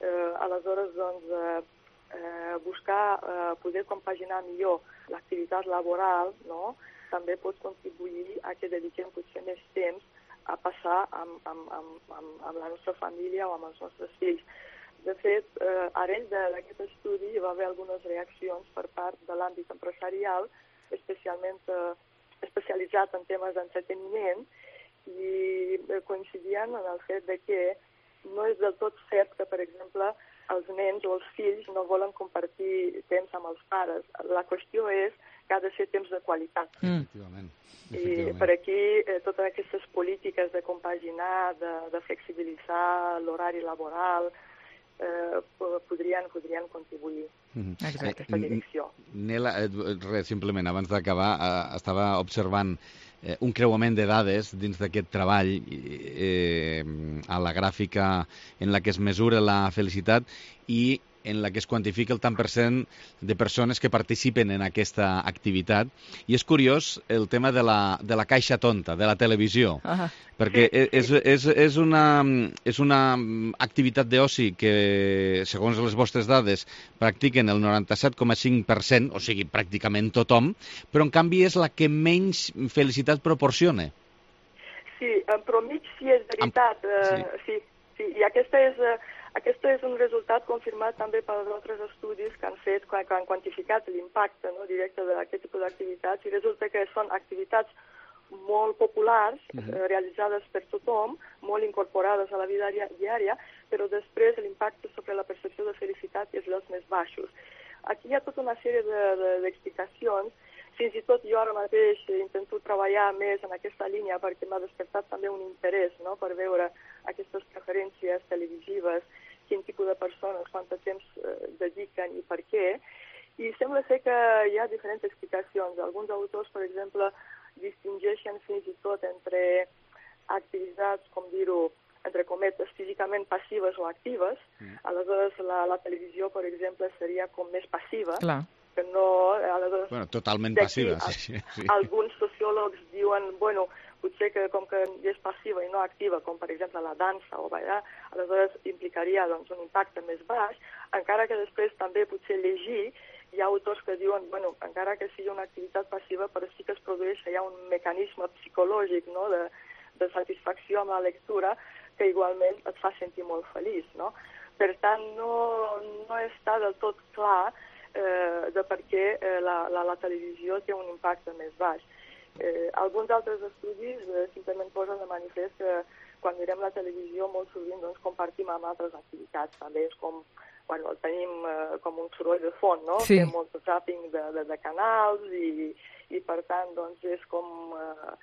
S1: eh, aleshores, doncs, eh, eh, buscar eh, poder compaginar millor l'activitat laboral, no?, també pot contribuir a que dediquem potser més temps a passar amb, amb, amb, amb, amb la nostra família o amb els nostres fills. De fet, eh, arrel d'aquest estudi hi va haver algunes reaccions per part de l'àmbit empresarial especialment eh, especialitzat en temes d'entreteniment, i coincidien en el fet de que no és del tot cert que, per exemple, els nens o els fills no volen compartir temps amb els pares. La qüestió és que ha de ser temps de qualitat.
S28: Mm. Efectivament.
S1: I per aquí eh, totes aquestes polítiques de compaginar, de, de flexibilitzar l'horari laboral, eh, podrien, podrien contribuir mm. en aquesta direcció.
S28: Nela, res, simplement, abans d'acabar, eh, estava observant eh, un creuament de dades dins d'aquest treball eh, a la gràfica en la que es mesura la felicitat i en la que es quantifica el tant per cent de persones que participen en aquesta activitat. I és curiós el tema de la, de la caixa tonta, de la televisió, uh-huh. perquè és, és, és, una, és una activitat d'oci que, segons les vostres dades, practiquen el noranta-set coma cinc per cent, o sigui, pràcticament tothom, però en canvi és la que menys felicitat proporciona.
S1: Sí, però mig sí és veritat. Amb... Uh, sí, sí, i aquesta és... Uh... Aquest és un resultat confirmat també per altres estudis que han fet, que han quantificat l'impacte no, directe d'aquest tipus d'activitats, i resulta que són activitats molt populars, uh-huh. realitzades per tothom, molt incorporades a la vida diària, però després l'impacte sobre la percepció de felicitat és dels més baixos. Aquí hi ha tota una sèrie d'explicacions. Fins i tot jo ara mateix intento treballar més en aquesta línia perquè m'ha despertat també un interès no, per veure aquestes preferències televisives, quin tipus de persones, quant de temps eh, dediquen i per què. I sembla ser que hi ha diferents explicacions. Alguns autors, per exemple, distingeixen fins i tot entre activitats, com dir-ho, entre cometes, físicament passives o actives. Mm. Aleshores, la, la televisió, per exemple, seria com més passiva.
S3: Clar.
S1: Que no, aleshores,
S28: bueno, totalment passiva. Sí, sí.
S1: Alguns sociòlegs diuen, bueno, potser que com que és passiva i no activa, com per exemple la dansa o ballar, aleshores implicaria doncs, un impacte més baix, encara que després també potser llegir, hi ha autors que diuen, bueno, encara que sigui una activitat passiva, però sí que es produeix ja un mecanisme psicològic no, de, de satisfacció amb la lectura que igualment et fa sentir molt feliç, no? Per tant, no, no està del tot clar eh, de per què eh, la, la, la televisió té un impacte més baix. Eh, alguns altres estudis eh, simplement posen de manifest que quan mirem la televisió molt sovint doncs, compartim amb altres activitats. També és com, bueno, tenim eh, com un soroll de fons, no?
S3: Sí.
S1: Fem molt zapping de, de, de canals i, i per tant doncs, és com... Eh,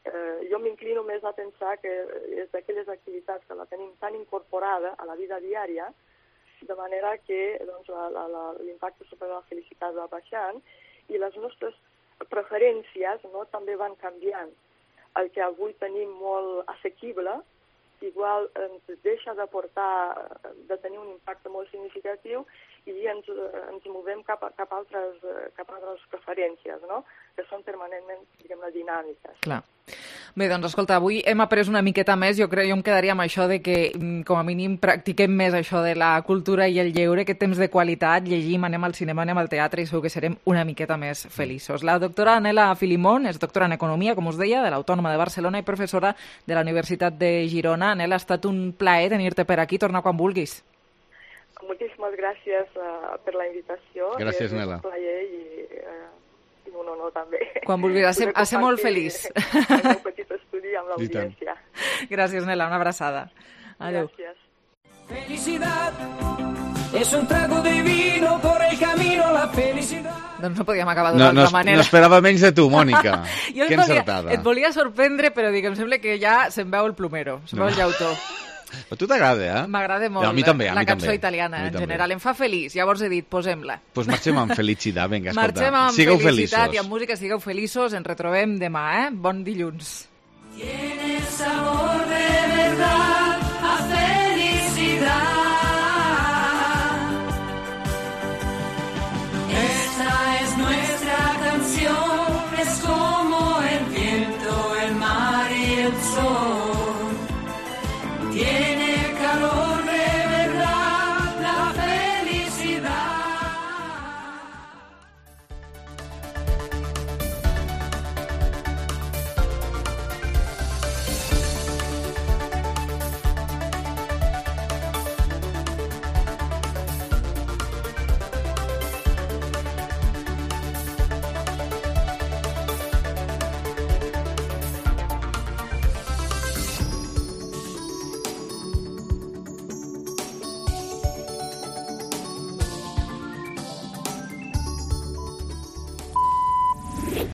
S1: eh, jo m'inclino més a pensar que és d'aquelles activitats que la tenim tan incorporada a la vida diària, de manera que doncs, l'impacte sobre la felicitat va baixant i les nostres preferències no, també van canviant. El que avui tenim molt assequible, igual ens deixa d'aportar, de tenir un impacte molt significatiu i ens, ens movem cap a, cap a, altres, cap a altres preferències, no? Que són permanentment, diguem-ne, dinàmiques.
S3: Clar. Bé, doncs escolta, avui hem après una miqueta més, jo crec, jo em quedaria amb això de que com a mínim practiquem més això de la cultura i el lleure, aquest temps de qualitat, llegim, anem al cinema, anem al teatre i segur que serem una miqueta més feliços. La doctora Anela Filimón és doctora en Economia, com us deia, de l'Autònoma de Barcelona i professora de la Universitat de Girona. Anela, ha estat un plaer tenir-te per aquí, torna quan vulguis.
S1: Moltíssimes gràcies uh, per la invitació.
S28: Gràcies, Nela.
S1: És un plaer i... Uh, un honor també.
S3: Quan vulguis, a ser, a ser molt feliç.
S1: El meu petit estudi amb l'audiència.
S3: Gràcies, Nela, una abraçada. Adéu.
S1: Gràcies.
S17: Felicidad es un trago de vino por el camino a la felicidad.
S3: Doncs no podíem acabar d'una
S28: no,
S3: altra
S28: no,
S3: manera.
S28: No esperava menys de tu, Mònica.
S3: Jo
S28: que
S3: volia,
S28: encertada.
S3: Et volia sorprendre, però dic, em sembla que ja se'm veu el plomero, se'm veu el llautó.
S28: Però a tu t'agrada, eh?
S3: M'agrada molt.
S28: A mi també, a
S3: la
S28: mi
S3: cançó
S28: també.
S3: italiana, en
S28: també.
S3: general. Em fa feliç. Llavors he dit, posem-la.
S28: Doncs pues marxem amb felicitat, vinga, escolta.
S3: Marxem amb
S28: sigueu
S3: felicitat
S28: feliços.
S3: I amb música, sigueu feliços. Ens retrobem demà, eh? Bon dilluns.
S17: Tienes amor de verdad.